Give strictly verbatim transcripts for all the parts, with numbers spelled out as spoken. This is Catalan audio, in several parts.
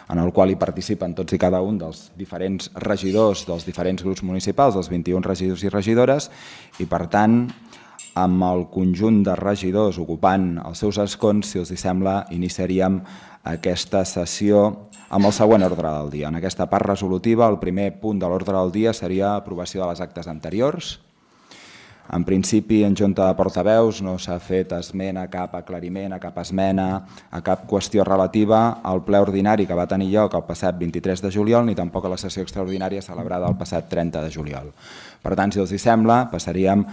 en el qual hi participen tots i cada un dels diferents regidors dels diferents grups municipals, dels vint-i-un regidors i regidores, i per tant, amb el conjunt de regidors ocupant els seus escons, si els sembla, iniciaríem aquesta sessió amb el següent ordre del dia. En aquesta part resolutiva, el primer punt de l'ordre del dia seria aprovació de les actes anteriors. En principi, en Junta de Portaveus no s'ha fet esment a cap aclariment, a cap esmena, a cap qüestió relativa al ple ordinari que va tenir lloc el passat vint-i-tres de juliol, ni tampoc a la sessió extraordinària celebrada el passat trenta de juliol. Per tant, si els hi sembla, passaríem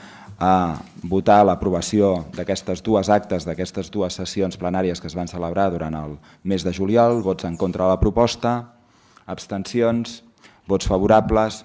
a votar l'aprovació d'aquestes dues actes, d'aquestes dues sessions plenàries que es van celebrar durant el mes de juliol. Vots en contra de la proposta, abstencions, vots favorables.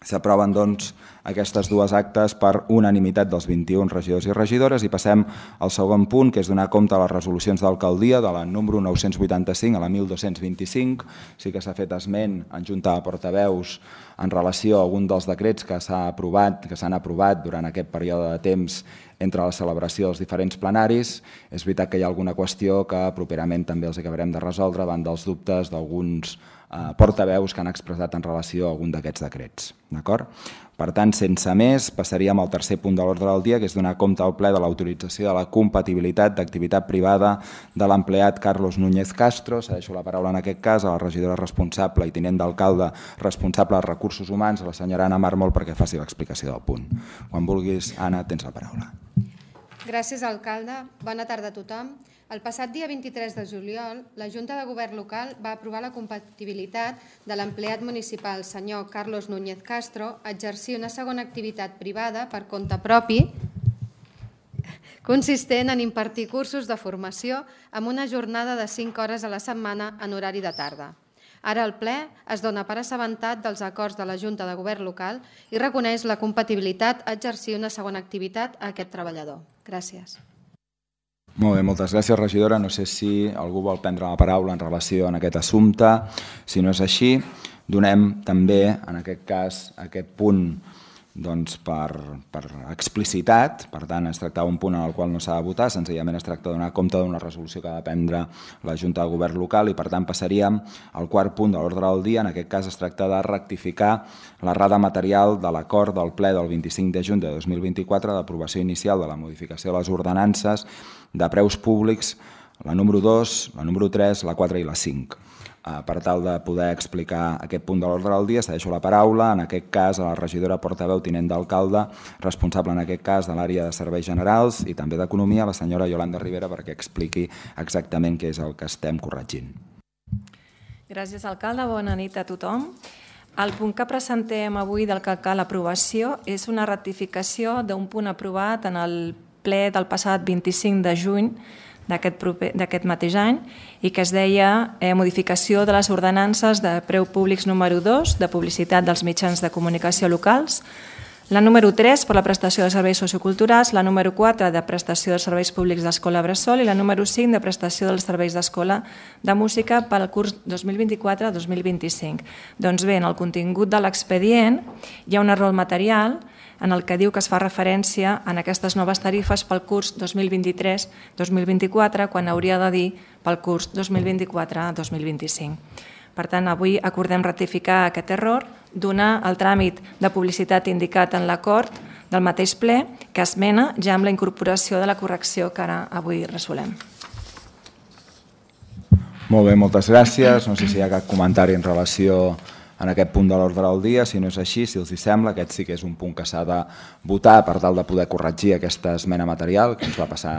S'aproven, doncs, aquestes dues actes per unanimitat dels vint-i-un regidors i regidores i passem al segon punt, que és donar compte de les resolucions d'alcaldia de la número nou-cents vuitanta-cinc a la mil dos-cents vint-i-cinc. Sí que s'ha fet esment en Junta de Portaveus en relació a algun dels decrets que s'ha aprovat, que s'han aprovat durant aquest període de temps entre la celebració dels diferents plenaris. És veritat que hi ha alguna qüestió que properament també els acabarem de resoldre davant dels dubtes d'alguns portaveus que han expressat en relació a algun d'aquests decrets. Per tant, sense més, passaríem al tercer punt de l'ordre del dia, que és donar compte al ple de l'autorització de la compatibilitat d'activitat privada de l'empleat Carlos Núñez Castro. Cedeixo la paraula en aquest cas a la regidora responsable i tinent d'alcalde responsable de recursos humans, a la senyora Anna Mármol, perquè faci l'explicació del punt. Quan vulguis, Anna, tens la paraula. Gràcies, alcalde. Bona tarda a tothom. El passat dia vint-i-tres de juliol, la Junta de Govern local va aprovar la compatibilitat de l'empleat municipal senyor Carlos Núñez Castro a exercir una segona activitat privada per compte propi consistent en impartir cursos de formació amb una jornada de cinc hores a la setmana en horari de tarda. Ara el ple es dona per assabentat dels acords de la Junta de Govern local i reconeix la compatibilitat a exercir una segona activitat a aquest treballador. Gràcies. Molt bé, moltes gràcies, regidora. No sé si algú vol prendre la paraula en relació a aquest assumpte. Si no és així, donem també, en aquest cas, aquest punt per explicitat. Per tant, es tracta d'un punt en el qual no s'ha de votar, senzillament es tracta de donar compte d'una resolució que ha de prendre la Junta de Govern local i, per tant, passaríem al quart punt de l'ordre del dia. En aquest cas es tracta de rectificar l'errada material de l'acord del ple del vint-i-cinc de juny de dos mil vint-i-quatre d'aprovació inicial de la modificació de les ordenances de preus públics, la número dos, la número tres, la quatre i la cinc. Per tal de poder explicar aquest punt de l'ordre del dia, cedeixo la paraula, en aquest cas, a la regidora portaveu tinent d'alcalde, responsable en aquest cas de l'àrea de serveis generals i també d'economia, la senyora Yolanda Rivera, perquè expliqui exactament què és el que estem corregint. Gràcies, alcalde. Bona nit a tothom. El punt que presentem avui del que cal aprovació és una ratificació d'un punt aprovat en el ple del passat vint-i-cinc de juny d'aquest mateix any i que es deia modificació de les ordenances de preu públics número dos de publicitat dels mitjans de comunicació locals, la número tres per la prestació de serveis socioculturals, la número quatre de prestació de serveis públics d'escola bressol i la número cinc de prestació dels serveis d'escola de música pel curs dos mil vint-i-quatre dos mil vint-i-cinc. Doncs bé, en el contingut de l'expedient hi ha un error material en el que diu que es fa referència en aquestes noves tarifes pel curs dos mil vint-i-tres dos mil vint-i-quatre, quan hauria de dir pel curs dos mil vint-i-quatre dos mil vint-i-cinc. Per tant, avui acordem ratificar aquest error, donar el tràmit de publicitat indicat en l'acord del mateix ple, que esmena ja amb la incorporació de la correcció que ara avui resolem. Molt bé, moltes gràcies. No sé si hi ha cap comentari en relació en aquest punt de l'ordre del dia. Si no és així, si els hi sembla, aquest sí que és un punt que s'ha de votar per tal de poder corregir aquesta esmena material que ens va passar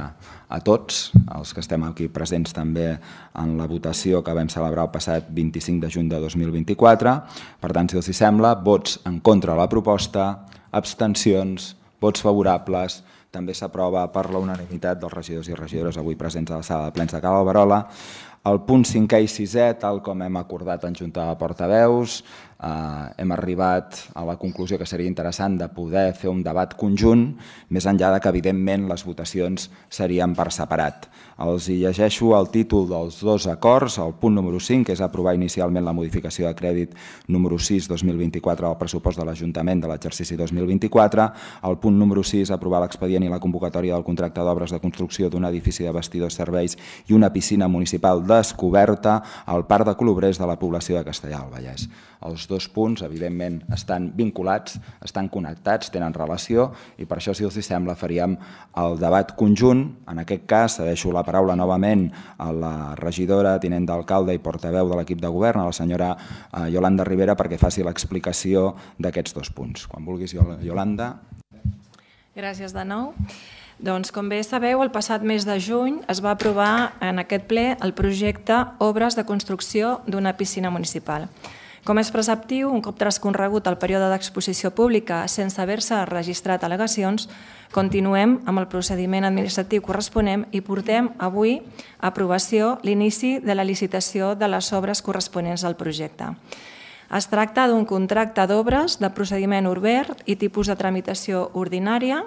a tots, els que estem aquí presents també en la votació que vam celebrar el passat vint-i-cinc de juny de dos mil vint-i-quatre. Per tant, si els hi sembla, vots en contra de la proposta, abstencions, vots favorables. També s'aprova per la unanimitat dels regidors i regidores avui presents a la sala de plens de Cal Alberola. El punt cinquè i sisè, tal com hem acordat en Junta de Portaveus, hem arribat a la conclusió que seria interessant de poder fer un debat conjunt, més enllà que, evidentment, les votacions serien per separat. Els hi llegeixo el títol dels dos acords. El punt número cinc, que és aprovar inicialment la modificació de crèdit número sis dos mil vint-i-quatre del pressupost de l'Ajuntament de l'exercici dos mil vint-i-quatre. El punt número sis, aprovar l'expedient i la convocatòria del contracte d'obres de construcció d'un edifici de vestidors serveis i una piscina municipal descoberta al Parc de Colobrers de la població de Castellar del Vallès. Els dos punts, evidentment, estan vinculats, estan connectats, tenen relació, i per això, si els sembla, faríem el debat conjunt. En aquest cas, cedeixo la paraula novament a la regidora, tinent d'alcalde i portaveu de l'equip de govern, a la senyora Yolanda Rivera, perquè faci l'explicació d'aquests dos punts. Quan vulguis, Yolanda. Gràcies de nou. Doncs, com bé sabeu, el passat mes de juny es va aprovar en aquest ple el projecte Obres de construcció d'una piscina municipal. Com és preceptiu, un cop transcorregut el període d'exposició pública sense haver-se registrat al·legacions, continuem amb el procediment administratiu corresponent i portem avui a aprovació l'inici de la licitació de les obres corresponents al projecte. Es tracta d'un contracte d'obres de procediment obert i tipus de tramitació ordinària.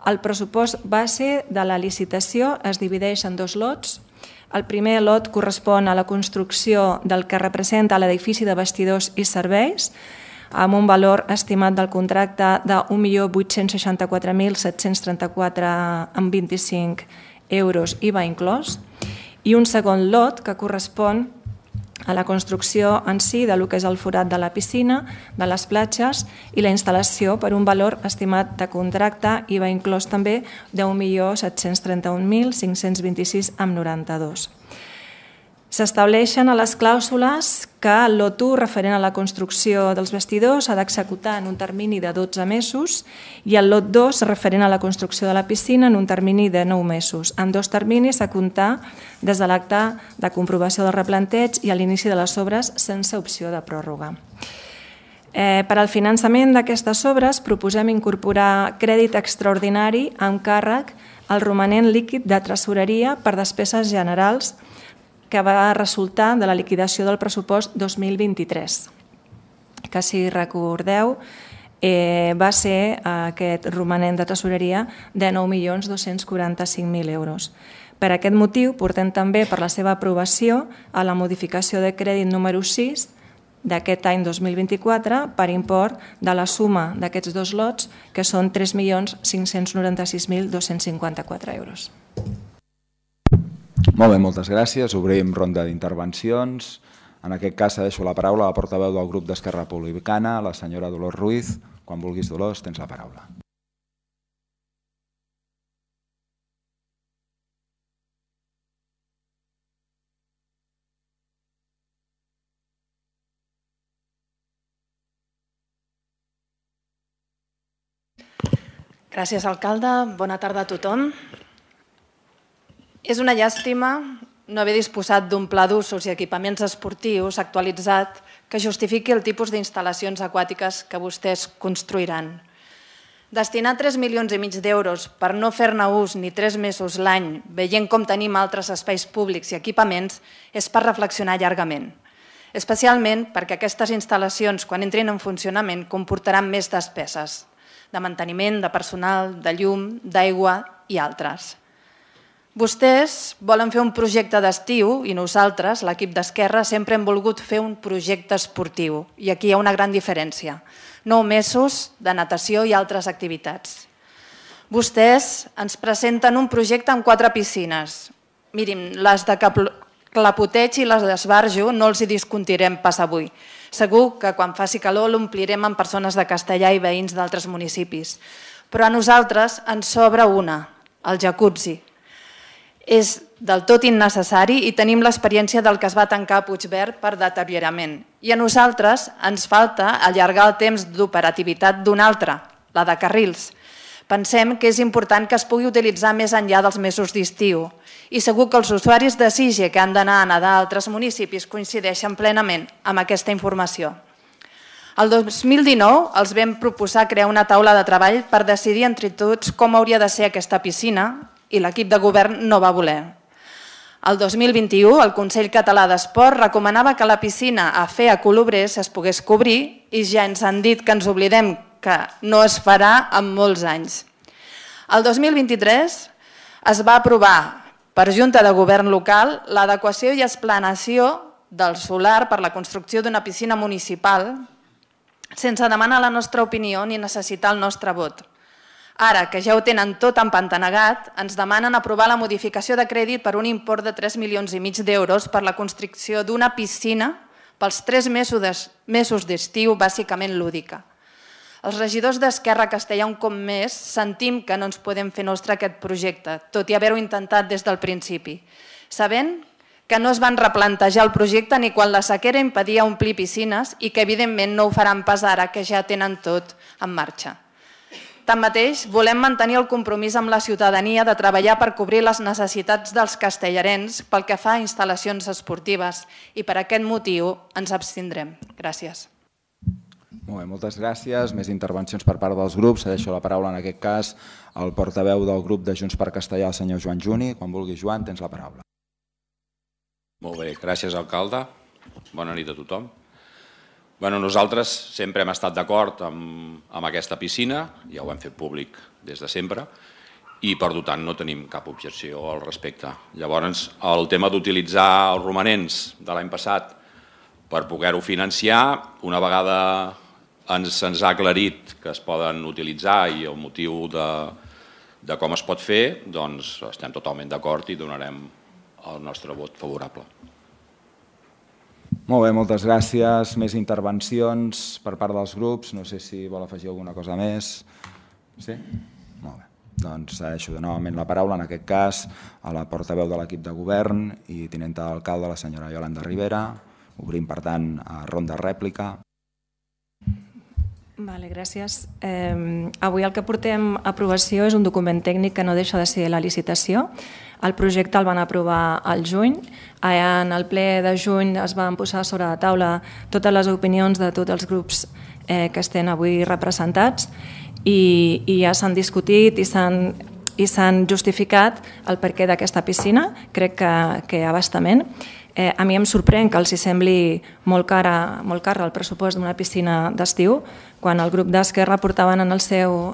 El pressupost base de la licitació es divideix en dos lots. El primer lot correspon a la construcció del que representa l'edifici de vestidors i serveis, amb un valor estimat del contracte de un milió vuit-cents seixanta-quatre mil set-cents trenta-quatre coma vint-i-cinc euros I V A inclòs, i un segon lot que correspon a la construcció en si del que és el forat de la piscina, de les platges i la instal·lació per un valor estimat de contracte I V A inclòs també d'un milió set-cents trenta-un mil cinc-cents vint-i-sis coma noranta-dos. S'estableixen a les clàusules que el lot u referent a la construcció dels vestidors s'ha d'executar en un termini de dotze mesos i el lot dos referent a la construcció de la piscina en un termini de nou mesos, amb dos terminis a comptar des de l'acte de comprovació del replanteig i a l'inici de les obres sense opció de pròrroga. Eh, per al finançament d'aquestes obres proposem incorporar crèdit extraordinari amb càrrec al romanent líquid de tresoreria per despeses generals que va resultar de la liquidació del pressupost dos mil vint-i-tres, que, si recordeu, eh, va ser aquest romanent de tresoreria de nou milions dos-cents quaranta-cinc mil euros. Per aquest motiu, portem també per la seva aprovació a la modificació de crèdit número sis d'aquest any dos mil vint-i-quatre per import de la suma d'aquests dos lots, que són tres milions cinc-cents noranta-sis mil dos-cents cinquanta-quatre euros. Molt bé, moltes gràcies. Obrim ronda d'intervencions. En aquest cas, cedeixo la paraula a la portaveu del grup d'Esquerra Republicana, la senyora Dolors Ruiz. Quan vulguis, Dolors, tens la paraula. Gràcies, alcalde. Bona tarda a tothom. És una llàstima no haver disposat d'un pla d'usos i equipaments esportius actualitzat que justifiqui el tipus d'instal·lacions aquàtiques que vostès construiran. Destinar tres milions i mig d'euros per no fer-ne ús ni tres mesos l'any, veient com tenim altres espais públics i equipaments, és per reflexionar llargament. Especialment perquè aquestes instal·lacions, quan entrin en funcionament, comportaran més despeses de manteniment, de personal, de llum, d'aigua i altres. Vostès volen fer un projecte d'estiu i nosaltres, l'equip d'Esquerra, sempre hem volgut fer un projecte esportiu. I aquí hi ha una gran diferència. Nou mesos de natació i altres activitats. Vostès ens presenten un projecte amb quatre piscines. Mirin, les de Clapoteig i les d'Esbarjo no els hi discutirem pas avui. Segur que quan faci calor l'omplirem amb persones de Castellar i veïns d'altres municipis. Però a nosaltres ens sobra una, el jacuzzi. És del tot innecessari i tenim l'experiència del que es va tancar a Puigverd per deteriorament. I a nosaltres ens falta allargar el temps d'operativitat d'una altra, la de carrils. Pensem que és important que es pugui utilitzar més enllà dels mesos d'estiu i segur que els usuaris de SIGE que han d'anar a nedar a altres municipis coincideixen plenament amb aquesta informació. El dos mil dinou els vam proposar crear una taula de treball per decidir entre tots com hauria de ser aquesta piscina i l'equip de govern no va voler. El dos mil vint-i-u, el Consell Català d'Esport recomanava que la piscina a fer a Colobrers es pogués cobrir i ja ens han dit que ens oblidem que no es farà en molts anys. El dos mil vint-i-tres es va aprovar per Junta de Govern local l'adequació i esplanació del solar per la construcció d'una piscina municipal sense demanar la nostra opinió ni necessitar el nostre vot. Ara, que ja ho tenen tot empantanegat, ens demanen aprovar la modificació de crèdit per un import de tres milions i mig d'euros per la construcció d'una piscina pels tres mesos d'estiu, bàsicament lúdica. Els regidors d'Esquerra Castellà, un cop més, sentim que no ens podem fer nostre aquest projecte, tot i haver-ho intentat des del principi, sabent que no es van replantejar el projecte ni quan la sequera impedia omplir piscines i que evidentment no ho faran pas ara que ja tenen tot en marxa. Tanmateix, volem mantenir el compromís amb la ciutadania de treballar per cobrir les necessitats dels castellarens pel que fa a instal·lacions esportives i per aquest motiu ens abstindrem. Gràcies. Molt bé, moltes gràcies. Més intervencions per part dels grups. Deixo la paraula en aquest cas al portaveu del grup de Junts per Castellà, el senyor Joan Juni. Quan vulgui, Joan, tens la paraula. Molt bé, gràcies, alcalde. Bona nit a tothom. Bueno, nosaltres sempre hem estat d'acord amb, amb aquesta piscina, ja ho hem fet públic des de sempre, i per tant no tenim cap objecció al respecte. Llavors, el tema d'utilitzar els romanents de l'any passat per poder-ho financiar, una vegada ens, ens ha aclarit que es poden utilitzar i el motiu de, de com es pot fer, doncs estem totalment d'acord i donarem el nostre vot favorable. Molt bé, moltes gràcies. Més intervencions per part dels grups. No sé si vol afegir alguna cosa més. Sí? Molt bé. Doncs deixo de novament la paraula, en aquest cas, a la portaveu de l'equip de govern i tinenta d'alcalde, la senyora Iolanda Rivera. Obrim, per tant, a ronda rèplica. Vale, gràcies. Eh, avui el que portem a aprovació és un document tècnic que no deixa de ser la licitació. El projecte el van aprovar al juny. En el ple de juny es van posar sobre la taula totes les opinions de tots els grups eh, que estan avui representats i, i ja s'han discutit i s'han i s'han justificat el perquè d'aquesta piscina, crec que, que abastament. Eh, a mi em sorprèn que els sembli molt cara, molt cara el pressupost d'una piscina d'estiu, quan el grup d'Esquerra portaven en el seu,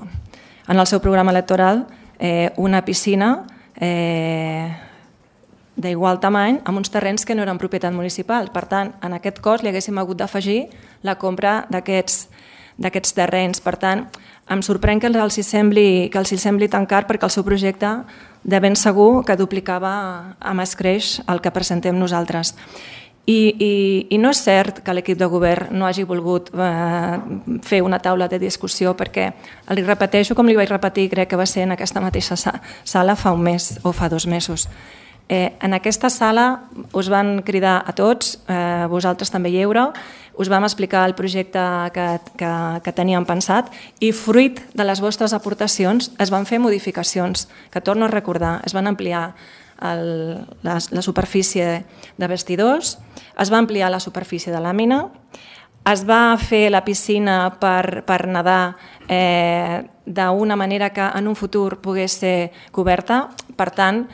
en el seu programa electoral eh, una piscina eh, d'igual tamany amb uns terrenys que no eren propietat municipal. Per tant, en aquest cost li haguéssim hagut d'afegir la compra d'aquests d'aquests terrenys. Per tant, em sorprèn que els hi sembli, que els hi sembli tan car perquè el seu projecte de ben segur que duplicava amb escreix el que presentem nosaltres. I, i, i no és cert que l'equip de govern no hagi volgut eh, fer una taula de discussió perquè, li repeteixo com li vaig repetir, crec que va ser en aquesta mateixa sala fa un mes o fa dos mesos. Eh, en aquesta sala us van cridar a tots, eh, vosaltres també hi éreu, us vam explicar el projecte que, que, que teníem pensat i fruit de les vostres aportacions es van fer modificacions, que torno a recordar, es van ampliar el, la, la superfície de vestidors, es va ampliar la superfície de làmina, es va fer la piscina per, per nedar eh, d'una manera que en un futur pogués ser coberta, per tant,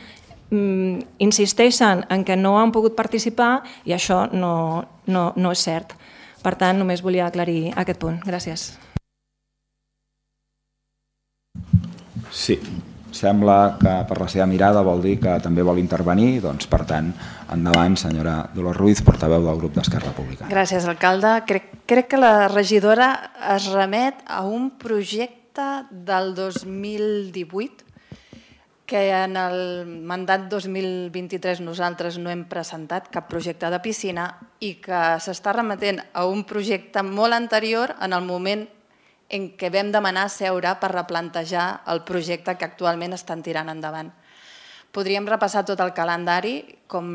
insisteixen en que no han pogut participar i això no, no, no és cert. Per tant, només volia aclarir aquest punt. Gràcies. Sí, sembla que per la seva mirada vol dir que també vol intervenir, doncs per tant, endavant, senyora Dolors Ruiz, portaveu del grup d'Esquerra Republicana. Gràcies, alcalde. Crec, crec que la regidora es remet a un projecte del dos mil divuit que en el mandat dos mil vint-i-tres nosaltres no hem presentat cap projecte de piscina i que s'està remetent a un projecte molt anterior en el moment en què vam demanar seure per replantejar el projecte que actualment estan tirant endavant. Podríem repassar tot el calendari com,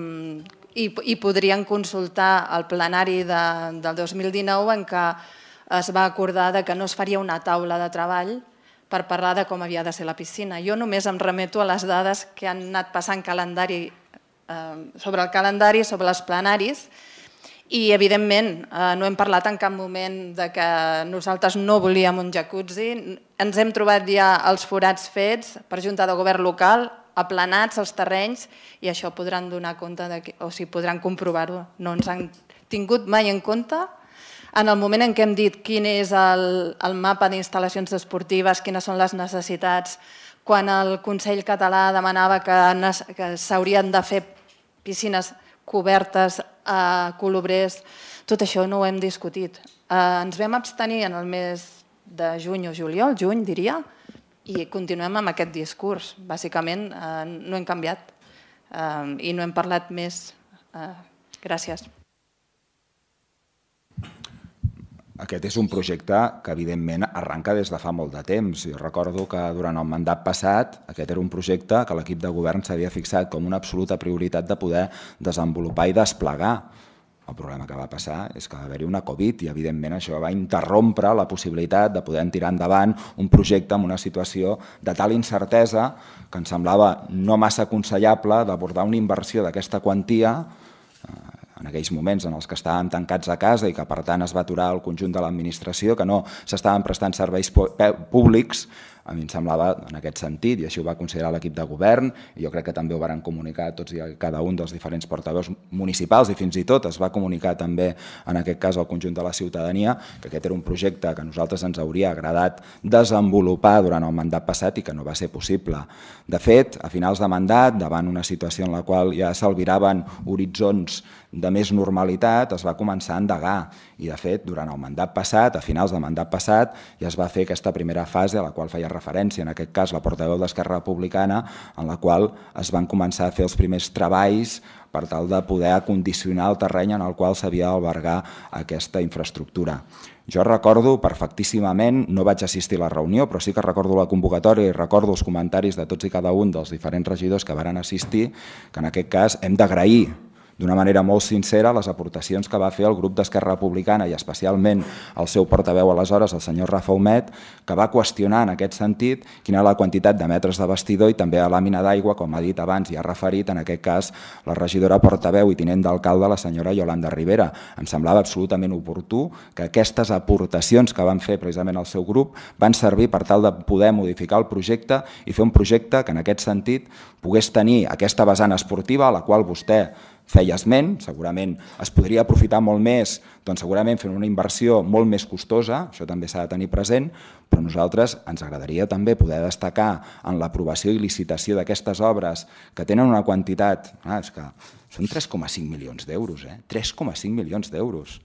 i, i podríem consultar el plenari de, del dos mil dinou en què es va acordar de que no es faria una taula de treball per parlar de com havia de ser la piscina. Jo només em remeto a les dades que han anat passant calendari, eh, sobre el calendari, sobre els plenaris, i evidentment eh, no hem parlat en cap moment de que nosaltres no volíem un jacuzzi, ens hem trobat ja els forats fets per Junta de Govern local, aplanats els terrenys, i això podran donar compte, de que, o sigui, podran comprovar-ho. No ens han tingut mai en compte. En el moment en què hem dit quin és el, el mapa d'instal·lacions esportives, quines són les necessitats, quan el Consell Català demanava que, que s'haurien de fer piscines cobertes a colobrers, tot això no ho hem discutit. Eh, ens vam abstenir en el mes de juny o juliol, juny diria, I continuem amb aquest discurs. Bàsicament no hem canviat i no hem parlat més. Gràcies. Aquest és un projecte que, evidentment, arranca des de fa molt de temps. Jo recordo que durant el mandat passat aquest era un projecte que l'equip de govern s'havia fixat com una absoluta prioritat de poder desenvolupar i desplegar. El problema que va passar és que va haver-hi una Covid i, evidentment, això va interrompre la possibilitat de poder tirar endavant un projecte en una situació de tal incertesa que ens semblava no massa aconsellable d'abordar una inversió d'aquesta quantia en aquells moments en els que estàvem tancats a casa i que per tant es va aturar el conjunt de l'administració, que no s'estaven prestant serveis públics. A mi em semblava en aquest sentit, i així ho va considerar l'equip de govern, i jo crec que també ho varen comunicar tots i cada un dels diferents portaveus municipals, i fins i tot es va comunicar també en aquest cas al conjunt de la ciutadania, que aquest era un projecte que a nosaltres ens hauria agradat desenvolupar durant el mandat passat i que no va ser possible. De fet, a finals de mandat, davant una situació en la qual ja s'albiraven horitzons de més normalitat, es va començar a endegar. I, de fet, durant el mandat passat, a finals del mandat passat, ja es va fer aquesta primera fase a la qual feia referència, en aquest cas la portaveu d'Esquerra Republicana, en la qual es van començar a fer els primers treballs per tal de poder acondicionar el terreny en el qual s'havia d'albergar aquesta infraestructura. Jo recordo perfectíssimament, no vaig assistir a la reunió, però sí que recordo la convocatòria i recordo els comentaris de tots i cada un dels diferents regidors que varen assistir, que en aquest cas hem d'agrair d'una manera molt sincera les aportacions que va fer el grup d'Esquerra Republicana i especialment el seu portaveu aleshores, el senyor Rafa Humet, que va qüestionar en aquest sentit quina era la quantitat de metres de bastidor i també a làmina d'aigua, com ha dit abans i ha referit en aquest cas la regidora portaveu i tinent d'alcalde, la senyora Yolanda Rivera. Em semblava absolutament oportú que aquestes aportacions que van fer precisament el seu grup van servir per tal de poder modificar el projecte i fer un projecte que en aquest sentit pogués tenir aquesta vessant esportiva a la qual vostè feia esment, segurament es podria aprofitar molt més, doncs segurament fent una inversió molt més costosa, això també s'ha de tenir present, però a nosaltres ens agradaria també poder destacar en l'aprovació i licitació d'aquestes obres que tenen una quantitat, ah, és que són tres coma cinc milions d'euros, eh? tres coma cinc milions d'euros.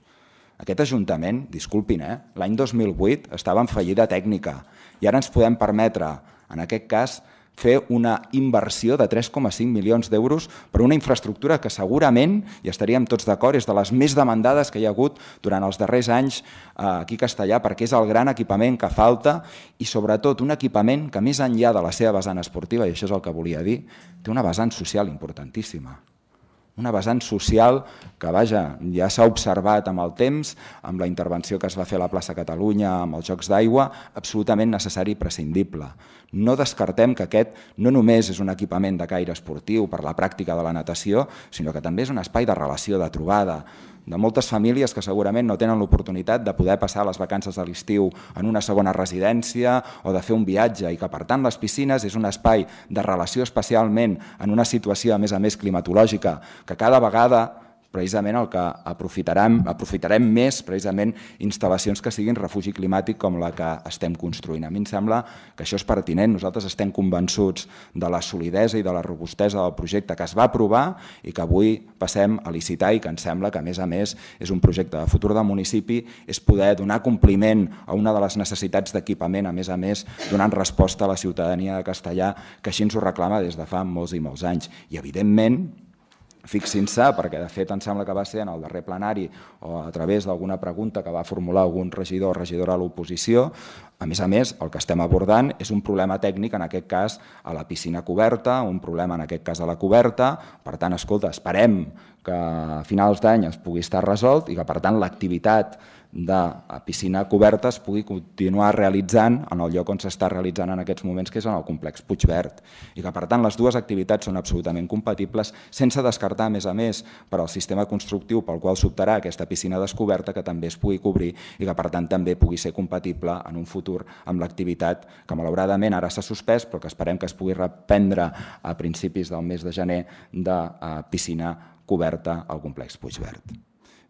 Aquest Ajuntament, disculpin, eh? l'any dos mil vuit estava en fallida tècnica i ara ens podem permetre, en aquest cas, fer una inversió de tres coma cinc milions d'euros per una infraestructura que segurament, i estaríem tots d'acord, és de les més demandades que hi ha hagut durant els darrers anys aquí a Castellar, perquè és el gran equipament que falta i sobretot un equipament que més enllà de la seva vessant esportiva, i això és el que volia dir, té una vessant social importantíssima. Una vessant social que, vaja, ja s'ha observat amb el temps, amb la intervenció que es va fer a la plaça Catalunya, amb els Jocs d'Aigua, absolutament necessari i prescindible. No descartem que aquest no només és un equipament de caire esportiu per la pràctica de la natació, sinó que també és un espai de relació, de trobada, de moltes famílies que segurament no tenen l'oportunitat de poder passar les vacances de l'estiu en una segona residència o de fer un viatge i que, per tant, les piscines és un espai de relació especialment en una situació, a més a més, climatològica, que cada vegada precisament el que aprofitarem, aprofitarem més precisament instal·lacions que siguin refugi climàtic com la que estem construint. A mi em sembla que això és pertinent. Nosaltres estem convençuts de la solidesa i de la robustesa del projecte que es va aprovar i que avui passem a licitar i que ens sembla que, a més a més, és un projecte de futur del municipi, és poder donar compliment a una de les necessitats d'equipament, a més a més, donant resposta a la ciutadania de Castellar, que així ens ho reclama des de fa molts i molts anys. I, evidentment, fixin-se, perquè de fet em sembla que va ser en el darrer plenari o a través d'alguna pregunta que va formular algun regidor o regidora a l'oposició, a més a més el que estem abordant és un problema tècnic, en aquest cas a la piscina coberta, un problema en aquest cas a la coberta, per tant, escolta, esperem que a finals d'any es pugui estar resolt i que per tant l'activitat de piscina coberta es pugui continuar realitzant en el lloc on s'està realitzant en aquests moments, que és en el complex Puigverd. I que, per tant, les dues activitats són absolutament compatibles, sense descartar, a més a més, per al sistema constructiu pel qual s'optarà aquesta piscina descoberta, que també es pugui cobrir i que, per tant, també pugui ser compatible en un futur amb l'activitat que, malauradament, ara s'ha suspès, però que esperem que es pugui reprendre a principis del mes de gener de piscina coberta al complex Puigverd.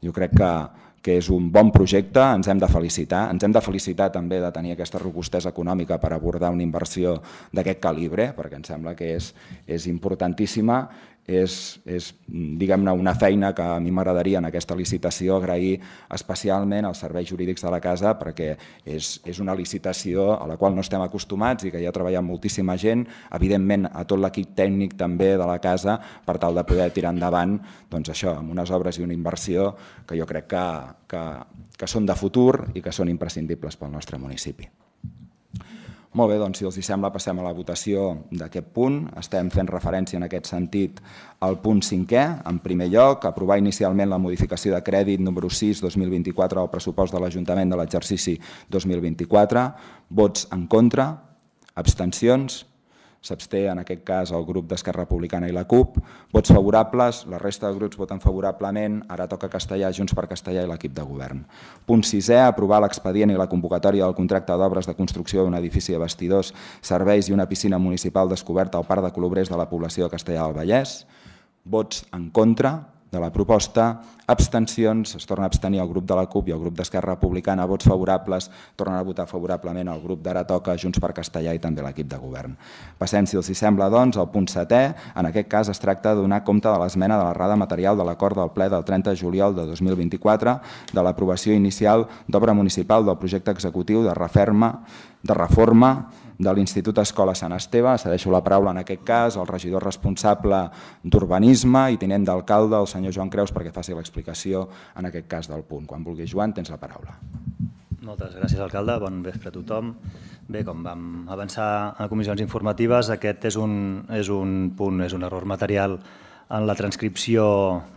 Jo crec que que és un bon projecte, ens hem de felicitar. Ens hem de felicitar també de tenir aquesta robustesa econòmica per abordar una inversió d'aquest calibre, perquè em sembla que és, és importantíssima. És, és diguem-ne, una feina que a mi m'agradaria en aquesta licitació agrair especialment als serveis jurídics de la casa, perquè és, és una licitació a la qual no estem acostumats i que hi ha treballat moltíssima gent, evidentment a tot l'equip tècnic també de la casa, per tal de poder tirar endavant doncs això, amb unes obres i una inversió que jo crec que, que, que són de futur i que són imprescindibles pel nostre municipi. Molt bé, doncs si els sembla passem a la votació d'aquest punt. Estem fent referència en aquest sentit al punt cinquè. En primer lloc, aprovar inicialment la modificació de crèdit número sis dos mil vint-i-quatre al pressupost de l'Ajuntament de l'exercici dos mil vint-i-quatre. Vots en contra, abstencions. S'absté en aquest cas el grup d'Esquerra Republicana i la CUP. Vots favorables, la resta de grups voten favorablement, ara toca Castellà, Junts per Castellà i l'equip de govern. Punt sisè, aprovar l'expedient i la convocatòria del contracte d'obres de construcció d'un edifici de vestidors, serveis i una piscina municipal descoberta al Parc de Colobrers de la població de Castellà del Vallès. Vots en contra de la proposta, abstencions, es torna a abstenir el grup de la CUP i el grup d'Esquerra Republicana, vots favorables, tornen a votar favorablement el grup d'Ara Toca, Junts per Castellà i també l'equip de govern. Passem, si els sembla, doncs, al punt setè. En aquest cas es tracta de donar compte de l'esmena de l'errada material de l'acord del ple del trenta de juliol de dos mil vint-i-quatre de l'aprovació inicial d'obra municipal del projecte executiu de reforma de reforma de l'Institut Escola Sant Esteve. Cedeixo la paraula en aquest cas al regidor responsable d'Urbanisme i tinent d'alcalde, el senyor Joan Creus, perquè faci l'explicació en aquest cas del punt. Quan vulgui, Joan, tens la paraula. Moltes gràcies, alcalde. Bon vespre a tothom. Bé, com vam avançar a comissions informatives, aquest és un, és un punt, és un error material en la transcripció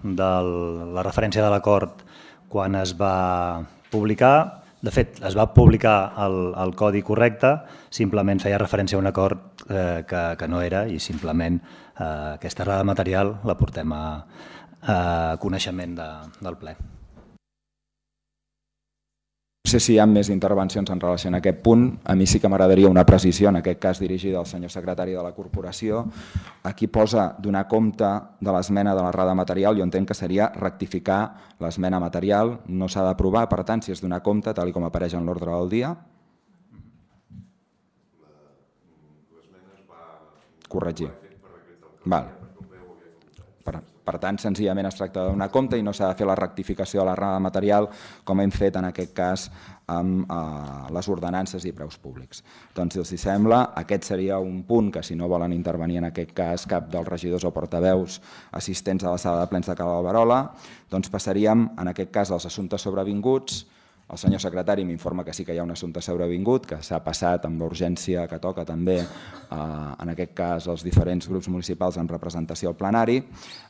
de la referència de l'acord quan es va publicar. De fet, es va publicar el, el codi correcte, simplement feia referència a un acord eh, que, que no era i simplement eh, aquesta errada material la portem a, a coneixement de, del ple. No sé si hi ha més intervencions en relació a aquest punt. A mi sí que m'agradaria una precisió, en aquest cas dirigida al senyor secretari de la corporació. Aquí posa donar compte de l'esmena de l'errada material. Jo entenc que seria rectificar l'esmena material. No s'ha d'aprovar, per tant, si és donar compte, tal com apareix en l'ordre del dia. Corregir. Val. Per, per tant, senzillament es tracta de donar compte i no s'ha de fer la rectificació de l'errada material com hem fet en aquest cas amb eh, les ordenances i preus públics. Doncs, si els sembla, aquest seria un punt que, si no volen intervenir en aquest cas cap dels regidors o portaveus assistents a la sala de plens de Cal Alberola, doncs passaríem en aquest cas als assumptes sobrevinguts. El senyor secretari m'informa que sí que hi ha un assumpte sobrevingut, que s'ha passat amb l'urgència que toca també, eh, en aquest cas, els diferents grups municipals en representació al plenari.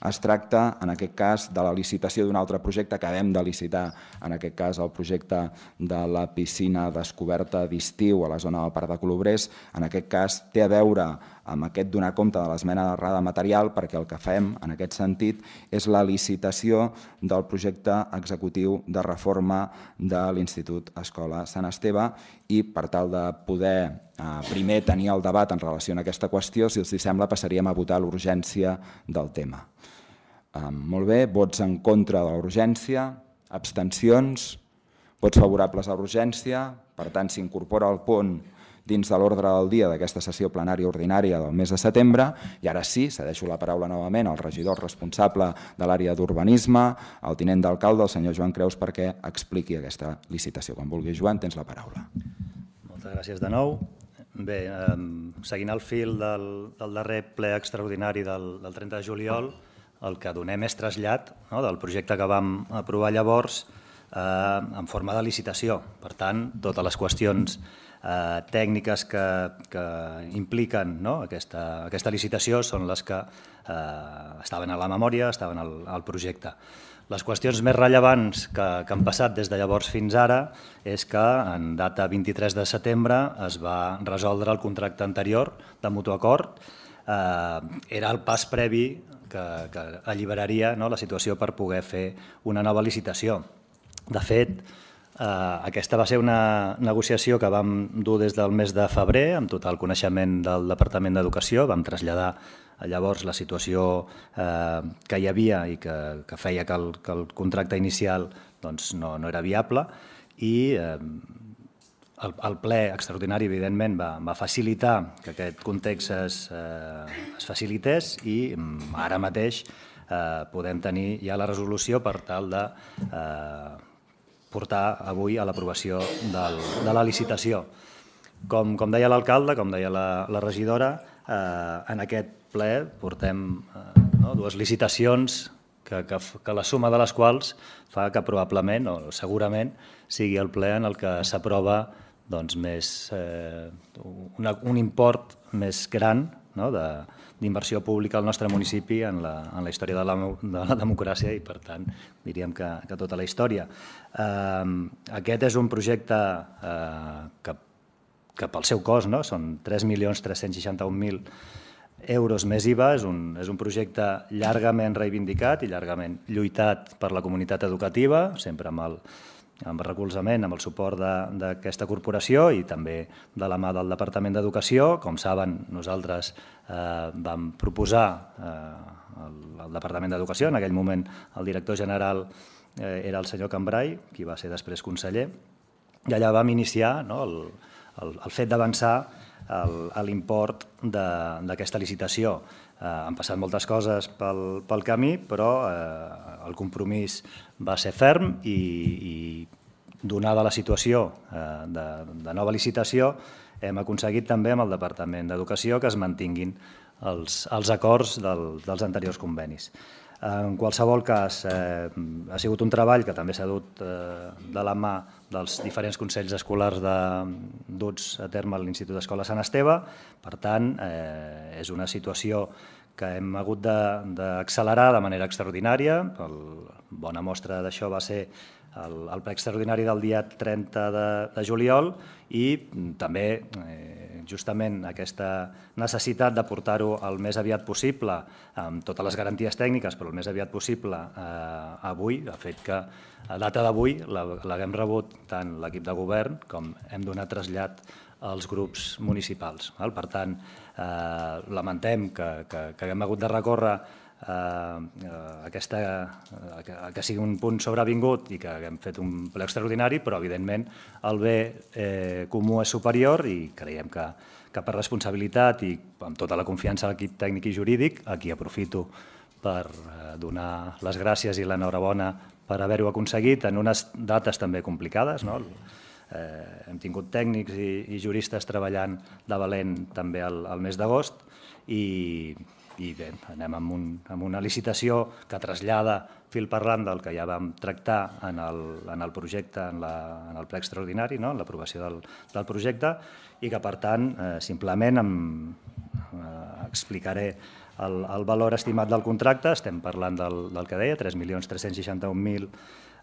Es tracta, en aquest cas, de la licitació d'un altre projecte que hem de licitar, en aquest cas, el projecte de la piscina descoberta d'estiu a la zona del Parc de Colobrers. En aquest cas, té a veure amb aquest donar compte de l'esmena d'errada material, perquè el que fem, en aquest sentit, és la licitació del projecte executiu de reforma de l'Institut Escola Sant Esteve i, per tal de poder eh, primer tenir el debat en relació a aquesta qüestió, si els sembla, passaríem a votar l'urgència del tema. Eh, molt bé, vots en contra de l'urgència, abstencions, vots favorables a l'urgència, per tant, s'incorpora el punt dins de l'ordre del dia d'aquesta sessió plenària ordinària del mes de setembre. I ara sí, cedeixo la paraula novament al regidor responsable de l'àrea d'urbanisme, al tinent d'alcalde, el senyor Joan Creus, perquè expliqui aquesta licitació. Quan vulgui, Joan, tens la paraula. Moltes gràcies de nou. Bé, eh, seguint el fil del, del darrer ple extraordinari del, del trenta de juliol, el que donem és trasllat, no?, del projecte que vam aprovar llavors eh, en forma de licitació. Per tant, totes les qüestions Eh, tècniques que, que impliquen, no?, aquesta, aquesta licitació són les que eh, estaven a la memòria, estaven al, al projecte. Les qüestions més rellevants que, que han passat des de llavors fins ara és que en data vint-i-tres de setembre es va resoldre el contracte anterior de mutu acord. Eh, era el pas previ que, que alliberaria, no?, la situació per poder fer una nova licitació. De fet, Uh, aquesta va ser una negociació que vam dur des del mes de febrer, amb total coneixement del Departament d'Educació. Vam traslladar llavors la situació eh, que hi havia i que, que feia que el, que el contracte inicial doncs, no, no era viable i eh, el, el ple extraordinari, evidentment, va, va facilitar que aquest context es, eh, es facilités i ara mateix eh, podem tenir ja la resolució per tal de eh, portar avui a l'aprovació de la licitació. Com, com deia l'alcalde, com deia la, la regidora, eh, en aquest ple portem eh, no, dues licitacions que, que, que la suma de les quals fa que probablement o segurament sigui el ple en el que s'aprova doncs, més, eh, una, un import més gran, no, d'inversió pública al nostre municipi en la, en la història de la, de la democràcia i, per tant, diríem que, que tota la història. Eh, aquest és un projecte eh, que, que pel seu cost, no, són tres milions tres-cents seixanta-un mil euros més I V A, és un, és un projecte llargament reivindicat i llargament lluitat per la comunitat educativa, sempre amb el, amb el recolzament, amb el suport d'aquesta corporació i també de la mà del Departament d'Educació. Com saben, nosaltres eh, vam proposar eh, el, el Departament d'Educació, en aquell moment el director general eh, era el senyor Cambrai, qui va ser després conseller, i allà vam iniciar, no, el, el, el fet d'avançar l'import d'aquesta licitació. Eh, han passat moltes coses pel, pel camí, però eh, el compromís va ser ferm i, i donada la situació eh, de, de nova licitació, hem aconseguit també amb el Departament d'Educació que es mantinguin els, els acords del, dels anteriors convenis. En qualsevol cas, eh, ha sigut un treball que també s'ha dut eh, de la mà dels diferents consells escolars de, duts a terme a l'Institut d'Escola Sant Esteve. Per tant, eh, és una situació que hem hagut d'accelerar de, de manera extraordinària. El, bona mostra d'això va ser el, el ple extraordinari del dia trenta de, de juliol i també eh, justament aquesta necessitat de portar-ho el més aviat possible, amb totes les garanties tècniques, però el més aviat possible eh, avui, ha fet que a data d'avui l'haguem rebut tant l'equip de govern com hem donat trasllat als grups municipals. Per tant, eh, lamentem que, que, que haguem hagut de recórrer eh, aquesta, que, que sigui un punt sobrevingut i que haguem fet un ple extraordinari, però evidentment el bé eh, comú és superior i creiem que, que per responsabilitat i amb tota la confiança a l'equip tècnic i jurídic, aquí aprofito per eh, donar les gràcies i l'enhorabona per haver-ho aconseguit en unes dates també complicades, no? Eh, hem tingut tècnics i, i juristes treballant de valent també al, al mes d'agost i, i bé, anem amb, un, amb una licitació que trasllada fil parlant del que ja vam tractar en el, en el projecte, en, la, en el ple extraordinari, no? En l'aprovació del, del projecte i que per tant eh, simplement em, eh, explicaré el, el valor estimat del contracte. Estem parlant del, del que deia, tres milions tres-cents seixanta-un mil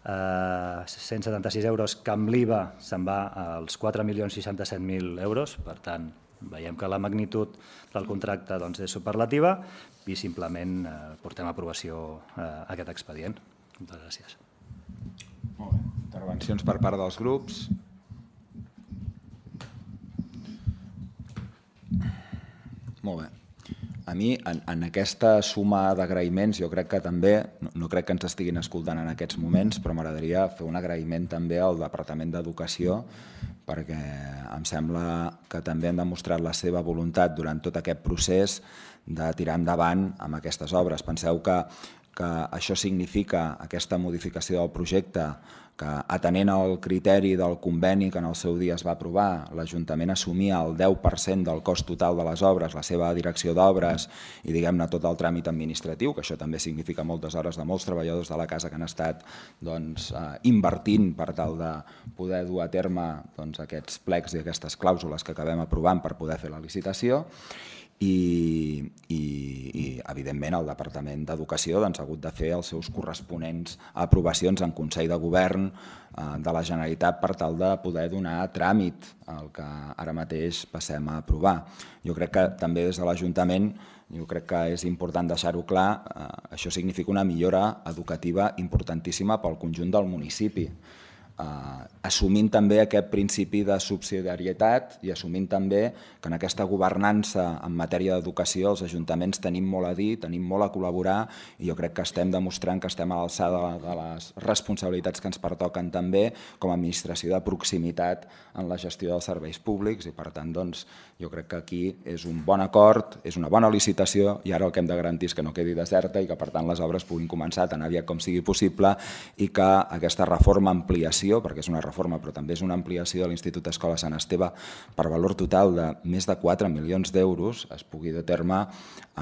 cent setanta-sis euros, que amb l'I V A se'n va als quatre milions seixanta-set mil euros. Per tant, veiem que la magnitud del contracte doncs, és superlativa i simplement eh, portem a aprovació eh, aquest expedient. Moltes gràcies. Molt bé. Intervencions per part dels grups. Molt bé. A mi, en, en aquesta suma d'agraïments, jo crec que també, no, no crec que ens estiguin escoltant en aquests moments, però m'agradaria fer un agraïment també al Departament d'Educació, perquè em sembla que també han demostrat la seva voluntat durant tot aquest procés de tirar endavant amb aquestes obres. Penseu que, que això significa, aquesta modificació del projecte, que atenent al criteri del conveni que en el seu dia es va aprovar, l'Ajuntament assumia el deu per cent del cost total de les obres, la seva direcció d'obres i diguem-ne tot el tràmit administratiu, que això també significa moltes hores de molts treballadors de la casa que han estat doncs, eh, invertint per tal de poder dur a terme doncs, aquests plecs i aquestes clàusules que acabem aprovant per poder fer la licitació. I, i, i evidentment el Departament d'Educació doncs, ha hagut de fer els seus corresponents aprovacions en Consell de Govern eh, de la Generalitat per tal de poder donar tràmit al que ara mateix passem a aprovar. Jo crec que també des de l'Ajuntament jo crec que és important deixar-ho clar, eh, això significa una millora educativa importantíssima pel conjunt del municipi. assumint també aquest principi de subsidiarietat i assumint també que en aquesta governança en matèria d'educació els ajuntaments tenim molt a dir, tenim molt a col·laborar i jo crec que estem demostrant que estem a l'alçada de les responsabilitats que ens pertoquen també com a administració de proximitat en la gestió dels serveis públics i per tant doncs, jo crec que aquí és un bon acord, és una bona licitació i ara el que hem de garantir és que no quedi deserta i que per tant les obres puguin començar tan aviat com sigui possible i que aquesta reforma ampliació, perquè és una reforma però també és una ampliació de l'Institut Escola Sant Esteve per valor total de més de quatre milions d'euros es pugui dur a terme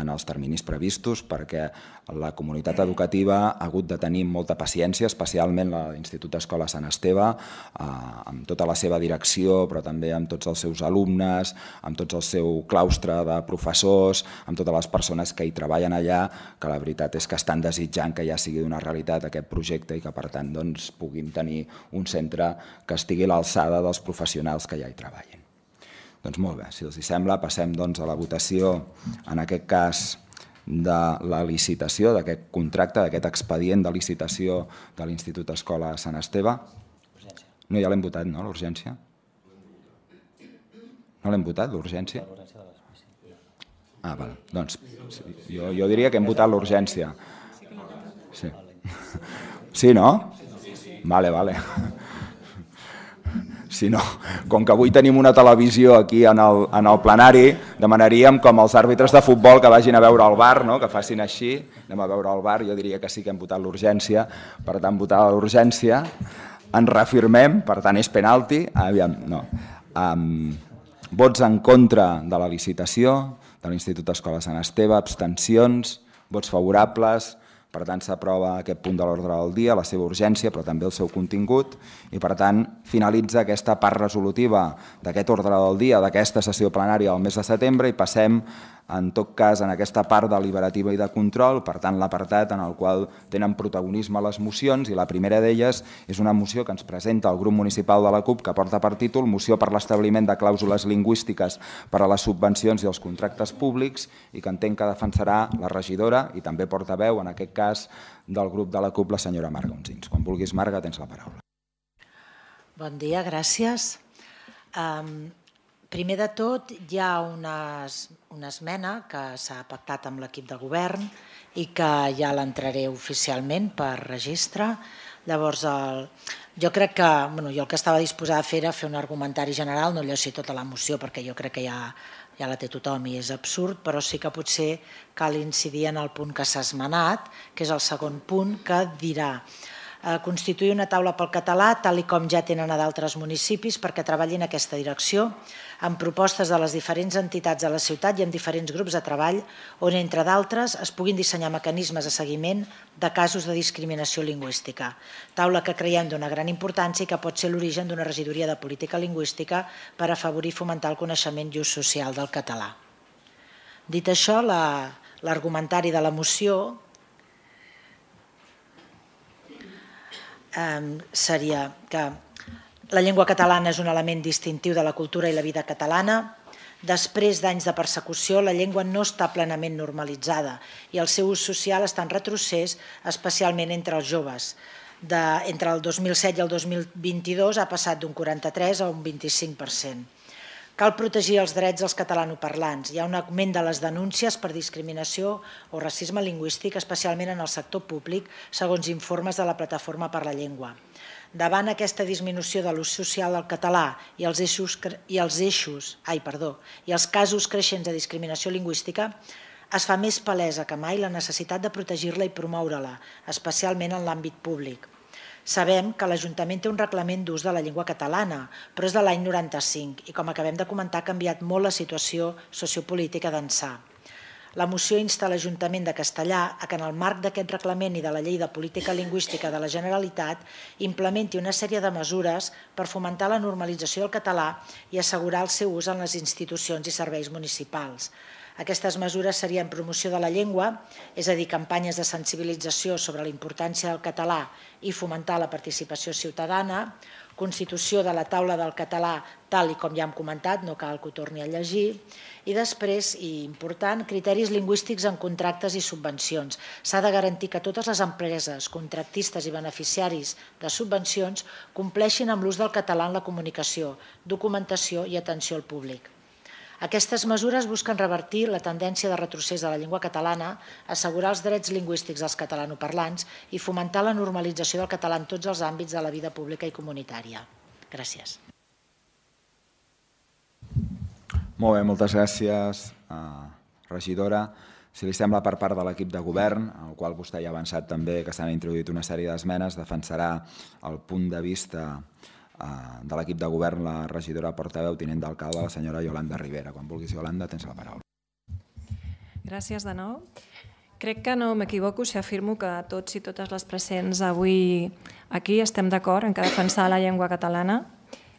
en els terminis previstos perquè la comunitat educativa ha hagut de tenir molta paciència, especialment l'Institut Escola Sant Esteve, amb tota la seva direcció però també amb tots els seus alumnes, amb tot el seu claustre de professors, amb totes les persones que hi treballen allà, que la veritat és que estan desitjant que ja sigui una realitat aquest projecte i que per tant doncs, puguin tenir un centre que estigui a l'alçada dels professionals que ja hi treballin. Doncs molt bé, si els sembla, passem doncs, a la votació, en aquest cas, de la licitació, d'aquest contracte, d'aquest expedient de licitació de l'Institut Escola Sant Esteve. No, ja l'hem votat, no, l'urgència? No l'hem votat, l'urgència? Ah, val. Doncs jo, jo diria que hem votat l'urgència. Sí. Sí, no? Vale, vale. Si no, com que avui tenim una televisió aquí en el, en el plenari, demanaríem com els àrbitres de futbol que vagin a veure el bar, no? Que facin així, anem a veure el bar, jo diria que sí que hem votat l'urgència, per tant, votar l'urgència, ens reafirmem, per tant, és penalti, aviam, no. Um, vots en contra de la licitació de l'Institut Escola Sant Esteve, abstencions, vots favorables, per tant s'aprova aquest punt de l'ordre del dia, la seva urgència, però també el seu contingut, i per tant finalitza aquesta part resolutiva d'aquest ordre del dia, d'aquesta sessió plenària del mes de setembre, i passem, en tot cas, en aquesta part deliberativa i de control, per tant l'apartat en el qual tenen protagonisme les mocions, i la primera d'elles és una moció que ens presenta el grup municipal de la CUP, que porta per títol Moció per l'establiment de clàusules lingüístiques per a les subvencions i els contractes públics, i que entenc que defensarà la regidora i també portaveu, en aquest cas, del grup de la CUP, la senyora Marga Unsins. Quan vulguis, Marga, tens la paraula. Bon dia, gràcies. Um, primer de tot, hi ha unes, una esmena que s'ha pactat amb l'equip de govern i que ja l'entraré oficialment per registre. Llavors, el, jo crec que, bueno, jo el que estava disposada a fer era fer un argumentari general, no llegir tota la moció perquè jo crec que ja, ja la té tothom i és absurd, però sí que potser cal incidir en el punt que s'ha esmenat, que és el segon punt, que dirà constituir una taula pel català, tal i com ja tenen a d'altres municipis, perquè treballin en aquesta direcció, amb propostes de les diferents entitats de la ciutat i amb diferents grups de treball, on, entre d'altres, es puguin dissenyar mecanismes de seguiment de casos de discriminació lingüística. Taula que creiem d'una gran importància i que pot ser l'origen d'una regidoria de política lingüística per afavorir i fomentar el coneixement i ús social del català. Dit això, l'argumentari de la moció seria que la llengua catalana és un element distintiu de la cultura i la vida catalana. Després d'anys de persecució, la llengua no està plenament normalitzada i el seu ús social està en retrocés, especialment entre els joves. De, entre el dos mil set i el dos mil vint-i-dos ha passat d'un quaranta-tres a un vint-i-cinc per cent. Cal protegir els drets dels catalanoparlants. Hi ha un augment de les denúncies per discriminació o racisme lingüístic, especialment en el sector públic, segons informes de la Plataforma per la Llengua. Davant aquesta disminució de l'ús social del català i els eixos, i els eixos, ai, perdó, i els casos creixents de discriminació lingüística, es fa més palesa que mai la necessitat de protegir-la i promoure-la, especialment en l'àmbit públic. Sabem que l'Ajuntament té un reglament d'ús de la llengua catalana, però és de l'any noranta-cinc i, com acabem de comentar, ha canviat molt la situació sociopolítica d'ençà. La moció insta l'Ajuntament de Castellar a que en el marc d'aquest reglament i de la Llei de Política Lingüística de la Generalitat implementi una sèrie de mesures per fomentar la normalització del català i assegurar el seu ús en les institucions i serveis municipals. Aquestes mesures serien promoció de la llengua, és a dir, campanyes de sensibilització sobre la importància del català i fomentar la participació ciutadana, constitució de la taula del català, tal i com ja hem comentat, no cal que ho torni a llegir, i després, i important, criteris lingüístics en contractes i subvencions. S'ha de garantir que totes les empreses, contractistes i beneficiaris de subvencions compleixin amb l'ús del català en la comunicació, documentació i atenció al públic. Aquestes mesures busquen revertir la tendència de retrocés de la llengua catalana, assegurar els drets lingüístics dels catalanoparlants i fomentar la normalització del català en tots els àmbits de la vida pública i comunitària. Gràcies. Molt bé, moltes gràcies, regidora. Si li sembla, per part de l'equip de govern, al qual vostè ja ha avançat també que s'han introduït una sèrie d'esmenes, defensarà el punt de vista de l'equip de govern la regidora portaveu tinent d'alcalde, la senyora Yolanda Rivera. Quan vulguis, Yolanda, tens la paraula. Gràcies de nou. Crec que no m'equivoco si afirmo que tots i totes les presents avui aquí estem d'acord en que defensar la llengua catalana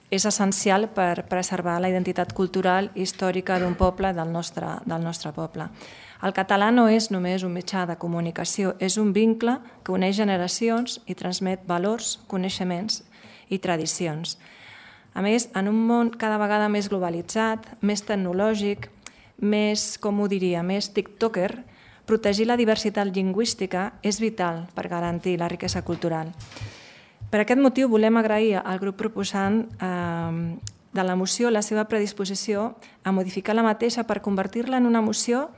és essencial per preservar la identitat cultural i històrica d'un poble, del nostre, del nostre poble. El català no és només un mitjà de comunicació, és un vincle que uneix generacions i transmet valors, coneixements i tradicions. A més, en un món cada vegada més globalitzat, més tecnològic, més, com ho diria, més tiktoker, protegir la diversitat lingüística és vital per garantir la riquesa cultural. Per aquest motiu volem agrair al grup proposant eh, de la moció la seva predisposició a modificar la mateixa per convertir-la en una moció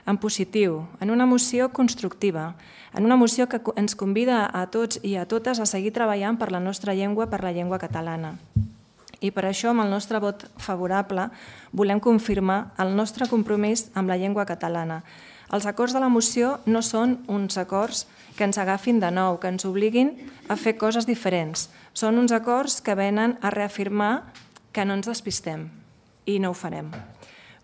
en positiu, en una moció constructiva, en una moció que ens convida a tots i a totes a seguir treballant per la nostra llengua, per la llengua catalana. I per això, amb el nostre vot favorable, volem confirmar el nostre compromís amb la llengua catalana. Els acords de la moció no són uns acords que ens agafin de nou, que ens obliguin a fer coses diferents. Són uns acords que venen a reafirmar que no ens despistem i no ho farem.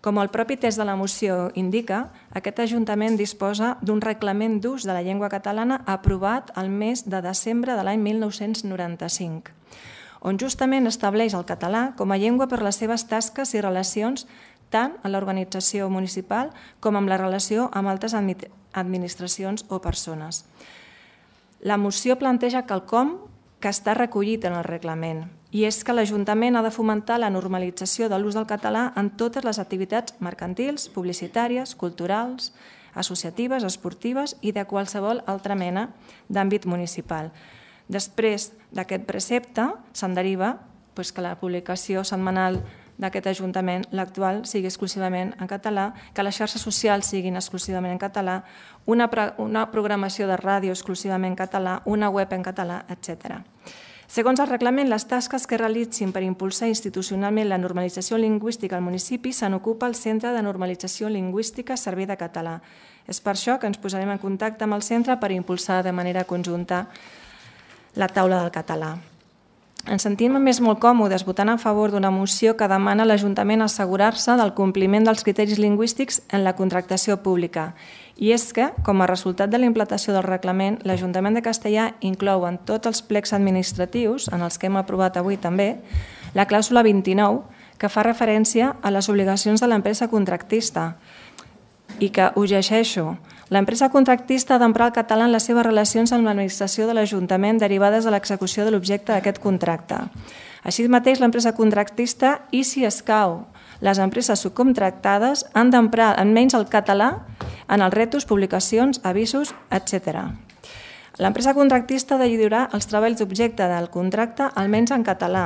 Com el propi text de la moció indica, aquest Ajuntament disposa d'un reglament d'ús de la llengua catalana aprovat el mes de desembre de l'any mil nou-cents noranta-cinc, on justament estableix el català com a llengua per les seves tasques i relacions tant en l'organització municipal com amb la relació amb altres administracions o persones. La moció planteja quelcom que està recollit en el reglament, i és que l'Ajuntament ha de fomentar la normalització de l'ús del català en totes les activitats mercantils, publicitàries, culturals, associatives, esportives i de qualsevol altra mena d'àmbit municipal. Després d'aquest precepte se'n deriva que la publicació setmanal d'aquest Ajuntament, l'actual, sigui exclusivament en català, que les xarxes socials siguin exclusivament en català, una programació de ràdio exclusivament en català, una web en català, etcètera. Segons el reglament, les tasques que realitzin per impulsar institucionalment la normalització lingüística al municipi se n'ocupa el Centre de Normalització Lingüística Servei de Català. És per això que ens posarem en contacte amb el centre per impulsar de manera conjunta la taula del català. Ens sentim més molt còmodes votant a favor d'una moció que demana a l'Ajuntament assegurar-se del compliment dels criteris lingüístics en la contractació pública. I és que, com a resultat de la implantació del reglament, l'Ajuntament de Castellar inclou en tots els plecs administratius, en els que hem aprovat avui també, la clàusula vint-i-nou, que fa referència a les obligacions de l'empresa contractista i que, ho llegeixo, l'empresa contractista ha d'emprar el català en les seves relacions amb l'administració de l'Ajuntament derivades de l'execució de l'objecte d'aquest contracte. Així mateix, l'empresa contractista i, si escau, les empreses subcontractades han d'emprar almenys el català en els retos, publicacions, avisos, etcètera. L'empresa contractista ha de lliurar els treballs d'objecte del contracte almenys en català,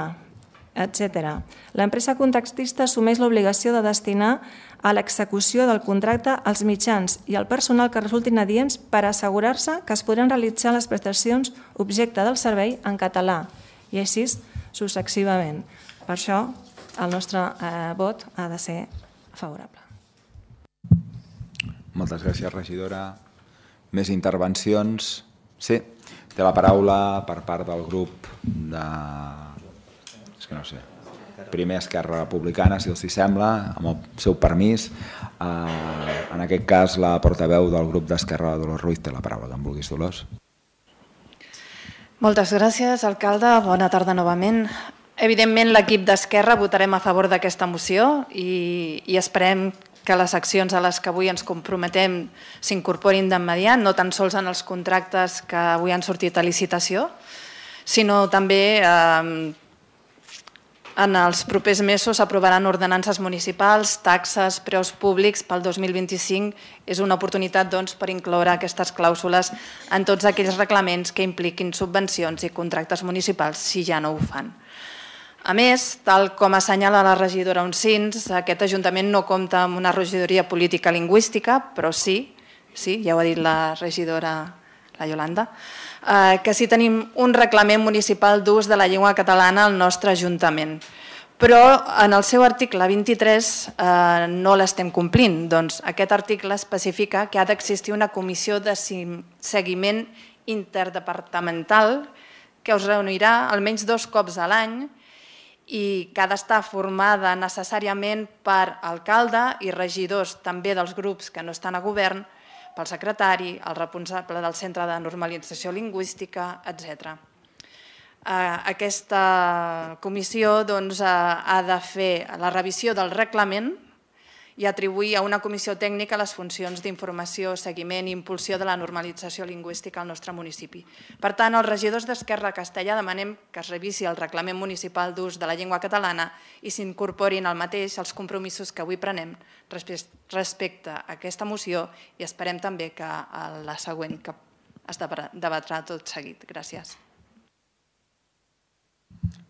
etcètera. L'empresa contractista assumeix l'obligació de destinar a l'execució del contracte els mitjans i el personal que resultin adients per assegurar-se que es podran realitzar les prestacions objecte del servei en català i així successivament. Per això el nostre eh, vot ha de ser favorable. Moltes gràcies, regidora. Més intervencions? Sí, té la paraula per part del grup de... És que no sé. Primer Esquerra Republicana, si els hi sembla, amb el seu permís. En aquest cas, la portaveu del grup d'Esquerra, Dolors Ruiz, té la paraula, que en vulguis, Dolors. Moltes gràcies, alcalde. Bona tarda novament. Evidentment, l'equip d'Esquerra votarem a favor d'aquesta moció i, i esperem que les accions a les que avui ens comprometem s'incorporin d'immediat, no tan sols en els contractes que avui han sortit a licitació, sinó també eh, en els propers mesos s'aprovaran ordenances municipals, taxes, preus públics pel dos mil vint-i-cinc. És una oportunitat doncs, per incloure aquestes clàusules en tots aquells reglaments que impliquin subvencions i contractes municipals, si ja no ho fan. A més, tal com assenyala la regidora Uncins, aquest Ajuntament no compta amb una regidoria política lingüística, però sí, sí, ja ho ha dit la regidora, la Iolanda, que sí tenim un reglament municipal d'ús de la llengua catalana al nostre Ajuntament. Però en el seu article vint-i-tres no l'estem complint. Doncs aquest article especifica que ha d'existir una comissió de seguiment interdepartamental que us reunirà almenys dos cops a l'any i que ha d'estar formada necessàriament per alcalde i regidors també dels grups que no estan a govern, pel secretari, el responsable del Centre de Normalització Lingüística, etcètera. Aquesta comissió ha de fer la revisió del reglament i atribuir a una comissió tècnica les funcions d'informació, seguiment i impulsió de la normalització lingüística al nostre municipi. Per tant, els regidors d'Esquerra Castellà demanem que es revisi el reglament municipal d'ús de la llengua catalana i s'incorporin al mateix els compromisos que avui prenem respecte a aquesta moció i esperem també que la següent que es debatrà tot seguit. Gràcies.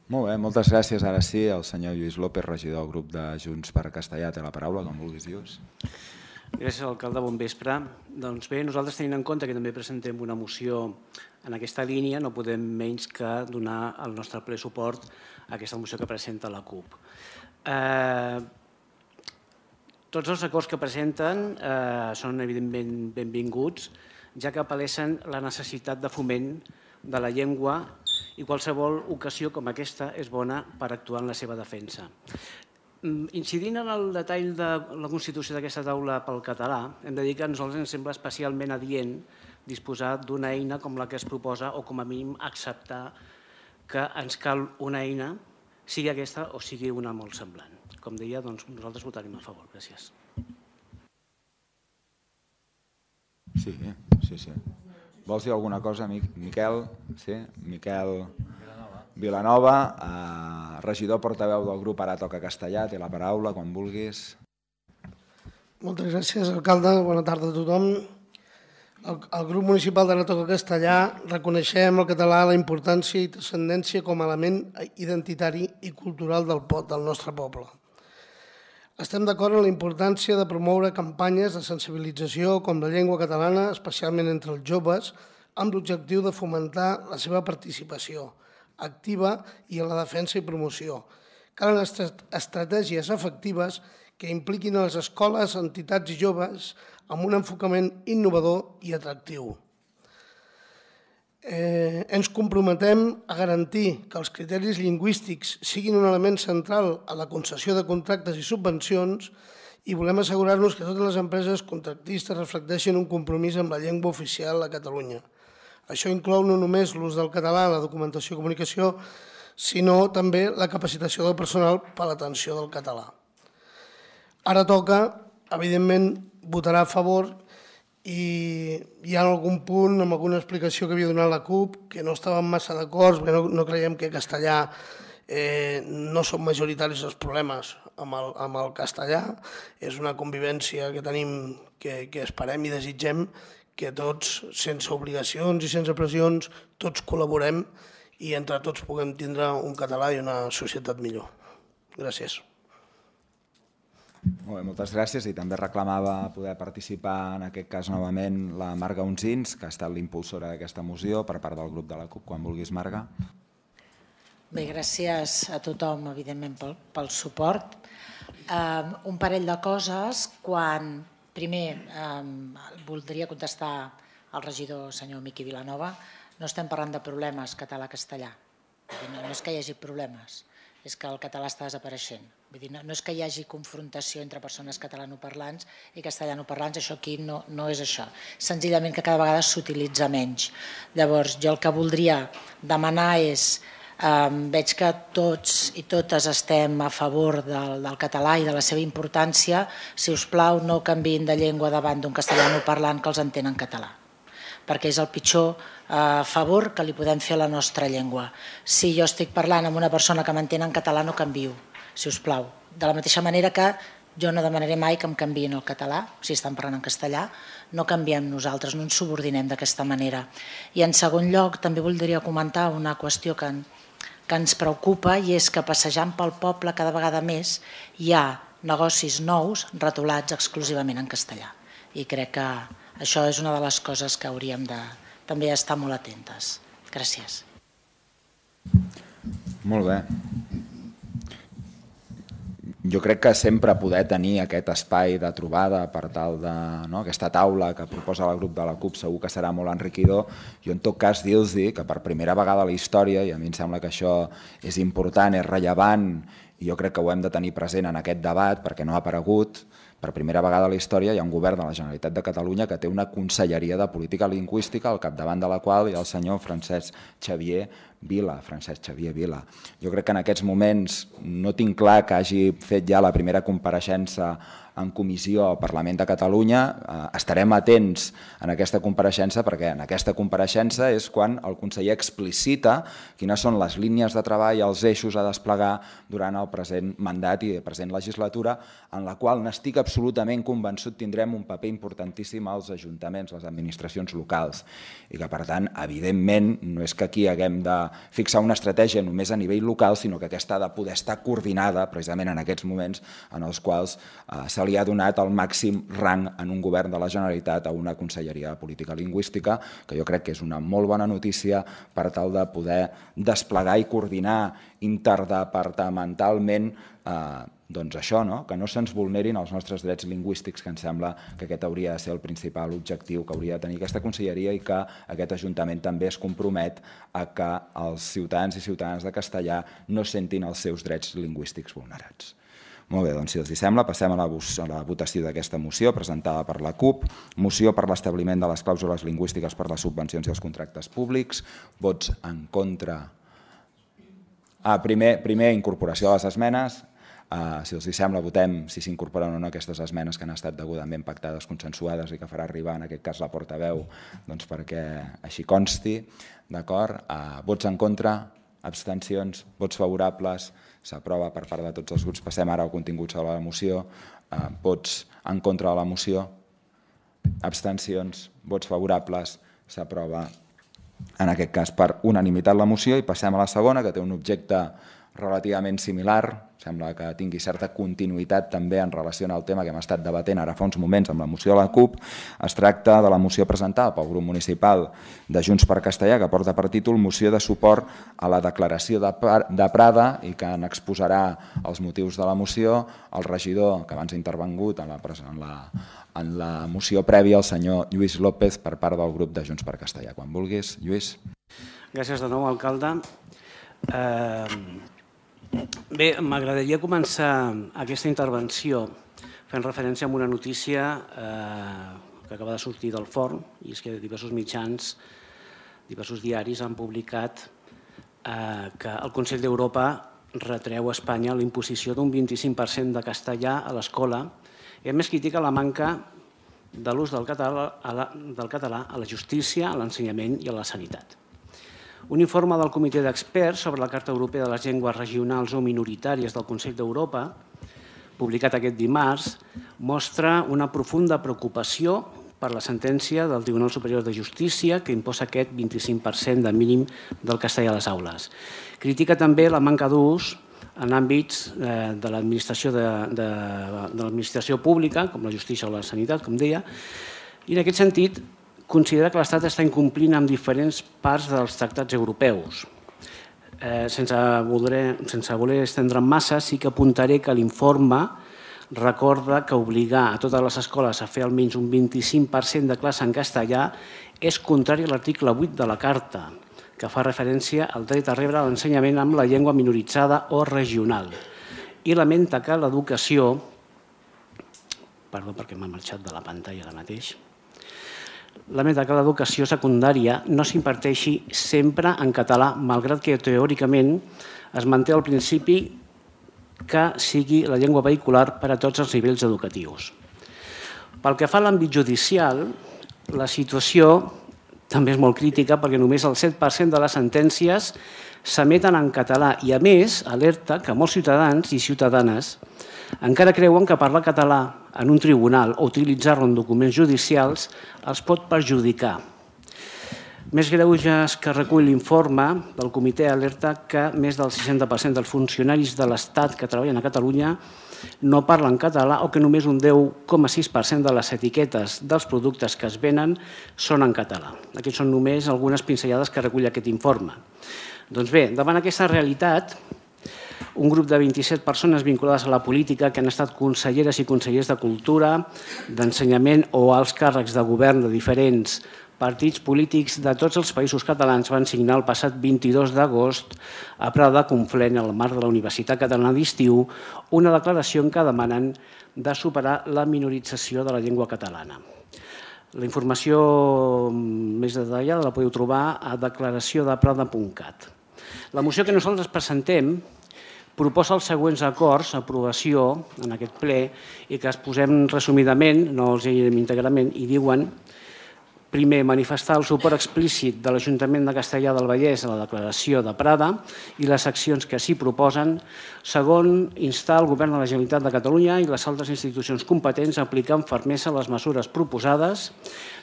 Molt bé, moltes gràcies. Ara sí, el senyor Lluís López, regidor del grup de Junts per Castellà, té la paraula, com vulguis, Lluís. Gràcies, alcalde. Bon vespre. Doncs bé, nosaltres tenint en compte que també presentem una moció en aquesta línia, no podem menys que donar el nostre ple suport a aquesta moció que presenta la CUP. Tots els acords que presenten són evidentment benvinguts, ja que apel·lessen la necessitat de foment de la llengua i qualsevol ocasió com aquesta és bona per actuar en la seva defensa. Incidint en el detall de la constitució d'aquesta taula pel català, hem de dir que a nosaltres ens sembla especialment adient disposar d'una eina com la que es proposa o com a mínim acceptar que ens cal una eina, sigui aquesta o sigui una molt semblant. Com deia, nosaltres votarem a favor. Gràcies. Sí, sí, sí. Vols dir alguna cosa, Miquel? Sí, Miquel Vilanova, regidor portaveu del grup Ara Toca Castellà, té la paraula, quan vulguis. Moltes gràcies, alcalde. Bona tarda a tothom. El grup municipal d'Ara Toca Castellà reconeixem al català la importància i transcendència com a element identitari i cultural del nostre poble. Estem d'acord en la importància de promoure campanyes de sensibilització com la llengua catalana, especialment entre els joves, amb l'objectiu de fomentar la seva participació activa i en la defensa i promoció. Calen estratègies efectives que impliquin a les escoles, entitats i joves amb un enfocament innovador i atractiu. Ens comprometem a garantir que els criteris lingüístics siguin un element central a la concessió de contractes i subvencions i volem assegurar-nos que totes les empreses contractistes reflecteixin un compromís amb la llengua oficial a Catalunya. Això inclou no només l'ús del català en la documentació i comunicació, sinó també la capacitació del personal per a l'atenció del català. Ara Toca, evidentment, votarà a favor i hi ha algun punt amb alguna explicació que havia donat la CUP que no estàvem massa d'acord, perquè no creiem que castellà no són majoritaris els problemes amb el castellà. És una convivència que tenim, que esperem i desitgem que tots, sense obligacions i sense pressions, tots col·laborem i entre tots puguem tindre un català i una societat millor. Gràcies. Molt bé, moltes gràcies. I també reclamava poder participar en aquest cas novament la Marga Uncins, que ha estat l'impulsora d'aquesta moció per part del grup de la CUP. Quan vulguis, Marga. Bé, gràcies a tothom, evidentment, pel suport. Un parell de coses. Quan, primer, voldria contestar al regidor senyor Miqui Vilanova, no estem parlant de problemes català-castellà. No és que hi hagi problemes, és que el català està desapareixent. No és que hi hagi confrontació entre persones catalanoparlants i castellanoparlants, això aquí no és això. Senzillament que cada vegada s'utilitza menys. Llavors, jo el que voldria demanar és Veig que tots i totes estem a favor del català i de la seva importància. Si us plau, no canviïn de llengua davant d'un castellano parlant que els entén en català, perquè és el pitjor favor que li podem fer a la nostra llengua. Si jo estic parlant amb una persona que m'entén en català, no canvio, si us plau. De la mateixa manera que jo no demanaré mai que em canviïn el català, si estan parlant en castellà, no canviem nosaltres, no ens subordinem d'aquesta manera. I en segon lloc, també voldria comentar una qüestió que, que ens preocupa, i és que passejant pel poble cada vegada més hi ha negocis nous retolats exclusivament en castellà. I crec que això és una de les coses que hauríem de també estar molt atentes. Gràcies. Molt bé. Jo crec que sempre poder tenir aquest espai de trobada per tal de, no, aquesta taula que proposa el grup de la CUP segur que serà molt enriquidor. Jo en tot cas dir-los que per primera vegada a la història, i a mi em sembla que això és important, és rellevant, i jo crec que ho hem de tenir present en aquest debat perquè no ha aparegut, per primera vegada a la història hi ha un govern de la Generalitat de Catalunya que té una conselleria de política lingüística al capdavant de la qual hi ha el senyor Francesc Xavier Vila, Francesc Xavier Vila. Jo crec que en aquests moments no tinc clar que hagi fet ja la primera compareixença en comissió al Parlament de Catalunya. Estarem atents en aquesta compareixença perquè en aquesta compareixença és quan el conseller explicita quines són les línies de treball i els eixos a desplegar durant el present mandat i present legislatura, en la qual n'estic absolutament convençut tindrem un paper importantíssim als ajuntaments, les administracions locals, i que per tant, evidentment, no és que aquí haguem de fixar una estratègia només a nivell local, sinó que aquesta ha de poder estar coordinada precisament en aquests moments en els quals se li ha donat el màxim rang en un govern de la Generalitat a una conselleria de política lingüística, que jo crec que és una molt bona notícia per tal de poder desplegar i coordinar interdepartamentalment doncs això, que no se'ns vulnerin els nostres drets lingüístics, que em sembla que aquest hauria de ser el principal objectiu que hauria de tenir aquesta conselleria i que aquest Ajuntament també es compromet a que els ciutadans i ciutadanes de castellà no sentin els seus drets lingüístics vulnerats. Molt bé, doncs si els sembla, passem a la votació d'aquesta moció presentada per la CUP, moció per l'establiment de les clàusules lingüístiques per les subvencions i els contractes públics, vots en contra. Primer, incorporació de les esmenes. Si els sembla, votem si s'incorporen o no aquestes esmenes que han estat degudament pactades, consensuades i que farà arribar en aquest cas la portaveu perquè així consti. D'acord? Vots en contra, abstencions, vots favorables, s'aprova per part de tots els grups. Passem ara al contingut sobre la moció. Vots en contra de la moció, abstencions, vots favorables, s'aprova en aquest cas per unanimitat la moció. I passem a la segona, que té un objecte relativament similar, sembla que tingui certa continuïtat també en relació amb el tema que hem estat debatent ara fa uns moments amb la moció de la CUP. Es tracta de la moció presentada pel grup municipal de Junts per Castellà, que porta per títol Moció de suport a la declaració de Prada, i que n'exposarà els motius de la moció el regidor que abans ha intervingut en la moció prèvia, el senyor Lluís López, per part del grup de Junts per Castellà. Quan vulguis, Lluís. Gràcies de nou, alcalde. Bé, m'agradaria començar aquesta intervenció fent referència a una notícia que acaba de sortir del forn, i és que diversos mitjans, diversos diaris han publicat que el Consell d'Europa retreu a Espanya la imposició d'un vint-i-cinc per cent de castellà a l'escola i a més critica la manca de l'ús del català a la justícia, a l'ensenyament i a la sanitat. Un informe del Comitè d'Experts sobre la Carta Europea de les Llengües Regionals o Minoritàries del Consell d'Europa, publicat aquest dimarts, mostra una profunda preocupació per la sentència del Tribunal Superior de Justícia que imposa aquest vint-i-cinc per cent de mínim del castellà a les aules. Critica també la manca d'ús en àmbits de l'administració pública, com la justícia o la sanitat, com deia, i en aquest sentit considera que l'Estat està incomplint amb diferents parts dels tractats europeus. Sense voler estendre'm massa, sí que apuntaré que l'informe recorda que obligar a totes les escoles a fer almenys un vint-i-cinc per cent de classe en castellà és contrari a l'article vuit de la Carta, que fa referència al dret a rebre l'ensenyament amb la llengua minoritzada o regional. I lamenta que l'educació... Perdó perquè m'ha marxat de la pantalla ara mateix. lamenta que l'educació secundària no s'imparteixi sempre en català, malgrat que teòricament es manté el principi que sigui la llengua vehicular per a tots els nivells educatius. Pel que fa a l'àmbit judicial, la situació també és molt crítica perquè només el set per cent de les sentències s'emeten en català i, a més, alerta que molts ciutadans i ciutadanes encara creuen que parlar català en un tribunal o utilitzar-lo en documents judicials els pot perjudicar. Més greuges que recull l'informe del comitè alerta que més del seixanta per cent dels funcionaris de l'Estat que treballen a Catalunya no parlen català o que només un deu coma sis per cent de les etiquetes dels productes que es venen són en català. Aquests són només algunes pinzellades que recull aquest informe. Doncs bé, davant aquesta realitat, un grup de vint-i-set persones vinculades a la política que han estat conselleres i consellers de Cultura, d'Ensenyament o alts càrrecs de govern de diferents partits polítics de tots els països catalans van signar el passat vint-i-dos d'agost a Prada Conflent, al marc de la Universitat Catalana d'Estiu, una declaració en què demanen de superar la minorització de la llengua catalana. La informació més detallada la podeu trobar a declaració de prada punt cat. La moció que nosaltres presentem proposa els següents acords, aprovació en aquest ple, i que es posem resumidament, no els llegirem íntegrament, i diuen: primer, manifestar el suport explícit de l'Ajuntament de Castellar del Vallès a la declaració de Prada i les accions que s'hi proposen. Segon, instar el Govern de la Generalitat de Catalunya i les altres institucions competents a aplicar amb fermesa les mesures proposades.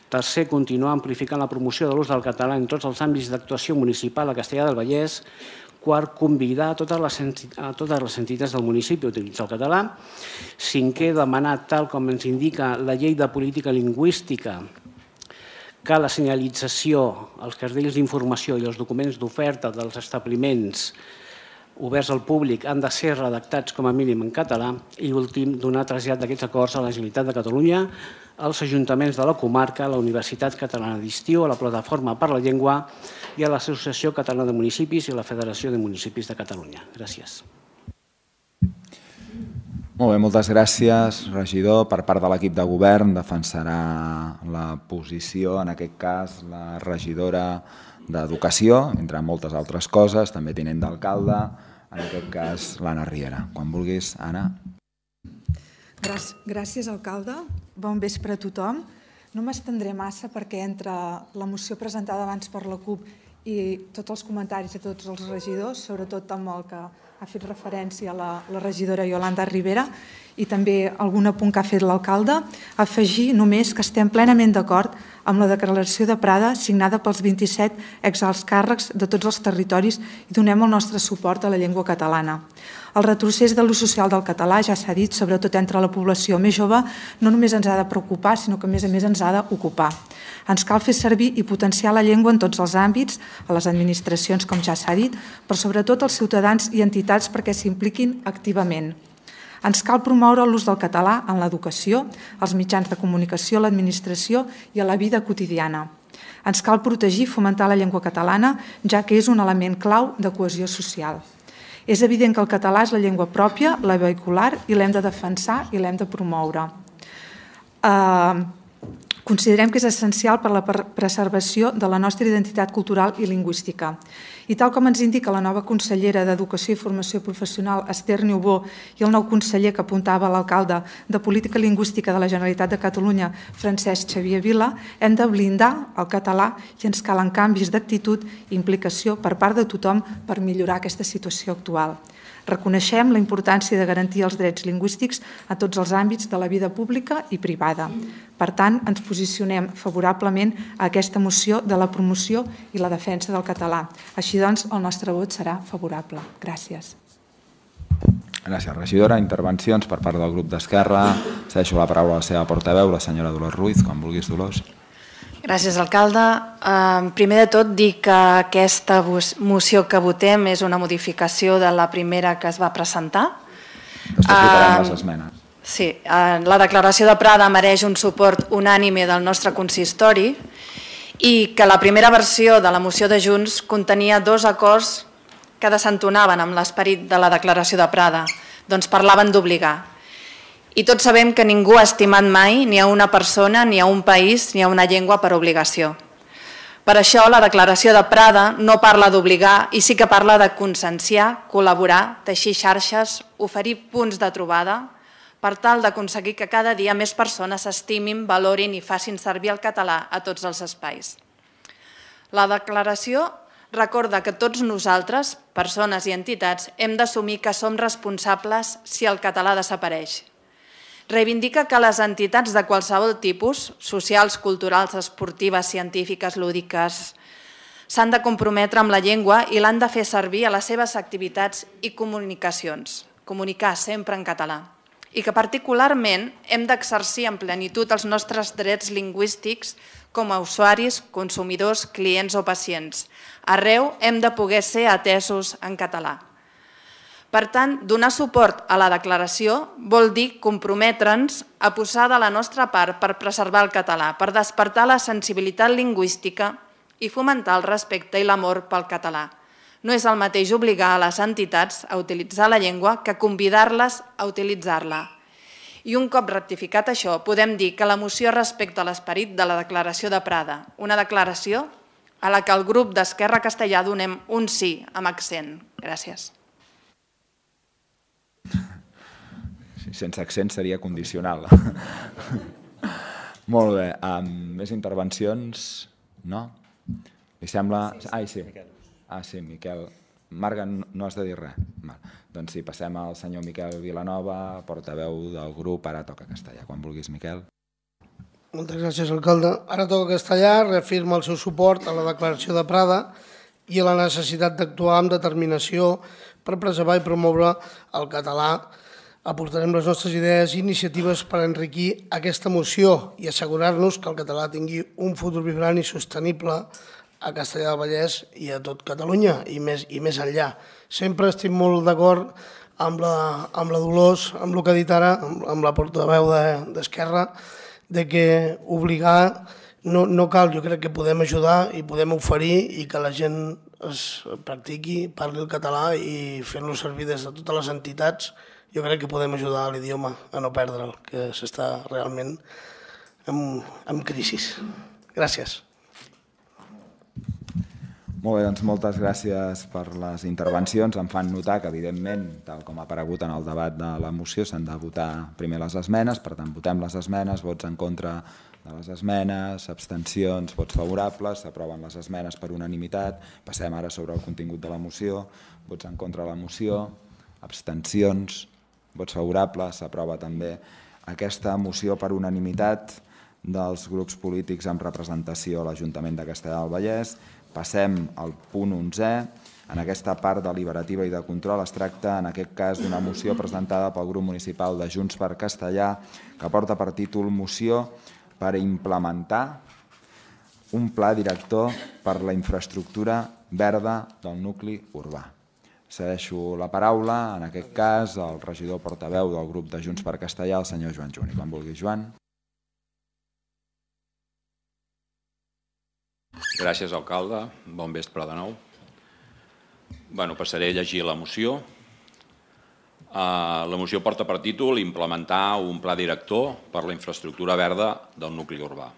Tercer, continuar amplificant la promoció de l'ús del català en tots els àmbits d'actuació municipal a Castellar del Vallès. Quart, convidar a totes les entitats del municipi a utilitzar el català. Cinquè, demanar, tal com ens indica la Llei de Política Lingüística, que la senyalització, els cartells d'informació i els documents d'oferta dels establiments oberts al públic han de ser redactats com a mínim en català. I últim, donar trasllat d'aquests acords a la Generalitat de Catalunya, als ajuntaments de la comarca, a la Universitat Catalana d'Estiu, a la Plataforma per la Llengua i a l'Associació Catalana de Municipis i a la Federació de Municipis de Catalunya. Gràcies. Molt bé, moltes gràcies, regidor. Per part de l'equip de govern defensarà la posició, en aquest cas, la regidora d'Educació, entre moltes altres coses, també tinent d'alcalde, en aquest cas, l'Anna Riera. Quan vulguis, Anna. Gràcies, alcalde. Bon vespre a tothom. No m'estendré massa perquè entre la moció presentada abans per la CUP i tots els comentaris de tots els regidors, sobretot amb el que ha fet referència a la, la regidora Iolanda Rivera i també algun apunt que ha fet l'alcalde, afegir només que estem plenament d'acord amb la declaració de Prada signada pels vint-i-set exalts càrrecs de tots els territoris i donem el nostre suport a la llengua catalana. El retrocés de l'ús social del català, ja s'ha dit, sobretot entre la població més jove, no només ens ha de preocupar, sinó que a més a més ens ha d'ocupar. Ens cal fer servir i potenciar la llengua en tots els àmbits, a les administracions, com ja s'ha dit, però sobretot als ciutadans i entitats perquè s'impliquin activament. Ens cal promoure l'ús del català en l'educació, als mitjans de comunicació, a l'administració i a la vida quotidiana. Ens cal protegir i fomentar la llengua catalana, ja que és un element clau de cohesió social. És evident que el català és la llengua pròpia, la vehicular, i l'hem de defensar i l'hem de promoure. Considerem que és essencial per a la preservació de la nostra identitat cultural i lingüística. I tal com ens indica la nova consellera d'Educació i Formació Professional, Esther Niubó, i el nou conseller que apuntava l'alcalde de Política Lingüística de la Generalitat de Catalunya, Francesc Xavier Vila, hem de blindar el català i ens calen canvis d'actitud i implicació per part de tothom per millorar aquesta situació actual. Reconeixem la importància de garantir els drets lingüístics a tots els àmbits de la vida pública i privada. Per tant, ens posicionem favorablement a aquesta moció de la promoció i la defensa del català. Així doncs, el nostre vot serà favorable. Gràcies. Gràcies, regidora. Intervencions per part del grup d'Esquerra. Cedeixo la paraula a la seva portaveu, la senyora Dolors Ruiz. Quan vulguis, Dolors. Gràcies, alcalde. Primer de tot, dir que aquesta moció que votem és una modificació de la primera que es va presentar. Explicarem les esmenes. Sí, la declaració de Prada mereix un suport unànime del nostre consistori i que la primera versió de la moció de Junts contenia dos acords que desentonaven amb l'esperit de la declaració de Prada, doncs parlaven d'obligar. I tots sabem que ningú ha estimat mai ni a una persona, ni a un país, ni a una llengua per obligació. Per això la declaració de Prada no parla d'obligar i sí que parla de conscienciar, col·laborar, teixir xarxes, oferir punts de trobada per tal d'aconseguir que cada dia més persones s'estimin, valorin i facin servir el català a tots els espais. La declaració recorda que tots nosaltres, persones i entitats, hem d'assumir que som responsables si el català desapareix. Reivindica que les entitats de qualsevol tipus, socials, culturals, esportives, científiques, lúdiques, s'han de comprometre amb la llengua i l'han de fer servir a les seves activitats i comunicacions, comunicar sempre en català. I que particularment hem d'exercir en plenitud els nostres drets lingüístics com a usuaris, consumidors, clients o pacients. Arreu hem de poder ser atesos en català. Per tant, donar suport a la declaració vol dir comprometre'ns a posar de la nostra part per preservar el català, per despertar la sensibilitat lingüística i fomentar el respecte i l'amor pel català. No és el mateix obligar a les entitats a utilitzar la llengua que convidar-les a utilitzar-la. I un cop rectificat això, podem dir que la moció respecta l'esperit de la declaració de Prada, una declaració a la que el grup d'Esquerra Castellà donem un sí amb accent. Gràcies. Sense accent seria condicional. Molt bé. Més intervencions? No? Li sembla... Ai, sí. Ah, sí, Miquel. Marga, no has de dir res? Doncs sí, passem al senyor Miquel Vilanova, portaveu del grup Ara Toca Castellà. Quan vulguis, Miquel. Moltes gràcies, alcalde. Ara Toca Castellà reafirma el seu suport a la declaració de Prada i a la necessitat d'actuar amb determinació per preservar i promoure el català. Aportarem les nostres idees i iniciatives per enriquir aquesta moció i assegurar-nos que el català tingui un futur vibrant i sostenible a Castellar del Vallès i a tot Catalunya i més, i més enllà. Sempre estic molt d'acord amb la, amb la Dolors, amb el que ha dit ara, amb, amb la portaveu d'Esquerra, de que obligar no, no cal. Jo crec que podem ajudar i podem oferir i que la gent es practiqui, parli el català i fent-lo servir des de totes les entitats. Jo crec que podem ajudar l'idioma a no perdre'l, que s'està realment en, en crisi. Gràcies. Molt bé, doncs moltes gràcies per les intervencions. Em fan notar que, evidentment, tal com ha aparegut en el debat de la moció, s'han de votar primer les esmenes, per tant, votem les esmenes, vots en contra de les esmenes, abstencions, vots favorables, s'aproven les esmenes per unanimitat. Passem ara sobre el contingut de la moció, vots en contra de la moció, abstencions, vots favorables, s'aprova també aquesta moció per unanimitat dels grups polítics amb representació a l'Ajuntament de Castellar del Vallès. Passem al punt onzè. En aquesta part deliberativa i de control es tracta, en aquest cas, d'una moció presentada pel grup municipal de Junts per Castellar que porta per títol Moció per implementar un pla director per la infraestructura verda del nucli urbà. Cedeixo la paraula, en aquest cas, al regidor portaveu del grup de Junts per Castellar, el senyor Joan Juni. Quan vulgui, Joan. Gràcies, alcalde. Bon vespre de nou. Bueno, passaré a llegir la moció. La moció porta per títol implementar un pla director per la infraestructura verda del nucli urbà.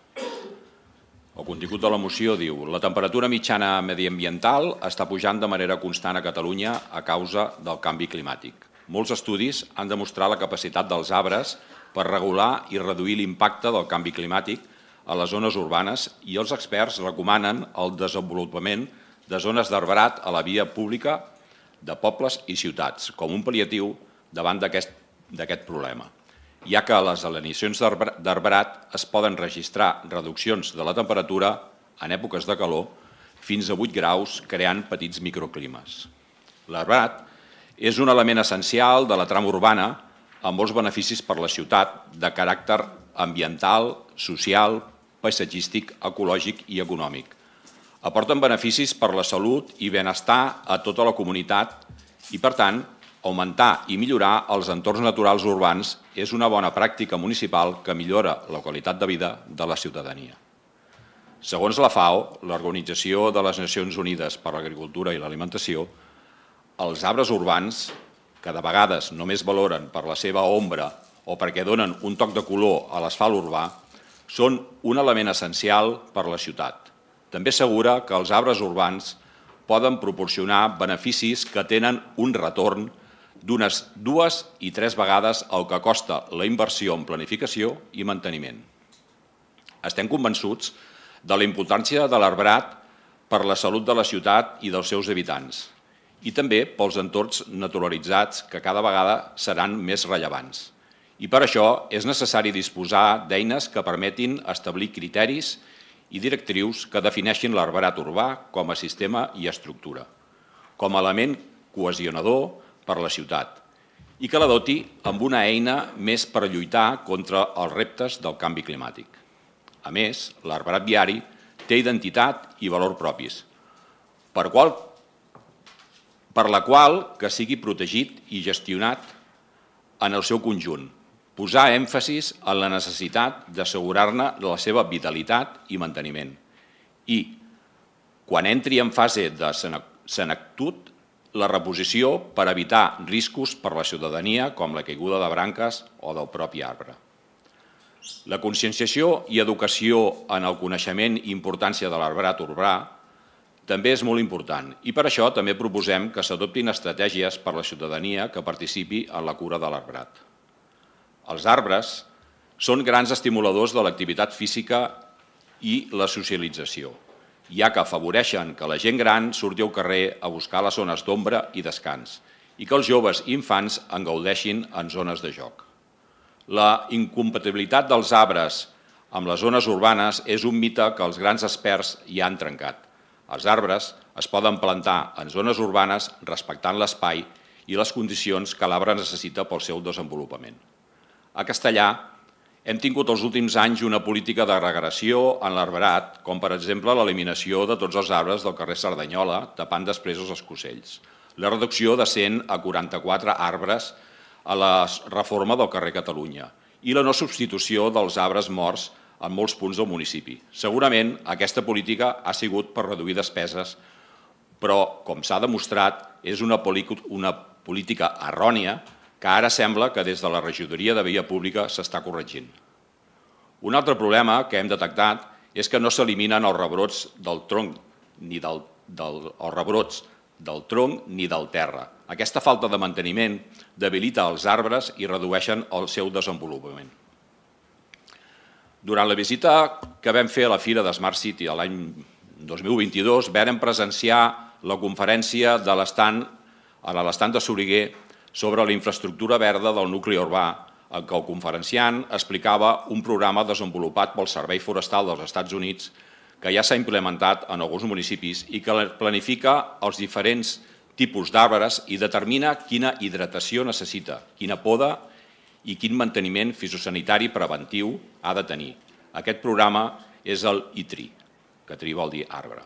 El contingut de la moció diu: la temperatura mitjana mediambiental està pujant de manera constant a Catalunya a causa del canvi climàtic. Molts estudis han demostrat la capacitat dels arbres per regular i reduir l'impacte del canvi climàtic a les zones urbanes i els experts recomanen el desenvolupament de zones d'arbrat a la via pública de pobles i ciutats com un pal·liatiu davant d'aquest problema, ja que a les alineacions d'arbrat es poden registrar reduccions de la temperatura en èpoques de calor fins a vuit graus, creant petits microclimes. L'arbrat és un element essencial de la trama urbana amb molts beneficis per a la ciutat de caràcter ambiental, social, paisatgístic, ecològic i econòmic. Aporten beneficis per a la salut i benestar a tota la comunitat i, per tant, augmentar i millorar els entorns naturals urbans és una bona pràctica municipal que millora la qualitat de vida de la ciutadania. Segons la FAO, l'Organització de les Nacions Unides per a l'Agricultura i l'Alimentació, els arbres urbans, que de vegades només valoren per la seva ombra o perquè donen un toc de color a l'asfalt urbà, són un element essencial per a la ciutat. També assegura que els arbres urbans poden proporcionar beneficis que tenen un retorn d'unes dues i tres vegades el que costa la inversió en planificació i manteniment. Estem convençuts de la importància de l'arbrat per la salut de la ciutat i dels seus habitants i també pels entorns naturalitzats que cada vegada seran més rellevants. I per això és necessari disposar d'eines que permetin establir criteris i directrius que defineixin l'arbrat urbà com a sistema i estructura, com a element cohesionador per a la ciutat i que la doti amb una eina més per lluitar contra els reptes del canvi climàtic. A més, l'arbrat viari té identitat i valor propis, per, qual, per la qual que sigui protegit i gestionat en el seu conjunt, posar èmfasis en la necessitat d'assegurar-ne la seva vitalitat i manteniment. I, quan entri en fase de senectut, la reposició per evitar riscos per a la ciutadania com la caiguda de branques o del propi arbre. La conscienciació i educació en el coneixement i importància de l'arbrat urbà també és molt important i per això també proposem que s'adoptin estratègies per a la ciutadania que participi en la cura de l'arbrat. Els arbres són grans estimuladors de l'activitat física i la socialització, ja que afavoreixen que la gent gran surti al carrer a buscar les zones d'ombra i descans i que els joves i infants en gaudeixin en zones de joc. La incompatibilitat dels arbres amb les zones urbanes és un mite que els grans experts ja han trencat. Els arbres es poden plantar en zones urbanes respectant l'espai i les condicions que l'arbre necessita pel seu desenvolupament. A Castellà hem tingut els últims anys una política de regressió en l'arbrat, com per exemple l'eliminació de tots els arbres del carrer Cerdanyola, tapant després els escocells, la reducció de cent a quaranta-quatre arbres a la reforma del carrer Catalunya i la no substitució dels arbres morts en molts punts del municipi. Segurament aquesta política ha sigut per reduir despeses, però, com s'ha demostrat, és una política errònia que ara sembla que des de la regidoria de Via Pública s'està corregint. Un altre problema que hem detectat és que no s'eliminen els rebrots del tronc ni del, del, els rebrots del tronc ni del terra. Aquesta falta de manteniment debilita els arbres i redueixen el seu desenvolupament. Durant la visita que vam fer a la Fira de Smart City l'any dos mil vint-i-dos vam presenciar la conferència de l'estand a l'estand de Soriguer sobre la infraestructura verda del nucli urbà, en què el conferenciant explicava un programa desenvolupat pel Servei Forestal dels Estats Units que ja s'ha implementat en alguns municipis i que planifica els diferents tipus d'arbres i determina quina hidratació necessita, quina poda i quin manteniment fitosanitari preventiu ha de tenir. Aquest programa és el I T R I, que T R I vol dir arbre.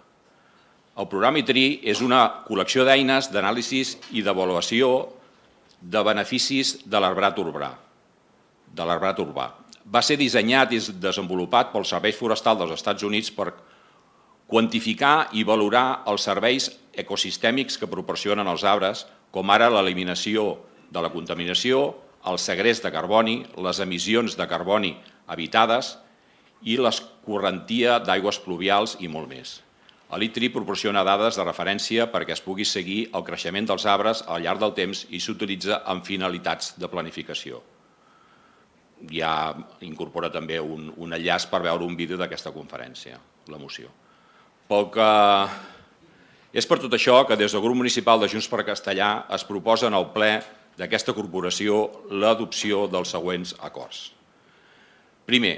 El programa I T R I és una col·lecció d'eines d'anàlisis i d'avaluació de beneficis de l'arbrat urbà. de l'arbrat urbà. Va ser dissenyat i desenvolupat pel Servei Forestal dels Estats Units per quantificar i valorar els serveis ecosistèmics que proporcionen els arbres, com ara l'eliminació de la contaminació, el segrest de carboni, les emissions de carboni evitades i l'escorrentia d'aigües pluvials i molt més. L'I T R I proporciona dades de referència perquè es pugui seguir el creixement dels arbres al llarg del temps i s'utilitza amb finalitats de planificació. Ja incorpora també un, un enllaç per veure un vídeo d'aquesta conferència, la moció. Pel que és per tot això que des del grup municipal de Junts per Castellà es proposa en el ple d'aquesta corporació l'adopció dels següents acords. Primer,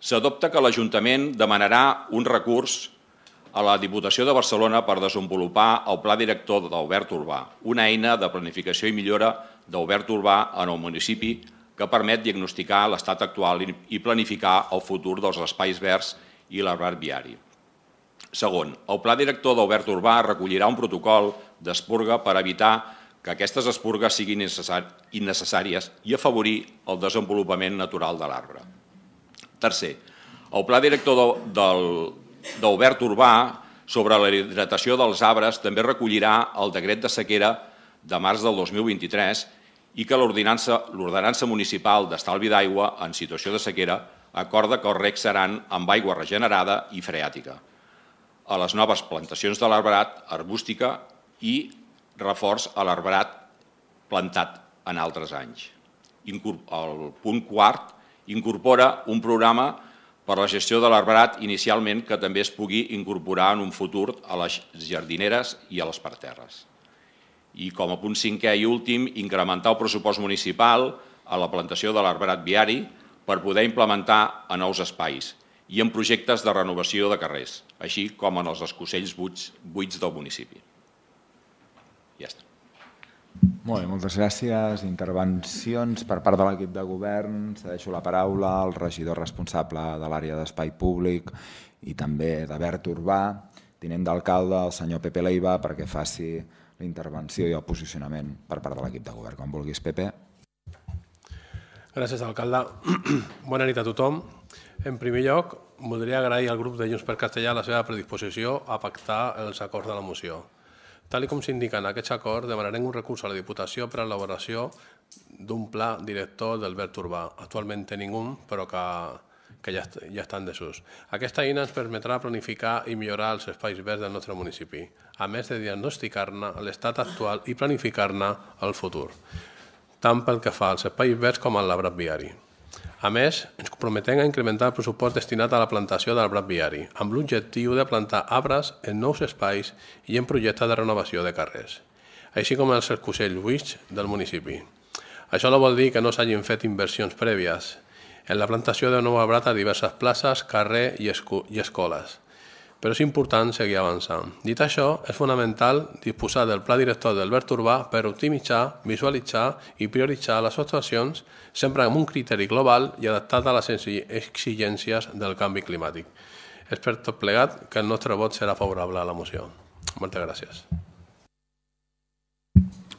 s'adopta que l'Ajuntament demanarà un recurs a la Diputació de Barcelona per desenvolupar el Pla Director d'Albert Urbà, una eina de planificació i millora d'Albert Urbà en el municipi que permet diagnosticar l'estat actual i planificar el futur dels espais verds i l'arbrat viari. Segon, el Pla Director d'Albert Urbà recollirà un protocol d'espurga per evitar que aquestes espurgues siguin innecessàries i afavorir el desenvolupament natural de l'arbre. Tercer, el Pla Director d'Albert Urbà sobre la hidratació dels arbres també recollirà el decret de sequera de març del dos mil vint-i-tres i que l'ordenança municipal d'estalvi d'aigua en situació de sequera acorda que els recs seran amb aigua regenerada i freàtica, a les noves plantacions de l'arbrat arbústica i reforç a l'arbrat plantat en altres anys. El punt quart incorpora un programa per la gestió de l'arbrat inicialment que també es pugui incorporar en un futur a les jardineres i a les parterres. I com a punt cinquè i últim, incrementar el pressupost municipal a la plantació de l'arbrat viari per poder implementar a nous espais i en projectes de renovació de carrers, així com en els escocells buits del municipi. Ja està. Molt bé, moltes gràcies. Intervencions per part de l'equip de govern. Cedeixo la paraula al regidor responsable de l'àrea d'espai públic i també de verd urbà, tinent d'alcalde, el senyor Pepe Leiva, perquè faci la intervenció i el posicionament per part de l'equip de govern. Com vulguis, Pepe. Gràcies, alcalde. Bona nit a tothom. En primer lloc, voldria agrair al grup de Junts per Castellà la seva predisposició a pactar els acords de la moció. Tal com s'indica en aquests acords, demanarem un recurs a la Diputació per a l'elaboració d'un pla director del verd urbà. Actualment tenim un, però que, que ja, ja està en desús. Aquesta eina ens permetrà planificar i millorar els espais verds del nostre municipi, a més de diagnosticar-ne l'estat actual i planificar-ne el futur, tant pel que fa als espais verds com a l'arbrat viari. A més, ens comprometem a incrementar el pressupost destinat a la plantació de l'arbrat viari, amb l'objectiu de plantar arbres en nous espais i en projectes de renovació de carrers, així com els escocells buits del municipi. Això no vol dir que no s'hagin fet inversions prèvies en la plantació de nou arbrat a diverses places, carrer i escoles, però és important seguir avançant. Dit això, és fonamental disposar del pla director del verd urbà per optimitzar, visualitzar i prioritzar les actuacions sempre amb un criteri global i adaptat a les exigències del canvi climàtic. És per tot plegat que el nostre vot serà favorable a la moció. Moltes gràcies.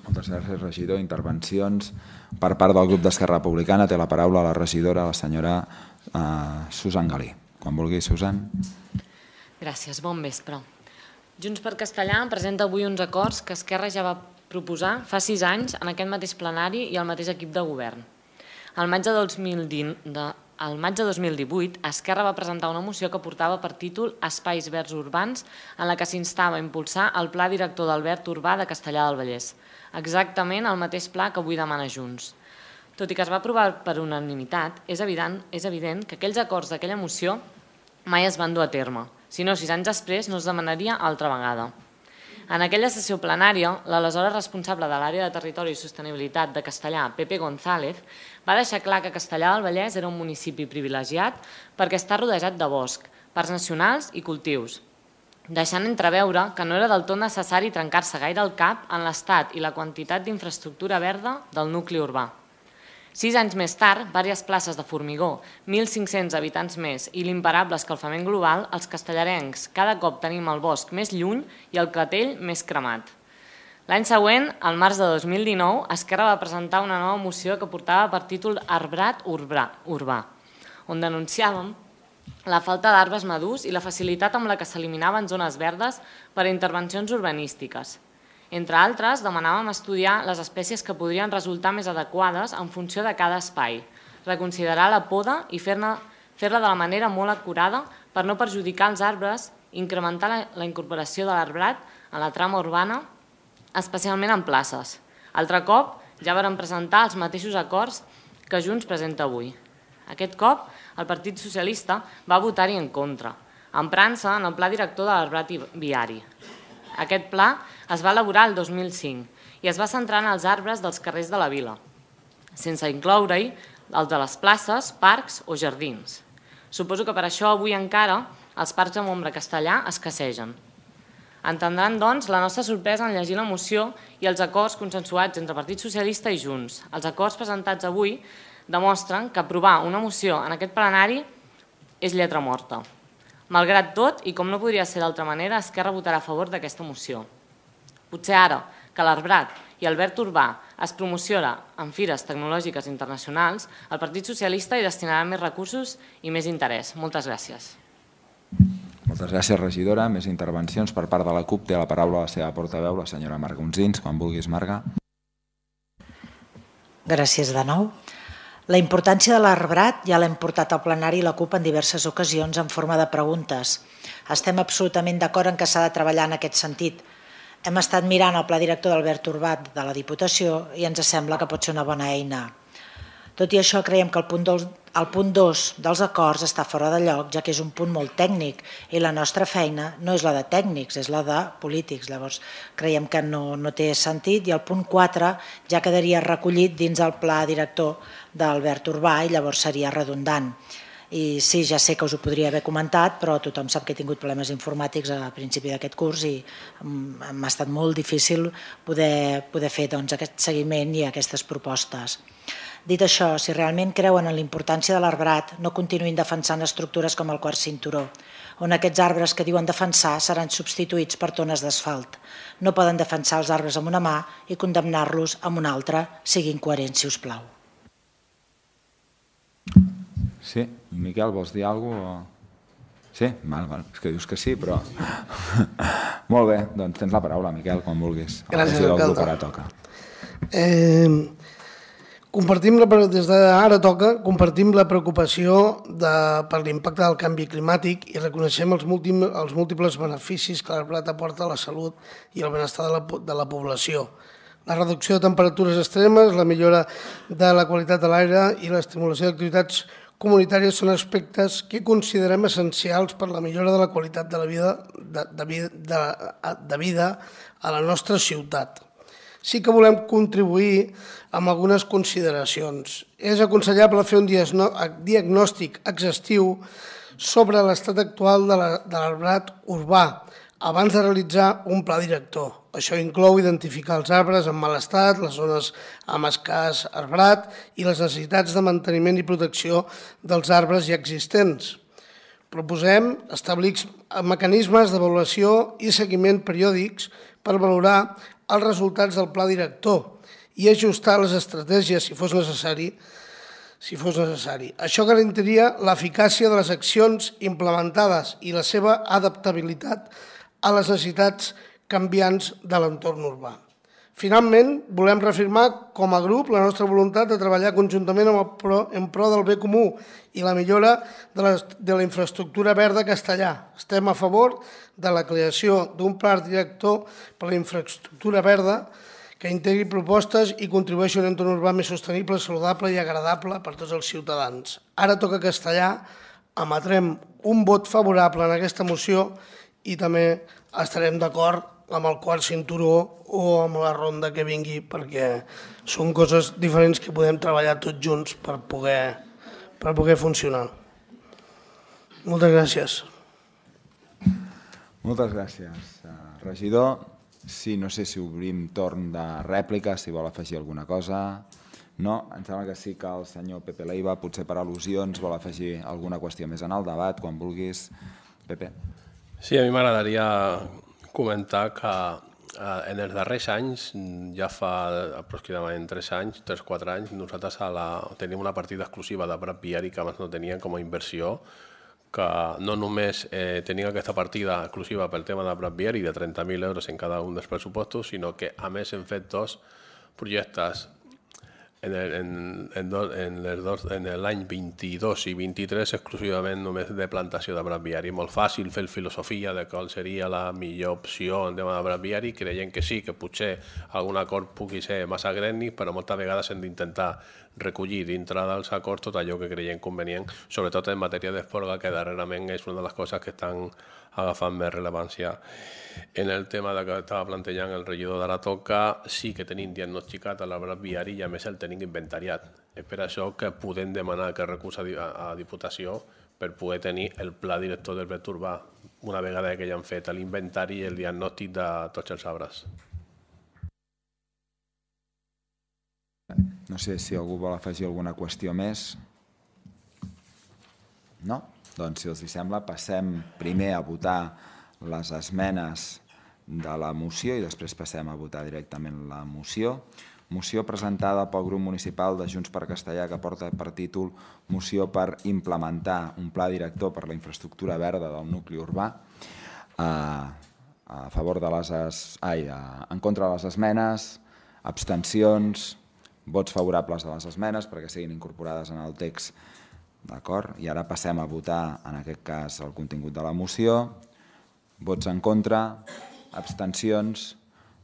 Moltes gràcies, regidor. Intervencions per part del grup d'Esquerra Republicana. Té la paraula la regidora, la senyora uh, Susan Galí. Quan vulgui, Susan. Gràcies, bon vespre. Junts per Castellà presenta avui uns acords que Esquerra ja va proposar fa sis anys en aquest mateix plenari i al mateix equip de govern. Al maig de dos mil divuit, Esquerra va presentar una moció que portava per títol Espais verds urbans, en la que s'instava a impulsar el Pla Director del Verd Urbà de Castellar del Vallès, exactament el mateix pla que avui demana Junts. Tot i que es va aprovar per unanimitat, és evident, és evident que aquells acords d'aquella moció mai es van dur a terme, si no, sis anys després no es demanaria altra vegada. En aquella sessió plenària, l'aleshores responsable de l'àrea de Territori i Sostenibilitat de Castellar, Pepe González, va deixar clar que Castellar del Vallès era un municipi privilegiat perquè està rodejat de bosc, parcs nacionals i cultius, deixant entreveure que no era del tot necessari trencar-se gaire el cap en l'estat i la quantitat d'infraestructura verda del nucli urbà. Sis anys més tard, diverses places de formigó, mil cinc-cents habitants més i l'imparable escalfament global, els castellarencs cada cop tenim el bosc més lluny i el clatell més cremat. L'any següent, al març de dos mil dinou, Esquerra va presentar una nova moció que portava per títol Arbrat Urbà, on denunciàvem la falta d'arbres madurs i la facilitat amb la que s'eliminaven zones verdes per a intervencions urbanístiques. Entre altres, demanàvem estudiar les espècies que podrien resultar més adequades en funció de cada espai, reconsiderar la poda i fer-la de la manera molt acurada per no perjudicar els arbres, incrementar la incorporació de l'arbrat a la trama urbana, especialment en places. Altre cop, ja varen presentar els mateixos acords que Junts presenta avui. Aquest cop, el Partit Socialista va votar-hi en contra, emprant-se en el Pla Director de l'Arbrat Viari. Aquest pla es va elaborar el dos mil cinc i es va centrar en els arbres dels carrers de la vila, sense incloure-hi els de les places, parcs o jardins. Suposo que per això avui encara els parcs amb ombra castellà escassegen. Entendran, doncs, la nostra sorpresa en llegir la moció i els acords consensuats entre Partit Socialista i Junts. Els acords presentats avui demostren que aprovar una moció en aquest plenari és lletra morta. Malgrat tot, i com no podria ser d'altra manera, Esquerra votarà a favor d'aquesta moció. Potser ara que l'arbrat i el verd urbà es promociona en fires tecnològiques internacionals, el Partit Socialista hi destinarà més recursos i més interès. Moltes gràcies. Moltes gràcies, regidora. Més intervencions per part de la CUP. Té la paraula la seva portaveu, la senyora Marga Unsins. Quan vulguis, Marga. Gràcies de nou. La importància de l'arbrat ja l'hem portat al plenari i la CUP en diverses ocasions en forma de preguntes. Estem absolutament d'acord en que s'ha de treballar en aquest sentit. Hem estat mirant el pla director d'Albert Urbà de la Diputació i ens sembla que pot ser una bona eina. Tot i això, creiem que el punt dos, el punt dos dels acords està fora de lloc, ja que és un punt molt tècnic i la nostra feina no és la de tècnics, és la de polítics. Llavors, creiem que no, no té sentit i el punt quatre ja quedaria recollit dins el pla director d'Albert Urbà i llavors seria redundant. I sí, ja sé que us ho podria haver comentat, però tothom sap que he tingut problemes informàtics a principi d'aquest curs i m'ha estat molt difícil poder, poder fer doncs, aquest seguiment i aquestes propostes. Dit això, si realment creuen en la importància de l'arbrat, no continuïn defensant estructures com el quart cinturó, on aquests arbres que diuen defensar seran substituïts per tones d'asfalt. No poden defensar els arbres amb una mà i condemnar-los amb una altra. Siguin coherents, si us plau. Sí, Miquel, vols dir alguna cosa? Sí? Val, val. És que dius que sí, però... Molt bé, doncs tens la paraula, Miquel, quan vulguis. Gràcies, alcalde. Ara toca. Eh... Compartim la, des d'ara toca, compartim la preocupació de, per l'impacte del canvi climàtic i reconeixem els, múltim, els múltiples beneficis que l'arbrat aporta a la salut i al benestar de la, de la població. La reducció de temperatures extremes, la millora de la qualitat de l'aire i l'estimulació d'activitats comunitàries són aspectes que considerem essencials per la millora de la qualitat de la vida, de, de, de, de vida a la nostra ciutat. Sí que volem contribuir amb algunes consideracions. És aconsellable fer un diagnòstic exhaustiu sobre l'estat actual de l'arbrat urbà abans de realitzar un pla director. Això inclou identificar els arbres en mal estat, les zones amb escàs arbrat i les necessitats de manteniment i protecció dels arbres ja existents. Proposem establir mecanismes d'avaluació i seguiment periòdics per valorar els resultats del pla director i ajustar les estratègies si fos necessari. Si fos necessari. Això garantiria l'eficàcia de les accions implementades i la seva adaptabilitat a les necessitats canviants de l'entorn urbà. Finalment, volem reafirmar com a grup la nostra voluntat de treballar conjuntament en pro del bé comú i la millora de la, de la infraestructura verda a Castellà. Estem a favor de la creació d'un pla director per a la infraestructura verda que integri propostes i contribueixi a un entorn urbà més sostenible, saludable i agradable per a tots els ciutadans. Ara toca Castellà, emetrem un vot favorable en aquesta moció i també estarem d'acord amb el quart cinturó o amb la ronda que vingui, perquè són coses diferents que podem treballar tots junts per poder, per poder funcionar. Moltes gràcies. Moltes gràcies, regidor. Sí, no sé si obrim torn de rèplica, si vol afegir alguna cosa. No, em sembla que sí que el senyor Pepe Leiva, potser per al·lusions, vol afegir alguna qüestió més en el debat, quan vulguis. Pepe. Sí, a mi m'agradaria comentar que en els darrers anys, ja fa aproximadament tres anys, tres o quatre anys, nosaltres a la, tenim una partida exclusiva de Prat Viari que abans no teníem com a inversió, que no només eh, tenim aquesta partida exclusiva pel tema de Prat Viari de trenta mil euros en cada un dels pressupostos, sinó que a més hem fet dos projectes en l'any vint-i-dos i vint-i-tres exclusivament només de plantació de blat viari. Molt fàcil fer filosofia de qual seria la millor opció en tema de blat viari, creient que sí, que potser algun acord pugui ser massa grènic, però moltes vegades hem d'intentar recollir dintre dels acords tot allò que creiem convenient, sobretot en matèria d'esporga, que darrerament és una de les coses que estan agafant més rellevància. En el tema que estava plantejant el regidor d'Ara Toca, sí que tenim diagnosticat l'arbrat viari i a més el tenim inventariat. És per això que podem demanar aquest recurs a Diputació per poder tenir el pla director del vector urbà, una vegada que ja han fet l'inventari i el diagnòstic de tots els arbres. No sé si algú vol afegir alguna qüestió més. No? Doncs, si els sembla, passem primer a votar les esmenes de la moció i després passem a votar directament la moció. Moció presentada pel grup municipal de Junts per Castellà que porta per títol Moció per implementar un pla director per la infraestructura verda del nucli urbà. A favor de les... Ai, en contra de les esmenes, abstencions, Vots favorables a les esmenes perquè siguin incorporades en el text. D'acord? I ara passem a votar, en aquest cas, el contingut de la moció. Vots en contra, abstencions,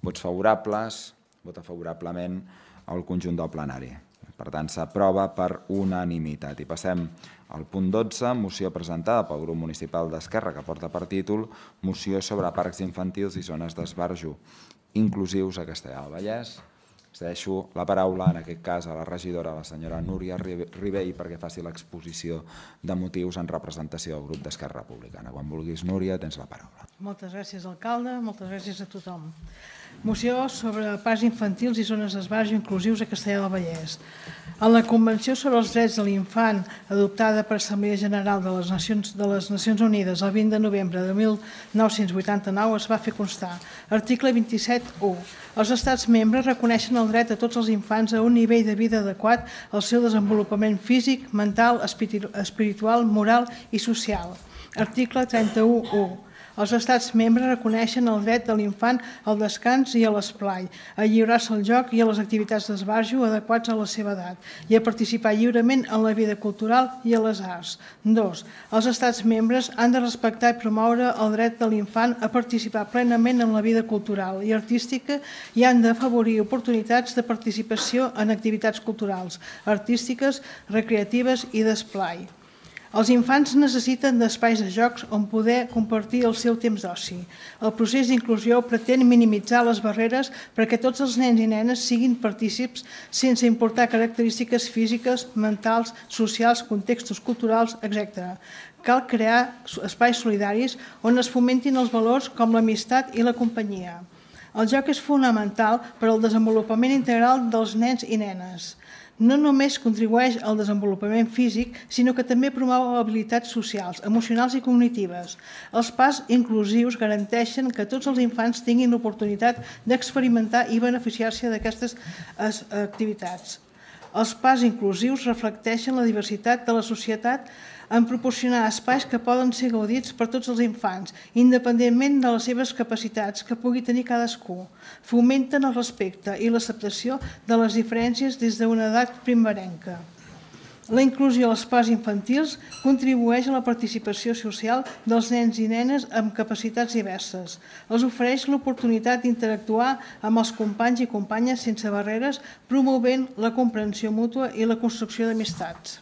vots favorables, vota favorablement al conjunt del plenari. Per tant, s'aprova per unanimitat. I passem al punt dotze, moció presentada pel grup municipal d'Esquerra, que porta per títol Moció sobre parcs infantils i zones d'esbarjo inclusius a Castellar del Vallès. Cedeixo la paraula, en aquest cas, a la regidora, la senyora Núria Ribell, perquè faci l'exposició de motius en representació del grup d'Esquerra Republicana. Quan vulguis, Núria, tens la paraula. Moltes gràcies, alcalde. Moltes gràcies a tothom. Moció sobre parcs infantils i zones d'esbarjo inclusius a Castellar del Vallès. En la Convenció sobre els Drets de l'Infant, adoptada per l'Assemblea General de les Nacions, de les Nacions Unides el vint de novembre de mil nou-cents vuitanta-nou, es va fer constar. Article vint-i-set u. Els estats membres reconeixen el dret de tots els infants a un nivell de vida adequat al seu desenvolupament físic, mental, espiritual, moral i social. Article trenta-u u. Els estats membres reconeixen el dret de l'infant al descans i a l'esplai, a lliurar-se al joc i a les activitats d'esbarjo adequats a la seva edat i a participar lliurement en la vida cultural i a les arts. Dos. Els estats membres han de respectar i promoure el dret de l'infant a participar plenament en la vida cultural i artística i han d'afavorir oportunitats de participació en activitats culturals, artístiques, recreatives i d'esplai. Els infants necessiten d'espais de jocs on poder compartir el seu temps d'oci. El procés d'inclusió pretén minimitzar les barreres perquè tots els nens i nenes siguin partícips sense importar característiques físiques, mentals, socials, contextos culturals, etcètera. Cal crear espais solidaris on es fomentin els valors com l'amistat i la companyia. El joc és fonamental per al desenvolupament integral dels nens i nenes. No només contribueix al desenvolupament físic, sinó que també promou habilitats socials, emocionals i cognitives. Els parcs inclusius garanteixen que tots els infants tinguin l'oportunitat d'experimentar i beneficiar-se d'aquestes activitats. Els parcs inclusius reflecteixen la diversitat de la societat en proporcionar espais que poden ser gaudits per tots els infants, independentment de les seves capacitats que pugui tenir cadascú. Fomenten el respecte i l'acceptació de les diferències des d'una edat primerenca. La inclusió als parcs infantils contribueix a la participació social dels nens i nenes amb capacitats diverses. Els ofereix l'oportunitat d'interactuar amb els companys i companyes sense barreres, promovent la comprensió mútua i la construcció d'amistats.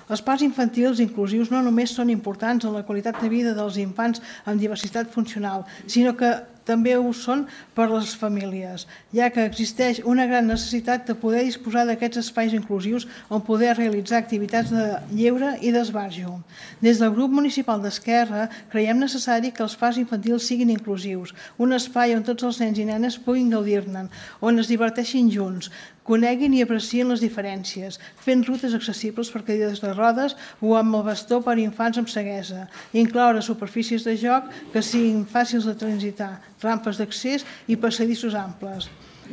Els parcs infantils inclusius no només són importants en la qualitat de vida dels infants amb diversitat funcional, sinó que també ho són per a les famílies, ja que existeix una gran necessitat de poder disposar d'aquests espais inclusius on poder realitzar activitats de lleure i d'esbarjo. Des del grup municipal d'Esquerra creiem necessari que els parcs infantils siguin inclusius, un espai on tots els nens i nenes puguin gaudir-ne, on es diverteixin junts, coneguin i aprecien les diferències, fent rutes accessibles per cadires de rodes o amb el bastó per a infants amb ceguesa, incloure superfícies de joc que siguin fàcils de transitar, rampes d'accés i passadissos amples.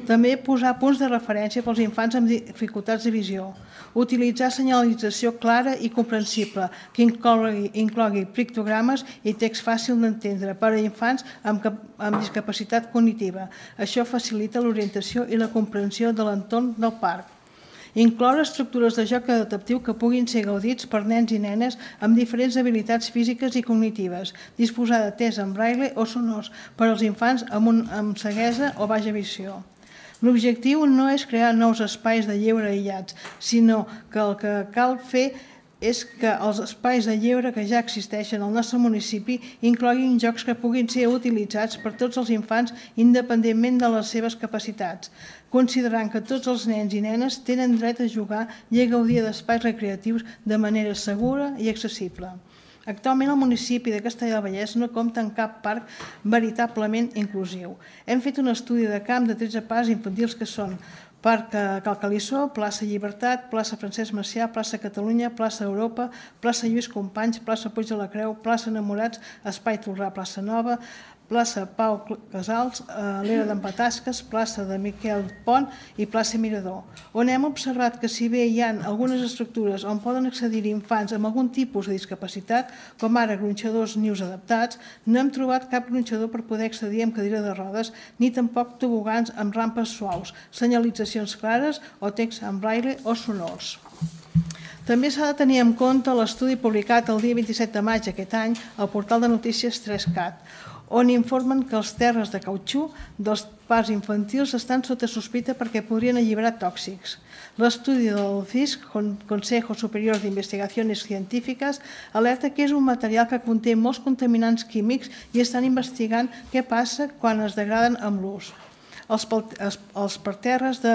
També posar punts de referència pels infants amb dificultats de visió. Utilitzar senyalització clara i comprensible que inclogui, inclogui pictogrames i text fàcil d'entendre per a infants amb, amb discapacitat cognitiva. Això facilita l'orientació i la comprensió de l'entorn del parc. Incloure estructures de joc adaptatiu que puguin ser gaudits per nens i nenes amb diferents habilitats físiques i cognitives, disposar de text en braille o sonors per als infants amb, un, amb ceguesa o baixa visió. L'objectiu no és crear nous espais de lleure aïllats, sinó que el que cal fer és que els espais de lleure que ja existeixen al nostre municipi incloguin jocs que puguin ser utilitzats per tots els infants independentment de les seves capacitats, considerant que tots els nens i nenes tenen dret a jugar i a gaudir d'espais recreatius de manera segura i accessible. Actualment el municipi de Castellar del Vallès no compta amb cap parc veritablement inclusiu. Hem fet un estudi de camp de tretze parcs infantils que són Parc Calcalissó, plaça Llibertat, plaça Francesc Macià, plaça Catalunya, plaça Europa, plaça Lluís Companys, plaça Puig de la Creu, plaça Enamorats, Espai Tolrà, plaça Nova, plaça Pau Casals, l'era d'en Patasques, plaça de Miquel Pont i plaça Mirador, on hem observat que si bé hi ha algunes estructures on poden accedir infants amb algun tipus de discapacitat, com ara gronxadors nius adaptats, no hem trobat cap gronxador per poder accedir amb cadira de rodes, ni tampoc tobogans amb rampes suaus, senyalitzacions clares o text en braille o sonors. També s'ha de tenir en compte l'estudi publicat el dia vint-i-set de maig d'aquest any al portal de notícies tres cat, on informen que els terres de cautxú dels parcs infantils estan sota sospita perquè podrien alliberar tòxics. L'estudi del C I S C, Consejo Superior de Investigaciones Científiques, alerta que és un material que conté molts contaminants químics i estan investigant què passa quan es degraden amb l'ús. Els parterres de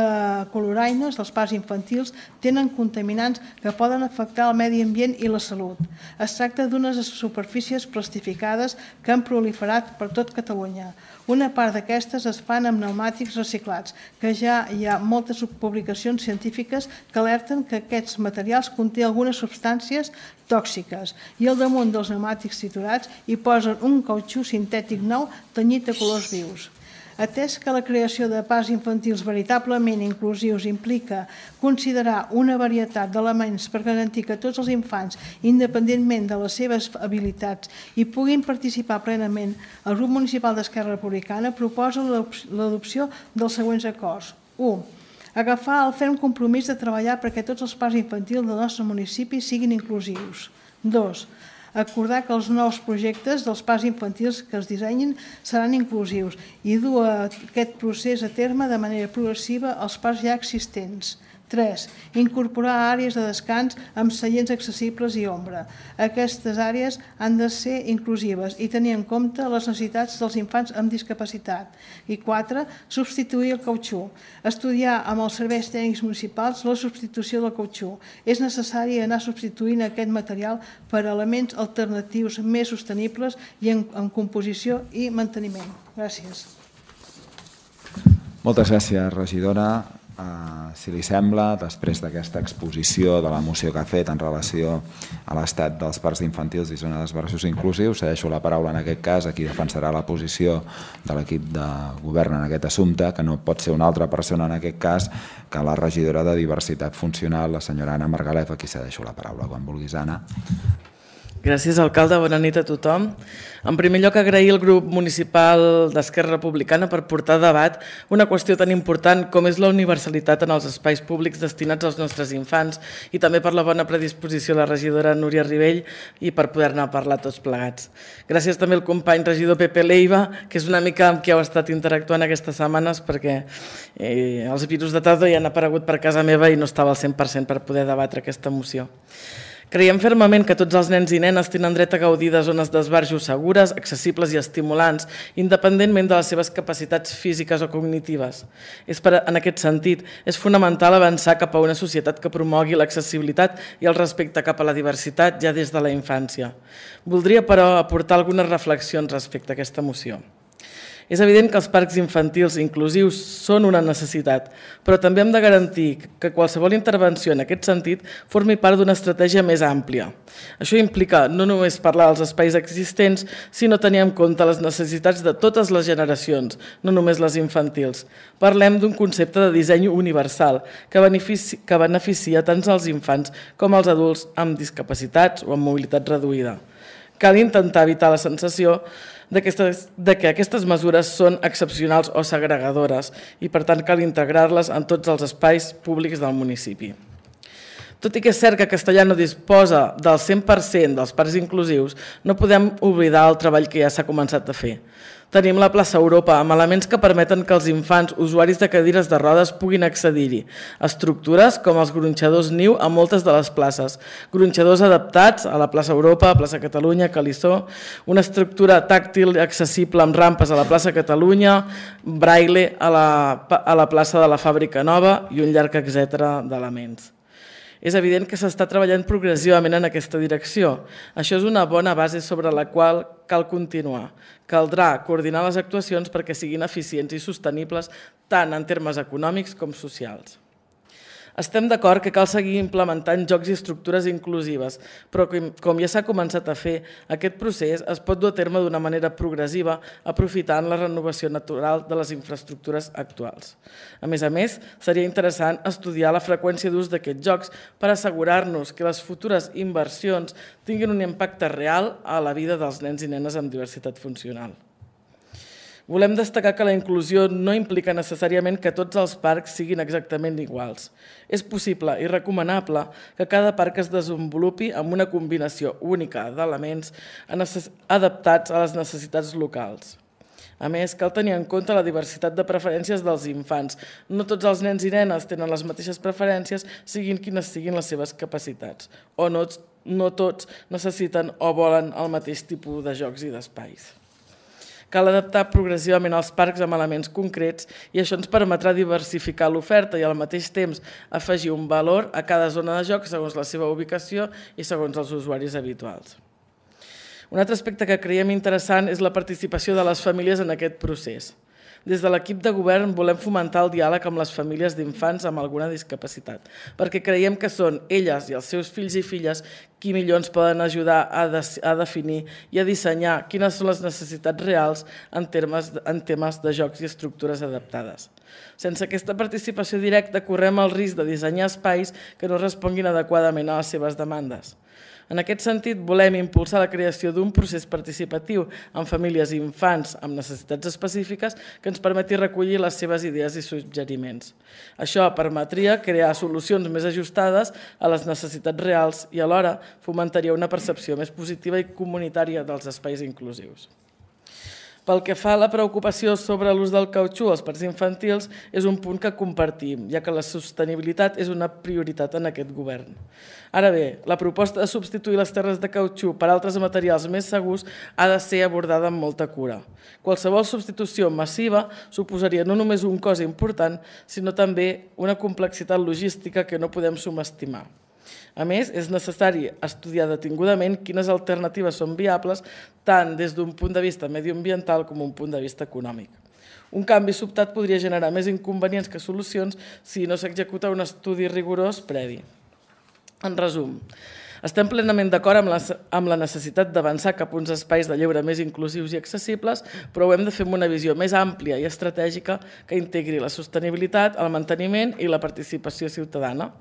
coloraines dels parcs infantils tenen contaminants que poden afectar el medi ambient i la salut. Es tracta d'unes superfícies plastificades que han proliferat per tot Catalunya. Una part d'aquestes es fan amb pneumàtics reciclats, que ja hi ha moltes publicacions científiques que alerten que aquests materials conté algunes substàncies tòxiques i al damunt dels pneumàtics triturats hi posen un cautxú sintètic nou tenyit de colors vius. Atès que la creació de parcs infantils veritablement inclusius implica considerar una varietat d'elements per garantir que tots els infants, independentment de les seves habilitats, hi puguin participar plenament, el grup municipal d'Esquerra Republicana proposa l'adopció dels següents acords. u. Agafar el ferm compromís de treballar perquè tots els parcs infantils del nostre municipi siguin inclusius. dos. Acordar que els nous projectes dels parcs infantils que es dissenyin seran inclusius i dur aquest procés a terme de manera progressiva als parcs ja existents. tres. Incorporar àrees de descans amb seients accessibles i ombra. Aquestes àrees han de ser inclusives i tenir en compte les necessitats dels infants amb discapacitat. I quatre. Substituir el cautxú. Estudiar amb els serveis tècnics municipals la substitució del cautxú. És necessari anar substituint aquest material per elements alternatius més sostenibles i en, en composició i manteniment. Gràcies. Moltes gràcies, regidora. Uh, si li sembla, després d'aquesta exposició de la moció que ha fet en relació a l'estat dels parcs infantils i zones d'esbarraços inclusius, cedeixo la paraula en aquest cas a qui defensarà la posició de l'equip de govern en aquest assumpte, que no pot ser una altra persona en aquest cas que la regidora de Diversitat Funcional, la senyora Anna Margalef, a qui cedeixo la paraula. Quan vulguis, Anna. Gràcies, alcalde. Bona nit a tothom. En primer lloc, agrair al grup municipal d'Esquerra Republicana per portar a debat una qüestió tan important com és la universalitat en els espais públics destinats als nostres infants i també per la bona predisposició de la regidora Núria Ribell i per poder-ne parlar tots plegats. Gràcies també al company regidor Pepe Leiva, que és una mica amb qui heu estat interactuant aquestes setmanes perquè eh, els virus de tardor ja han aparegut per casa meva i no estava al cent per cent per poder debatre aquesta moció. Creiem fermament que tots els nens i nenes tenen dret a gaudir de zones d'esbarjo segures, accessibles i estimulants, independentment de les seves capacitats físiques o cognitives. És per, en aquest sentit, és fonamental avançar cap a una societat que promogui l'accessibilitat i el respecte cap a la diversitat ja des de la infància. Voldria, però, aportar algunes reflexions respecte a aquesta moció. És evident que els parcs infantils inclusius són una necessitat, però també hem de garantir que qualsevol intervenció en aquest sentit formi part d'una estratègia més àmplia. Això implica no només parlar dels espais existents, sinó tenir en compte les necessitats de totes les generacions, no només les infantils. Parlem d'un concepte de disseny universal que beneficia, que beneficia tant els infants com els adults amb discapacitats o amb mobilitat reduïda. Cal intentar evitar la sensació de que aquestes mesures són excepcionals o segregadores i, per tant, cal integrar-les en tots els espais públics del municipi. Tot i que és cert que Castellà no disposa del cent per cent dels parcs inclusius, no podem oblidar el treball que ja s'ha començat a fer. Tenim la plaça Europa amb elements que permeten que els infants usuaris de cadires de rodes puguin accedir-hi. Estructures com els gronxadors niu a moltes de les places, gronxadors adaptats a la plaça Europa, a plaça Catalunya, Calissó, una estructura tàctil accessible amb rampes a la plaça Catalunya, braille a la, a la plaça de la Fàbrica Nova i un llarg etcètera d'elements. És evident que s'està treballant progressivament en aquesta direcció. Això és una bona base sobre la qual cal continuar. Caldrà coordinar les actuacions perquè siguin eficients i sostenibles tant en termes econòmics com socials. Estem d'acord que cal seguir implementant jocs i estructures inclusives, però com ja s'ha començat a fer, aquest procés es pot dur a terme d'una manera progressiva, aprofitant la renovació natural de les infraestructures actuals. A més a més, seria interessant estudiar la freqüència d'ús d'aquests jocs per assegurar-nos que les futures inversions tinguin un impacte real a la vida dels nens i nenes amb diversitat funcional. Volem destacar que la inclusió no implica necessàriament que tots els parcs siguin exactament iguals. És possible i recomanable que cada parc es desenvolupi amb una combinació única d'elements adaptats a les necessitats locals. A més, cal tenir en compte la diversitat de preferències dels infants. No tots els nens i nenes tenen les mateixes preferències, siguin quines siguin les seves capacitats, o no, no tots necessiten o volen el mateix tipus de jocs i d'espais. Cal adaptar progressivament els parcs amb elements concrets i això ens permetrà diversificar l'oferta i al mateix temps afegir un valor a cada zona de joc segons la seva ubicació i segons els usuaris habituals. Un altre aspecte que creiem interessant és la participació de les famílies en aquest procés. Des de l'equip de govern volem fomentar el diàleg amb les famílies d'infants amb alguna discapacitat, perquè creiem que són elles i els seus fills i filles qui millor ens poden ajudar a, de, a definir i a dissenyar quines són les necessitats reals en, termes, en temes de jocs i estructures adaptades. Sense aquesta participació directa correm el risc de dissenyar espais que no responguin adequadament a les seves demandes. En aquest sentit, volem impulsar la creació d'un procés participatiu amb famílies i infants amb necessitats específiques que ens permeti recollir les seves idees i suggeriments. Això permetria crear solucions més ajustades a les necessitats reals i alhora fomentaria una percepció més positiva i comunitària dels espais inclusius. Pel que fa a la preocupació sobre l'ús del cautxú als parcs infantils, és un punt que compartim, ja que la sostenibilitat és una prioritat en aquest govern. Ara bé, la proposta de substituir les terres de cautxú per altres materials més segurs ha de ser abordada amb molta cura. Qualsevol substitució massiva suposaria no només un cost important, sinó també una complexitat logística que no podem subestimar. A més, és necessari estudiar detingudament quines alternatives són viables tant des d'un punt de vista mediambiental com un punt de vista econòmic. Un canvi sobtat podria generar més inconvenients que solucions si no s'executa un estudi rigorós previ. En resum, estem plenament d'acord amb, amb la necessitat d'avançar cap a uns espais de lleure més inclusius i accessibles, però ho hem de fer amb una visió més àmplia i estratègica que integri la sostenibilitat, el manteniment i la participació ciutadana.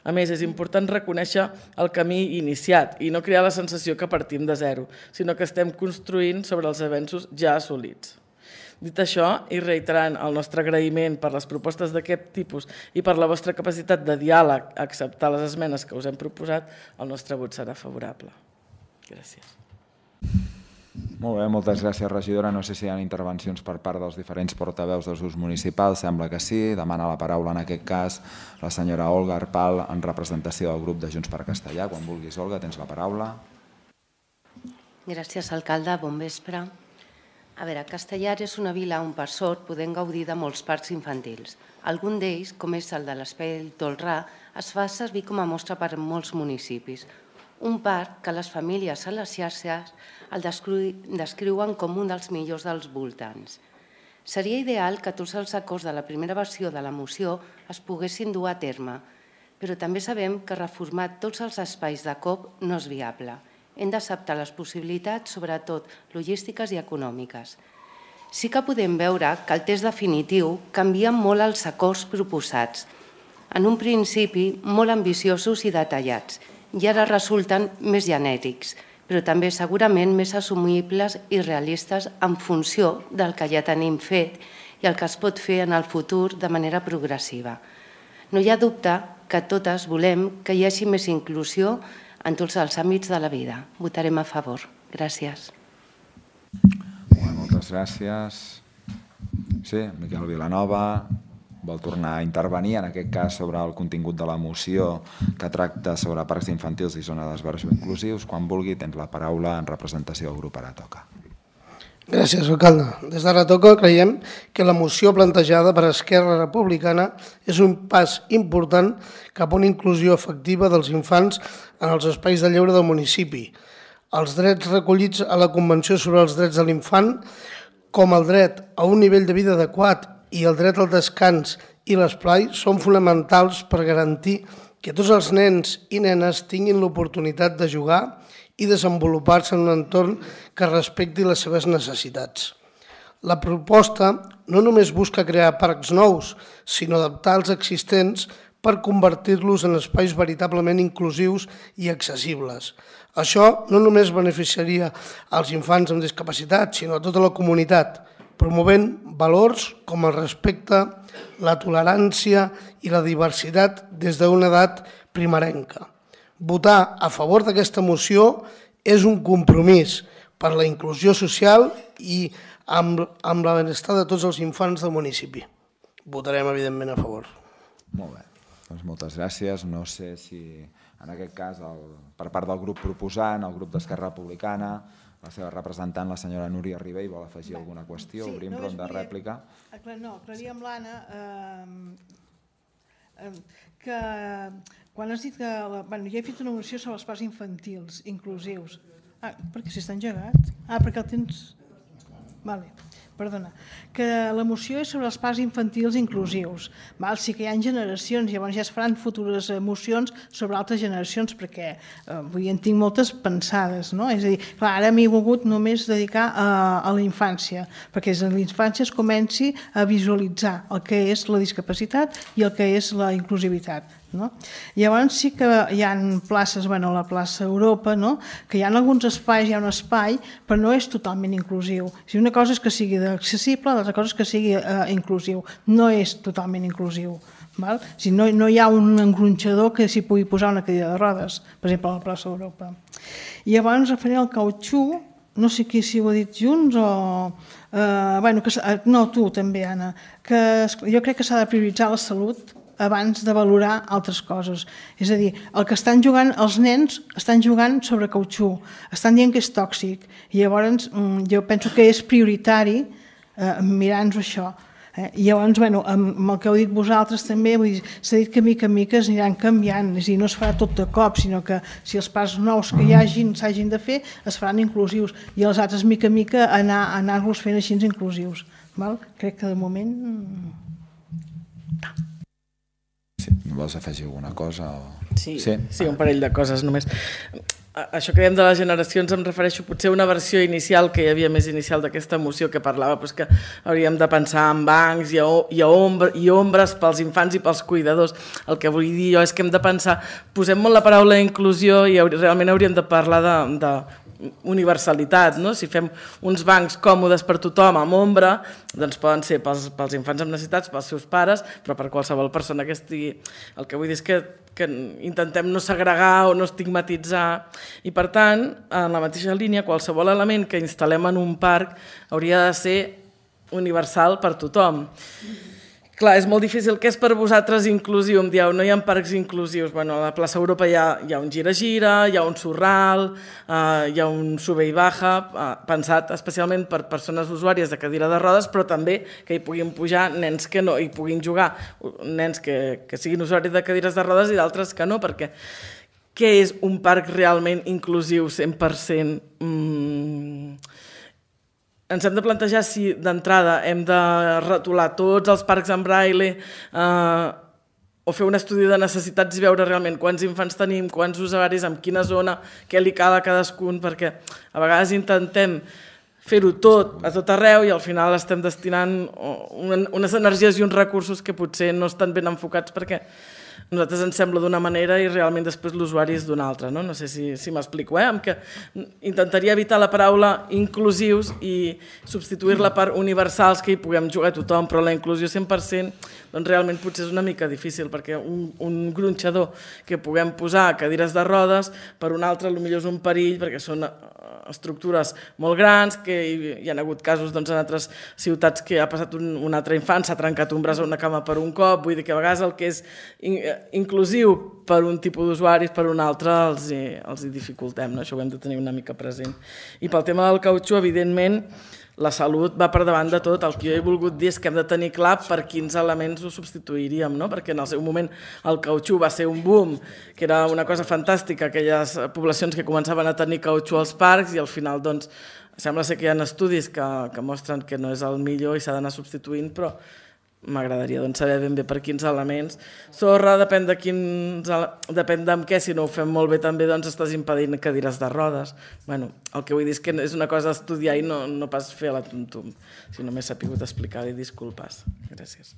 A més, és important reconèixer el camí iniciat i no crear la sensació que partim de zero, sinó que estem construint sobre els avenços ja assolits. Dit això, i reiterant el nostre agraïment per les propostes d'aquest tipus i per la vostra capacitat de diàleg a acceptar les esmenes que us hem proposat, el nostre vot serà favorable. Gràcies. Molt bé, moltes gràcies, regidora. No sé si hi ha intervencions per part dels diferents portaveus dels grups municipals. Sembla que sí. Demana la paraula en aquest cas la senyora Olga Arpal en representació del grup de Junts per Castellà. Quan vulguis, Olga, tens la paraula. Gràcies, alcalde. Bon vespre. A veure, Castellar és una vila on per sort podem gaudir de molts parcs infantils. Algun d'ells, com és el de l'Espai Tolrà, es fa servir com a mostra per molts municipis. Un parc que les famílies a les xarxes el descriuen com un dels millors dels voltants. Seria ideal que tots els acords de la primera versió de la moció es poguessin dur a terme, però també sabem que reformar tots els espais de cop no és viable. Hem d'acceptar les possibilitats, sobretot logístiques i econòmiques. Sí que podem veure que el text definitiu canvia molt els acords proposats. En un principi, molt ambiciosos i detallats, i ara resulten més genèrics, però també segurament més assumibles i realistes en funció del que ja tenim fet i el que es pot fer en el futur de manera progressiva. No hi ha dubte que totes volem que hi hagi més inclusió en tots els àmbits de la vida. Votarem a favor. Gràcies. Moltes gràcies. Sí, Miquel Vilanova vol tornar a intervenir, en aquest cas sobre el contingut de la moció que tracta sobre parcs infantils i zona d'esbarjo inclusius. Quan vulgui, tens la paraula en representació del grup Aratoca. Gràcies, alcalde. Des d'Aratoca creiem que la moció plantejada per Esquerra Republicana és un pas important cap a una inclusió efectiva dels infants en els espais de lleure del municipi. Els drets recollits a la Convenció sobre els drets de l'infant, com el dret a un nivell de vida adequat i el dret al descans i l'esplai són fonamentals per garantir que tots els nens i nenes tinguin l'oportunitat de jugar i desenvolupar-se en un entorn que respecti les seves necessitats. La proposta no només busca crear parcs nous, sinó adaptar els existents per convertir-los en espais veritablement inclusius i accessibles. Això no només beneficiaria als infants amb discapacitat, sinó a tota la comunitat, promovent valors com el respecte, la tolerància i la diversitat des d'una edat primerenca. Votar a favor d'aquesta moció és un compromís per la inclusió social i amb, amb la benestar de tots els infants del municipi. Votarem, evidentment, a favor. Molt bé, doncs moltes gràcies. No sé si en aquest cas, el, per part del grup proposant, el grup d'Esquerra Republicana, la seva representant, la senyora Núria Ribell, vol afegir alguna qüestió? Obrim ronda de rèplica. No, aclarir amb l'Anna que quan has dit que... Bueno, ja he fet una moció sobre els parcs infantils inclusius. Ah, perquè si està engegat? Ah, perquè el tens... Vale, perdona. Que la moció és sobre els parcs infantils inclusius. Val? Sí que hi ha generacions, llavors ja es faran futures mocions sobre altres generacions, perquè eh, vull dir, en tinc moltes pensades, no? És a dir, clar, ara m'he volgut només dedicar a, a la infància, perquè des de la infància es comenci a visualitzar el que és la discapacitat i el que és la inclusivitat. No? Llavors sí que hi ha places, bueno, la plaça Europa, no? Que hi ha alguns espais, hi ha un espai, però no és totalment inclusiu. Si una cosa és que sigui accessible, l'altra cosa és que sigui eh, inclusiu. No és totalment inclusiu. Val? Si no, no hi ha un engronxador que s'hi pugui posar una cadira de rodes, per exemple, a la plaça Europa. I llavors referent al cautxú, no sé qui si ho ha dit junts o... Eh, bueno, que, no, tu també, Anna, que jo crec que s'ha de prioritzar la salut abans de valorar altres coses. És a dir, el que estan jugant, els nens estan jugant sobre cautxú, estan dient que és tòxic, i llavors jo penso que és prioritari eh, mirar-nos això. Eh? I llavors, bueno, amb el que heu dit vosaltres també, s'ha dit que mica en mica es aniran canviant, és a dir, no es farà tot de cop, sinó que si els parcs nous que hi hagin s'hagin de fer, es faran inclusius, i els altres mica en mica anar, anar-los fent així inclusius. Val? Crec que de moment... Sí, vols afegir alguna cosa? O... Sí, sí, sí, un parell de coses només. Això que dèiem de les generacions em refereixo potser a una versió inicial que hi havia més inicial d'aquesta moció que parlava doncs, que hauríem de pensar en bancs i, i, ombra, i ombres pels infants i pels cuidadors. El que vull dir jo és que hem de pensar, posem molt la paraula inclusió i realment hauríem de parlar de, de universalitat, no? Si fem uns bancs còmodes per tothom amb ombra, doncs poden ser pels, pels infants amb necessitats, pels seus pares, però per qualsevol persona que estigui... El que vull dir és que, que intentem no segregar o no estigmatitzar i, per tant, en la mateixa línia, qualsevol element que instal·lem en un parc hauria de ser universal per tothom. Clar, és molt difícil. Què és per vosaltres inclusiu? Em dieu, no hi ha parcs inclusius. Bueno, a la plaça Europa hi ha, hi ha un gira-gira, hi ha un sorral, eh, hi ha un sube i baja, eh, pensat especialment per persones usuàries de cadira de rodes, però també que hi puguin pujar nens que no hi puguin jugar, nens que, que siguin usuaris de cadires de rodes i d'altres que no, perquè què és un parc realment inclusiu cent per cent? Mm... Ens hem de plantejar si d'entrada hem de retolar tots els parcs en braille eh, o fer un estudi de necessitats i veure realment quants infants tenim, quants usuaris, en quina zona, què li cal a cadascun, perquè a vegades intentem fer-ho tot a tot arreu i al final estem destinant unes energies i uns recursos que potser no estan ben enfocats perquè a nosaltres ens sembla d'una manera i realment després l'usuari és d'una altra. No, no sé si, si m'explico, eh? Amb que intentaria evitar la paraula inclusius i substituir-la per universals, que hi puguem jugar a tothom, però la inclusió cent per cent doncs realment potser és una mica difícil, perquè un, un gronxador que puguem posar a cadires de rodes, per un altre potser és un perill, perquè són estructures molt grans, que hi, hi ha hagut casos doncs, en altres ciutats que ha passat un, un altre infant, s'ha trencat un braç o una cama per un cop, vull dir que a vegades el que és in, inclusiu per un tipus d'usuaris, per un altre els hi, els hi dificultem, no? Això ho hem de tenir una mica present. I pel tema del cautxú, evidentment, la salut va per davant de tot. El que jo he volgut dir és que hem de tenir clar per quins elements ho substituiríem, no? Perquè en el seu moment el cautxú va ser un boom, que era una cosa fantàstica, aquelles poblacions que començaven a tenir cautxú als parcs i al final doncs, sembla ser que hi ha estudis que, que mostren que no és el millor i s'ha d'anar substituint, però m'agradaria doncs, saber ben bé per quins elements. Sorra, depèn de quins, depèn d'en què, si no ho fem molt bé també doncs estàs impedint cadires de rodes. Bueno, el que vull dir és que és una cosa a estudiar i no, no pas fer a la tum-tum, si només s'ha pogut explicar-li, disculpes. Gràcies.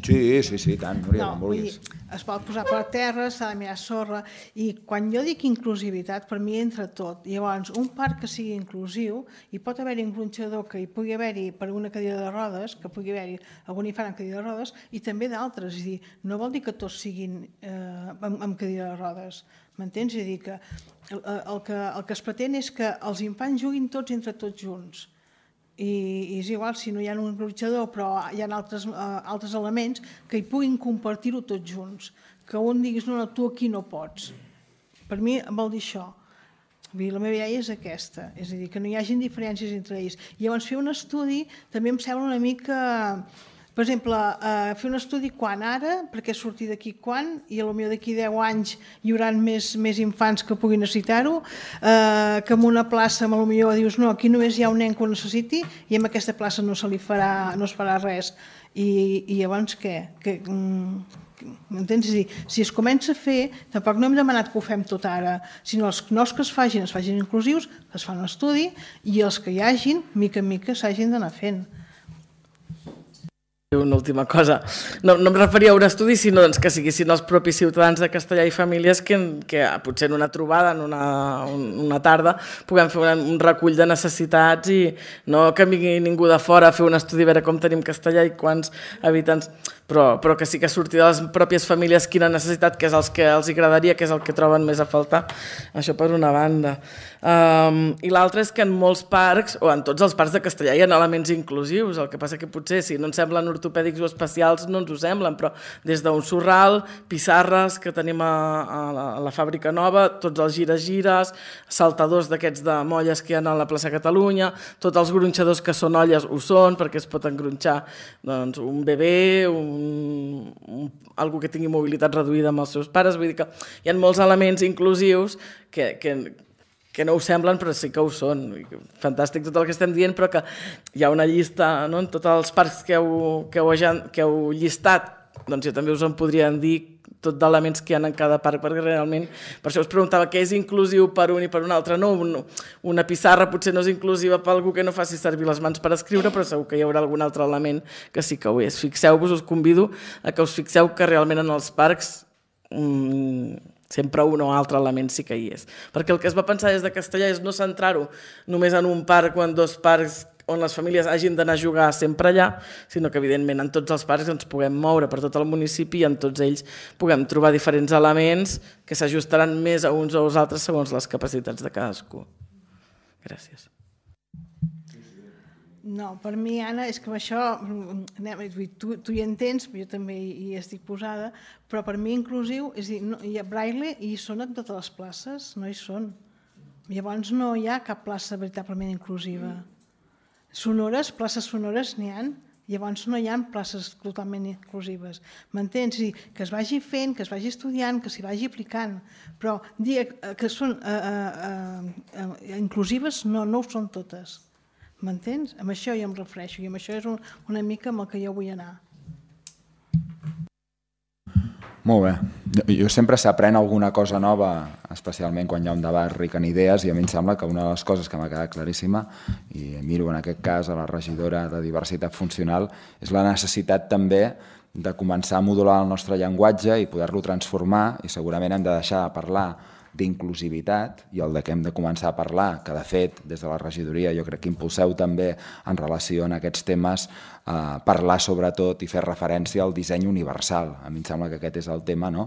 Sí, sí, sí, tant, Núria, no, com vulguis. Dir, es pot posar per terra, s'ha de mirar sorra, i quan jo dic inclusivitat, per mi entra tot. Llavors, un parc que sigui inclusiu, hi pot haver-hi un gronxador que hi pugui haver-hi per una cadira de rodes, que pugui haver-hi algun infant amb cadira de rodes, i també d'altres. És a dir, no vol dir que tots siguin eh, amb, amb cadira de rodes. M'entens? És a dir, que el, el que el que es pretén és que els infants juguin tots entre tots junts. I és igual si no hi ha un gronxador, però hi ha altres, uh, altres elements que hi puguin compartir-ho tots junts. Que un diguis, no, no, tu aquí no pots. Per mi vol dir això. La meva idea és aquesta, és a dir, que no hi hagi diferències entre ells. I llavors fer un estudi també em sembla una mica... Per exemple, eh, fer un estudi quan ara, perquè sortir d'aquí quan, i potser d'aquí deu anys hi haurà més, més infants que puguin necessitar-ho, eh, que en una plaça potser dius no, aquí només hi ha un nen que ho necessiti i en aquesta plaça no se li farà, no es farà res. I, i llavors què? Que, m'entens? És a dir, si es comença a fer, tampoc no hem demanat que ho fem tot ara, sinó els nous que es facin, es facin inclusius, es fan un estudi i els que hi hagin, mica en mica, s'hagin d'anar fent. Una última cosa. No, no em referia a un estudi, sinó doncs, que siguessin els propis ciutadans de Castellar i famílies que, que potser en una trobada, en una, una tarda, puguem fer un, un recull de necessitats i no que vingui ningú de fora a fer un estudi a veure com tenim Castellar i quants habitants, però, però que sí que surti de les pròpies famílies quina necessitat, que és el que els agradaria, que és el que troben més a faltar. Això per una banda. Um, I l'altre és que en molts parcs, o en tots els parcs de Castellar, hi ha elements inclusius, el que passa que potser si no ens semblen ortopèdics o especials no ens ho semblen, però des d'un sorral, pissarres que tenim a, a, la, a la fàbrica nova, tots els gires-gires, saltadors d'aquests de molles que hi ha a la plaça Catalunya, tots els gronxadors que són olles ho són, perquè es pot engronxar doncs, un bebè, un, un, algú que tingui mobilitat reduïda amb els seus pares, vull dir que hi ha molts elements inclusius que, que que no ho semblen però sí que ho són. Fantàstic tot el que estem dient, però que hi ha una llista, no? En tots els parcs que heu, que heu, que heu llistat, doncs jo també us en podrien dir tot d'elements que hi ha en cada parc, perquè realment, per això us preguntava què és inclusiu per un i per un altre. No, una pissarra potser no és inclusiva per algú que no faci servir les mans per escriure, però segur que hi haurà algun altre element que sí que ho és. Fixeu-vos, us convido a que us fixeu que realment en els parcs mmm, sempre un o altre element sí que hi és. Perquè el que es va pensar des de Castellar és no centrar-ho només en un parc o en dos parcs on les famílies hagin d'anar a jugar sempre allà, sinó que evidentment en tots els parcs ens puguem moure per tot el municipi i en tots ells puguem trobar diferents elements que s'ajustaran més a uns o als altres segons les capacitats de cadascú. Gràcies. No, per mi, Anna, és que amb això, tu, tu hi entens, jo també hi estic posada, però per mi inclusiu, és a dir, no, hi ha braille i hi són en totes les places, no hi són. Llavors no hi ha cap plaça veritablement inclusiva. Sonores, places sonores n'hi ha, llavors no hi ha places totalment inclusives. M'entens? Que es vagi fent, que es vagi estudiant, que s'hi vagi aplicant, però dir que són eh, eh, eh, inclusives no, no ho són totes. M'entens? Amb això jo em refereixo i amb això és un, una mica amb el que jo vull anar. Molt bé. Jo sempre s'aprèn alguna cosa nova, especialment quan hi ha un debat ric en idees, i a mi em sembla que una de les coses que m'ha quedat claríssima, i miro en aquest cas a la regidora de diversitat funcional, és la necessitat també de començar a modular el nostre llenguatge i poder-lo transformar, i segurament hem de deixar de parlar d'inclusivitat i el de què hem de començar a parlar, que de fet des de la regidoria jo crec que impulseu també en relació a aquests temes, eh, parlar sobretot i fer referència al disseny universal. A mi em sembla que aquest és el tema, no?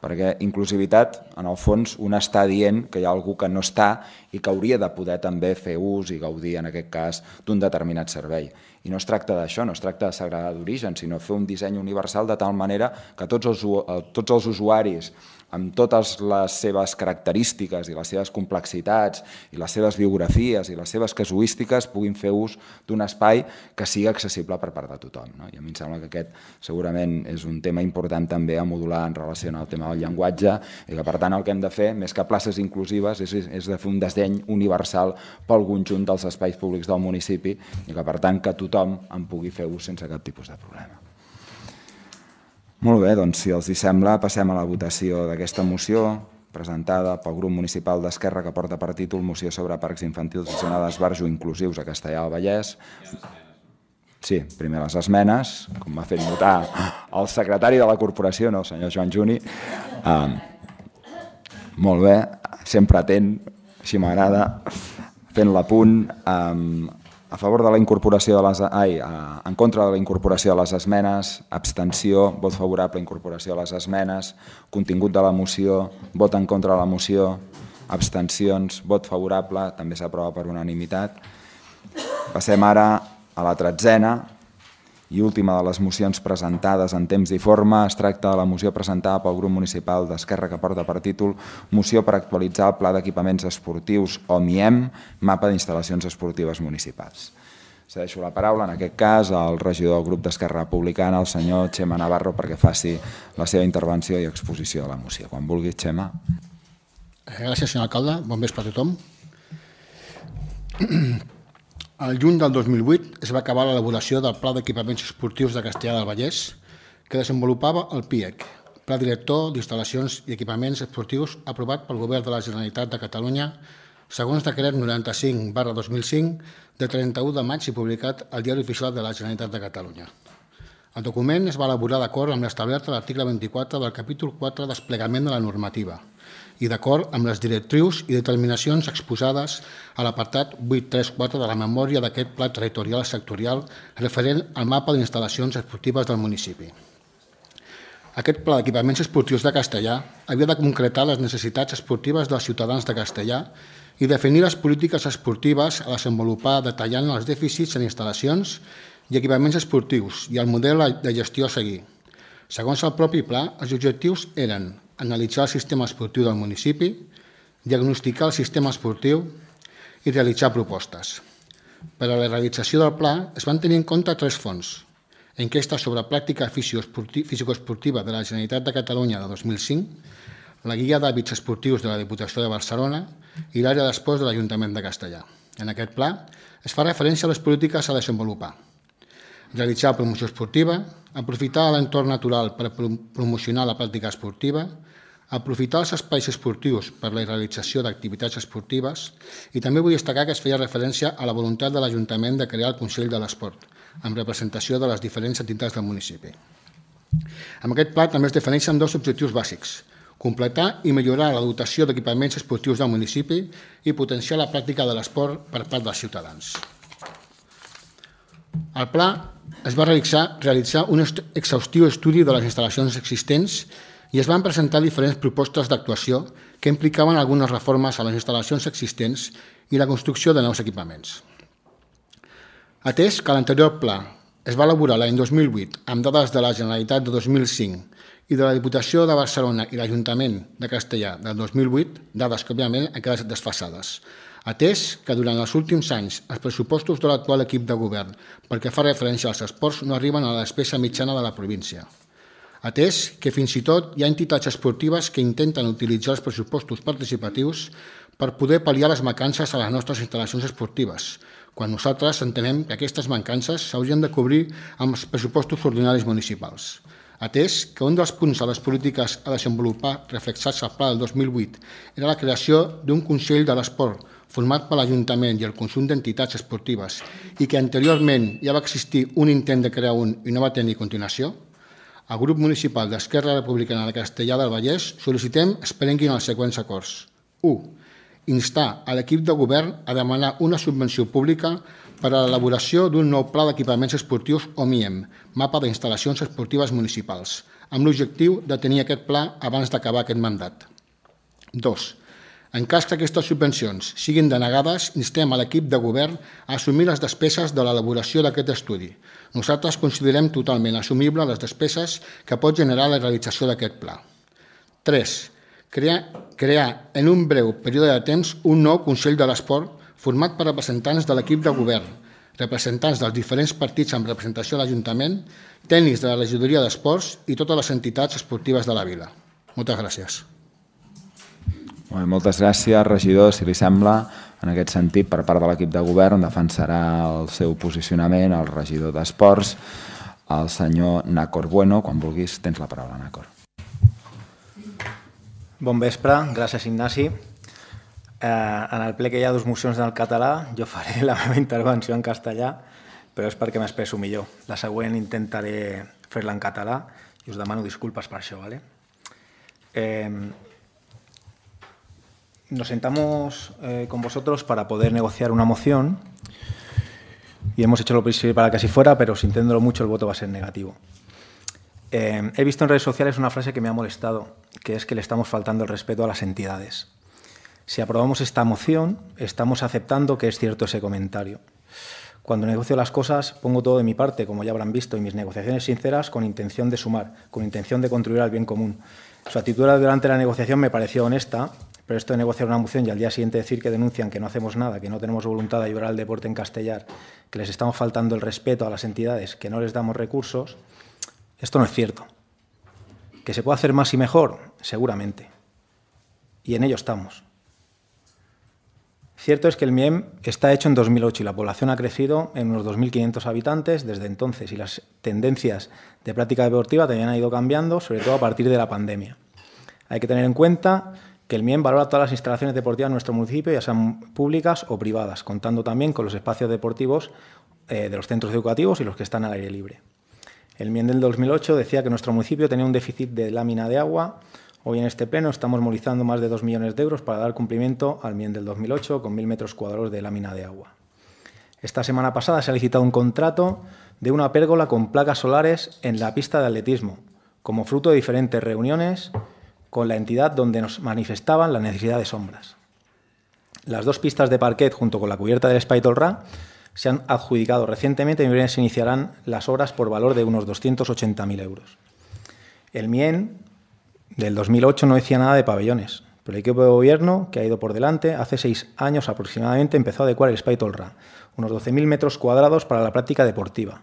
Perquè inclusivitat, en el fons, un està dient que hi ha algú que no està i que hauria de poder també fer ús i gaudir, en aquest cas, d'un determinat servei. I no es tracta d'això, no es tracta de segregar d'origen, sinó fer un disseny universal de tal manera que tots els, tots els usuaris, amb totes les seves característiques i les seves complexitats i les seves biografies i les seves casuístiques puguin fer ús d'un espai que sigui accessible per part de tothom. No? I a mi em sembla que aquest segurament és un tema important també a modular en relació al tema del el llenguatge, i que per tant el que hem de fer, més que places inclusives, és, és de fer un disseny universal pel conjunt dels espais públics del municipi i que per tant que tothom en pugui fer ús sense cap tipus de problema. Molt bé, doncs si els hi sembla passem a la votació d'aquesta moció presentada pel grup municipal d'Esquerra que porta per títol Moció sobre parcs infantils i zona d'esbarjo inclusius a Castellar del Vallès. Sí, primer les esmenes, com m'ha fet notar el secretari de la corporació, no, el senyor Joan Juni. Uh, molt bé, sempre atent, així m'agrada, fent l'apunt. Um, a favor de la incorporació de les... Ai, uh, en contra de la incorporació de les esmenes, abstenció, vot favorable a incorporació de les esmenes, contingut de la moció, vot en contra de la moció, abstencions, vot favorable, també s'aprova per unanimitat. Passem ara a la tretzena i última de les mocions presentades en temps i forma. Es tracta de la moció presentada pel grup municipal d'Esquerra que porta per títol Moció per actualitzar el Pla d'Equipaments Esportius o M I E M, mapa d'instal·lacions esportives municipals. Cedeixo la paraula, en aquest cas, al regidor del grup d'Esquerra Republicana, el senyor Xema Navarro, perquè faci la seva intervenció i exposició de la moció. Quan vulgui, Xema. Gràcies, senyor alcalde. Bon vespre a tothom. El juny del dos mil vuit es va acabar l'elaboració del Pla d'Equipaments Esportius de Castellar del Vallès, que desenvolupava el P I E C, Pla Director d'Instal·lacions i Equipaments Esportius aprovat pel Govern de la Generalitat de Catalunya segons decret noranta-cinc barra dos mil cinc de trenta-u de maig i publicat al Diari Oficial de la Generalitat de Catalunya. El document es va elaborar d'acord amb l'establert a l'article vint-i-quatre del capítol quatre Desplegament de la normativa i d'acord amb les directrius i determinacions exposades a l'apartat vuit tres quatre de la memòria d'aquest Pla Territorial Sectorial referent al mapa d'instal·lacions esportives del municipi. Aquest Pla d'Equipaments Esportius de Castellar havia de concretar les necessitats esportives dels ciutadans de Castellar i definir les polítiques esportives a desenvolupar detallant els dèficits en instal·lacions i equipaments esportius i el model de gestió a seguir. Segons el propi pla, els objectius eren analitzar el sistema esportiu del municipi, diagnosticar el sistema esportiu i realitzar propostes. Per a la realització del pla es van tenir en compte tres fons: enquesta sobre pràctica físico-esportiva de la Generalitat de Catalunya de dos mil cinc, la guia d'hàbits esportius de la Diputació de Barcelona i l'àrea d'esports de l'Ajuntament de Castellar. En aquest pla es fa referència a les polítiques a desenvolupar: realitzar promoció esportiva, aprofitar l'entorn natural per promocionar la pràctica esportiva, aprofitar els espais esportius per la realització d'activitats esportives i també vull destacar que es feia referència a la voluntat de l'Ajuntament de crear el Consell de l'Esport, amb representació de les diferents entitats del municipi. Amb aquest pla també es defineixen dos objectius bàsics: completar i millorar la dotació d'equipaments esportius del municipi i potenciar la pràctica de l'esport per part dels ciutadans. Al pla es va realitzar, realitzar un exhaustiu estudi de les instal·lacions existents i es van presentar diferents propostes d'actuació que implicaven algunes reformes a les instal·lacions existents i la construcció de nous equipaments. Atès que l'anterior pla es va elaborar l'any dos mil vuit amb dades de la Generalitat de dos mil cinc i de la Diputació de Barcelona i l'Ajuntament de Castellar del dos mil vuit, dades que òbviament han quedat desfasades, atès que durant els últims anys els pressupostos de l'actual equip de govern pel que fa referència als esports no arriben a la despesa mitjana de la província, atès que fins i tot hi ha entitats esportives que intenten utilitzar els pressupostos participatius per poder pal·liar les mancances a les nostres instal·lacions esportives, quan nosaltres entenem que aquestes mancances s'haurien de cobrir amb els pressupostos ordinaris municipals. Atès que un dels punts de les polítiques a desenvolupar reflexats al pla del dos mil vuit era la creació d'un Consell de l'Esport format per l'Ajuntament i el conjunt d'entitats esportives i que anteriorment ja va existir un intent de crear un i no va tenir continuació, al grup municipal d'Esquerra Republicana de Castellar del Vallès sol·licitem es prenguin els següents acords. u. Instar a l'equip de govern a demanar una subvenció pública per a l'elaboració d'un nou pla d'equipaments esportius o M I E M, mapa d'instal·lacions esportives municipals, amb l'objectiu de tenir aquest pla abans d'acabar aquest mandat. dos. En cas que aquestes subvencions siguin denegades, instem a l'equip de govern a assumir les despeses de l'elaboració d'aquest estudi. Nosaltres considerem totalment assumible les despeses que pot generar la realització d'aquest pla. tres. Crear, crear en un breu període de temps un nou Consell de l'Esport format per representants de l'equip de govern, representants dels diferents partits amb representació a l'Ajuntament, tècnics de la regidoria d'Esports i totes les entitats esportives de la vila. Moltes gràcies. Molt bé, moltes gràcies, regidor. Si li sembla, en aquest sentit, per part de l'equip de govern, defensarà el seu posicionament el regidor d'Esports, el senyor Nàcor Bueno. Quan vulguis, tens la paraula, Nàcor. Bon vespre, gràcies Ignasi. Eh, en el ple que hi ha dues mocions en el català, jo faré la meva intervenció en castellà, però és perquè m'expresso millor. La següent intentaré fer-la en català y os demano disculpas por eso, ¿vale? Eh, nos sentamos eh, con vosotros para poder negociar una moción y hemos hecho lo posible para que así fuera, pero sintiéndolo mucho el voto va a ser negativo. Eh, he visto en redes sociales una frase que me ha molestado, que es que le estamos faltando el respeto a las entidades. Si aprobamos esta moción, estamos aceptando que es cierto ese comentario. Cuando negocio las cosas, pongo todo de mi parte, como ya habrán visto, y mis negociaciones sinceras con intención de sumar, con intención de contribuir al bien común. Su actitud durante la negociación me pareció honesta, pero esto de negociar una moción y al día siguiente decir que denuncian que no hacemos nada, que no tenemos voluntad de ayudar al deporte en Castellar, que les estamos faltando el respeto a las entidades, que no les damos recursos, esto no es cierto. ¿Que se puede hacer más y mejor? Seguramente. Y en ello estamos. Cierto es que el M I E M está hecho en dos mil ocho y la población ha crecido en unos dos mil quinientos habitantes desde entonces y las tendencias de práctica deportiva también han ido cambiando, sobre todo a partir de la pandemia. Hay que tener en cuenta que el M I E M valora todas las instalaciones deportivas en nuestro municipio, ya sean públicas o privadas, contando también con los espacios deportivos eh, de los centros educativos y los que están al aire libre. El M I E M del dos mil ocho decía que nuestro municipio tenía un déficit de lámina de agua. Hoy en este pleno estamos movilizando más de dos millones de euros para dar cumplimiento al M I E M del dos mil ocho con mil metros cuadrados de lámina de agua. Esta semana pasada se ha licitado un contrato de una pérgola con placas solares en la pista de atletismo, como fruto de diferentes reuniones con la entidad donde nos manifestaban la necesidad de sombras. Las dos pistas de parquet junto con la cubierta del Espai Tolrà se han adjudicado recientemente y en se iniciarán las obras por valor de unos doscientos ochenta mil euros. El M I E M del dos mil ocho no decía nada de pabellones, pero el equipo de gobierno que ha ido por delante hace seis años aproximadamente empezó a adecuar el Espai Tolrà, unos doce mil metros cuadrados para la práctica deportiva.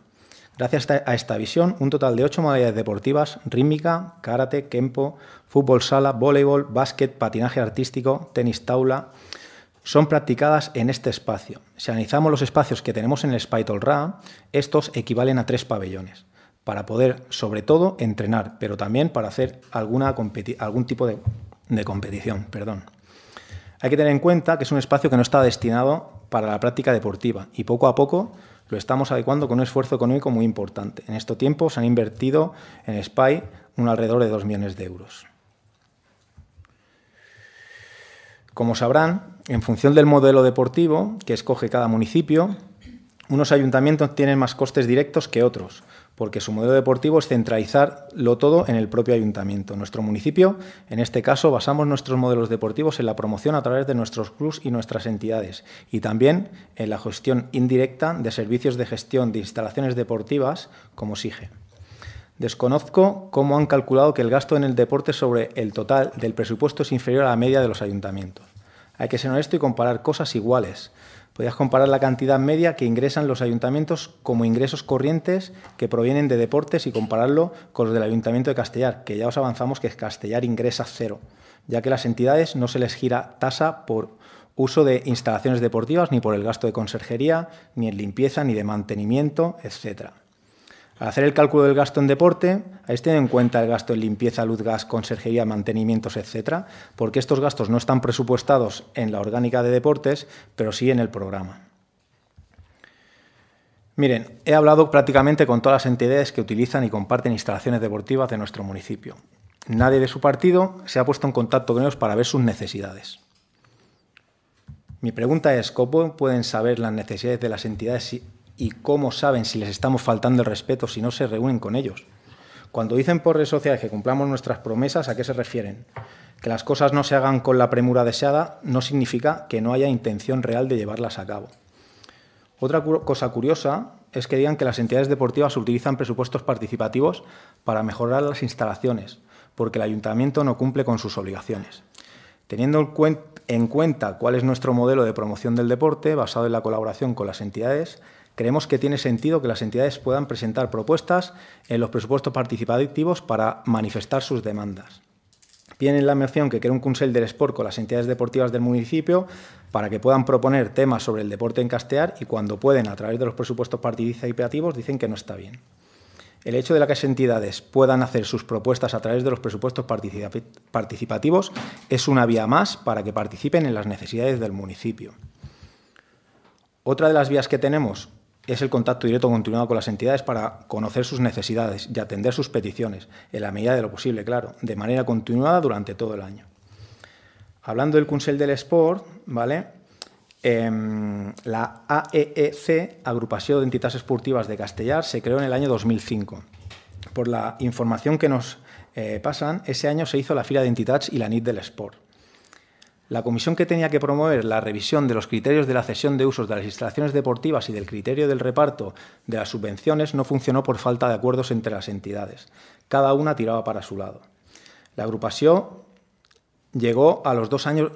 Gracias a esta visión, un total de ocho modalidades deportivas, rítmica, karate, kempo, fútbol sala, voleibol, básquet, patinaje artístico, tenis taula, son practicadas en este espacio. Si analizamos los espacios que tenemos en el Espai Tolrà, estos equivalen a tres pabellones, para poder, sobre todo, entrenar, pero también para hacer alguna algún tipo de, de competición. Perdón. Hay que tener en cuenta que es un espacio que no está destinado para la práctica deportiva y poco a poco lo estamos adecuando con un esfuerzo económico muy importante. En estos tiempos se han invertido en Espai un alrededor de dos millones de euros. Como sabrán, en función del modelo deportivo que escoge cada municipio, unos ayuntamientos tienen más costes directos que otros, porque su modelo deportivo es centralizarlo todo en el propio ayuntamiento. Nuestro municipio, en este caso, basamos nuestros modelos deportivos en la promoción a través de nuestros clubs y nuestras entidades y también en la gestión indirecta de servicios de gestión de instalaciones deportivas como SIGE. Desconozco cómo han calculado que el gasto en el deporte sobre el total del presupuesto es inferior a la media de los ayuntamientos. Hay que ser honesto y comparar cosas iguales. Podrías comparar la cantidad media que ingresan los ayuntamientos como ingresos corrientes que provienen de deportes y compararlo con los del Ayuntamiento de Castellar, que ya os avanzamos que Castellar ingresa cero, ya que las entidades no se les gira tasa por uso de instalaciones deportivas, ni por el gasto de conserjería, ni en limpieza, ni de mantenimiento, etcétera. Al hacer el cálculo del gasto en deporte, habéis tenido en cuenta el gasto en limpieza, luz, gas, conserjería, mantenimientos, etcétera, porque estos gastos no están presupuestados en la orgánica de deportes, pero sí en el programa. Miren, he hablado prácticamente con todas las entidades que utilizan y comparten instalaciones deportivas de nuestro municipio. Nadie de su partido se ha puesto en contacto con ellos para ver sus necesidades. Mi pregunta es, ¿cómo pueden saber las necesidades de las entidades si y cómo saben si les estamos faltando el respeto si no se reúnen con ellos? Cuando dicen por redes sociales que cumplamos nuestras promesas, ¿a qué se refieren? Que las cosas no se hagan con la premura deseada no significa que no haya intención real de llevarlas a cabo. Otra cosa curiosa es que digan que las entidades deportivas utilizan presupuestos participativos para mejorar las instalaciones, porque el ayuntamiento no cumple con sus obligaciones. Teniendo en cuenta cuál es nuestro modelo de promoción del deporte, basado en la colaboración con las entidades, creemos que tiene sentido que las entidades puedan presentar propuestas en los presupuestos participativos para manifestar sus demandas. Piden en la moción que cree un Consell del Esport con las entidades deportivas del municipio para que puedan proponer temas sobre el deporte en Castellar y cuando pueden, a través de los presupuestos participativos, dicen que no está bien. El hecho de que las entidades puedan hacer sus propuestas a través de los presupuestos participativos es una vía más para que participen en las necesidades del municipio. Otra de las vías que tenemos es el contacto directo continuado con las entidades para conocer sus necesidades y atender sus peticiones, en la medida de lo posible, claro, de manera continuada durante todo el año. Hablando del Consell del Esport, ¿vale? Eh, la A E E C, Agrupació d'Entitats Esportives de Castellar, se creó en el año dos mil cinco. Por la información que nos eh, pasan, ese año se hizo la Fira de Entitats y la Nit del Esport. La comisión que tenía que promover la revisión de los criterios de la cesión de usos de las instalaciones deportivas y del criterio del reparto de las subvenciones no funcionó por falta de acuerdos entre las entidades. Cada una tiraba para su lado. La agrupación llegó a los dos años,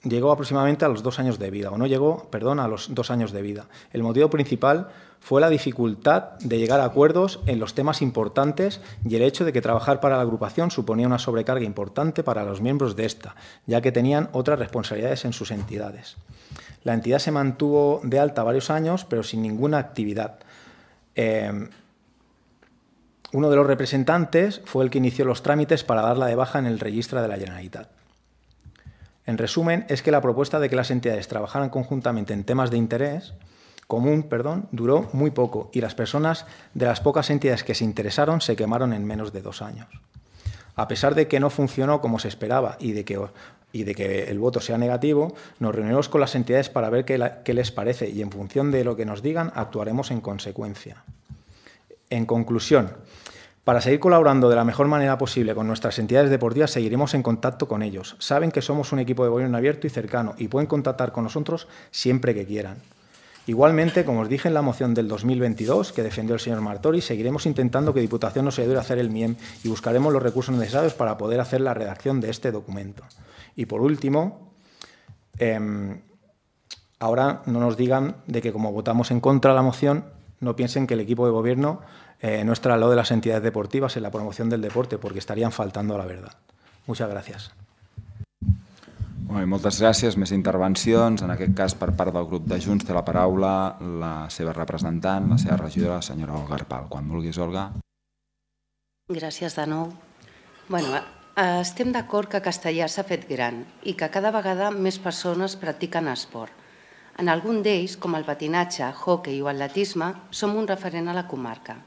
llegó aproximadamente a los dos años de vida, o no llegó, perdón, a los dos años de vida. El motivo principal fue la dificultad de llegar a acuerdos en los temas importantes y el hecho de que trabajar para la agrupación suponía una sobrecarga importante para los miembros de esta, ya que tenían otras responsabilidades en sus entidades. La entidad se mantuvo de alta varios años, pero sin ninguna actividad. Eh, uno de los representantes fue el que inició los trámites para darla de baja en el registro de la Generalitat. En resumen, es que la propuesta de que las entidades trabajaran conjuntamente en temas de interés común, perdón, duró muy poco y las personas de las pocas entidades que se interesaron se quemaron en menos de dos años. A pesar de que no funcionó como se esperaba y de que, y de que el voto sea negativo, nos reunimos con las entidades para ver qué, la, qué les parece y en función de lo que nos digan actuaremos en consecuencia. En conclusión, para seguir colaborando de la mejor manera posible con nuestras entidades deportivas, seguiremos en contacto con ellos. Saben que somos un equipo de gobierno abierto y cercano y pueden contactar con nosotros siempre que quieran. Igualmente, como os dije en la moción del dos mil veintidós que defendió el señor Martori, seguiremos intentando que Diputación nos ayude a hacer el M I E M y buscaremos los recursos necesarios para poder hacer la redacción de este documento. Y por último, eh, ahora no nos digan de que como votamos en contra de la moción, no piensen que el equipo de gobierno eh, no estará al lado de las entidades deportivas en la promoción del deporte, porque estarían faltando a la verdad. Muchas gracias. Molt bé, moltes gràcies. Més intervencions. En aquest cas, per part del grup de Junts, té la paraula la seva representant, la seva regidora, la senyora Olga Arpal. Quan vulguis, Olga. Gràcies de nou. Bueno, estem d'acord que Castellar s'ha fet gran i que cada vegada més persones practiquen esport. En algun d'ells, com el patinatge, hoquei o atletisme, som un referent a la comarca.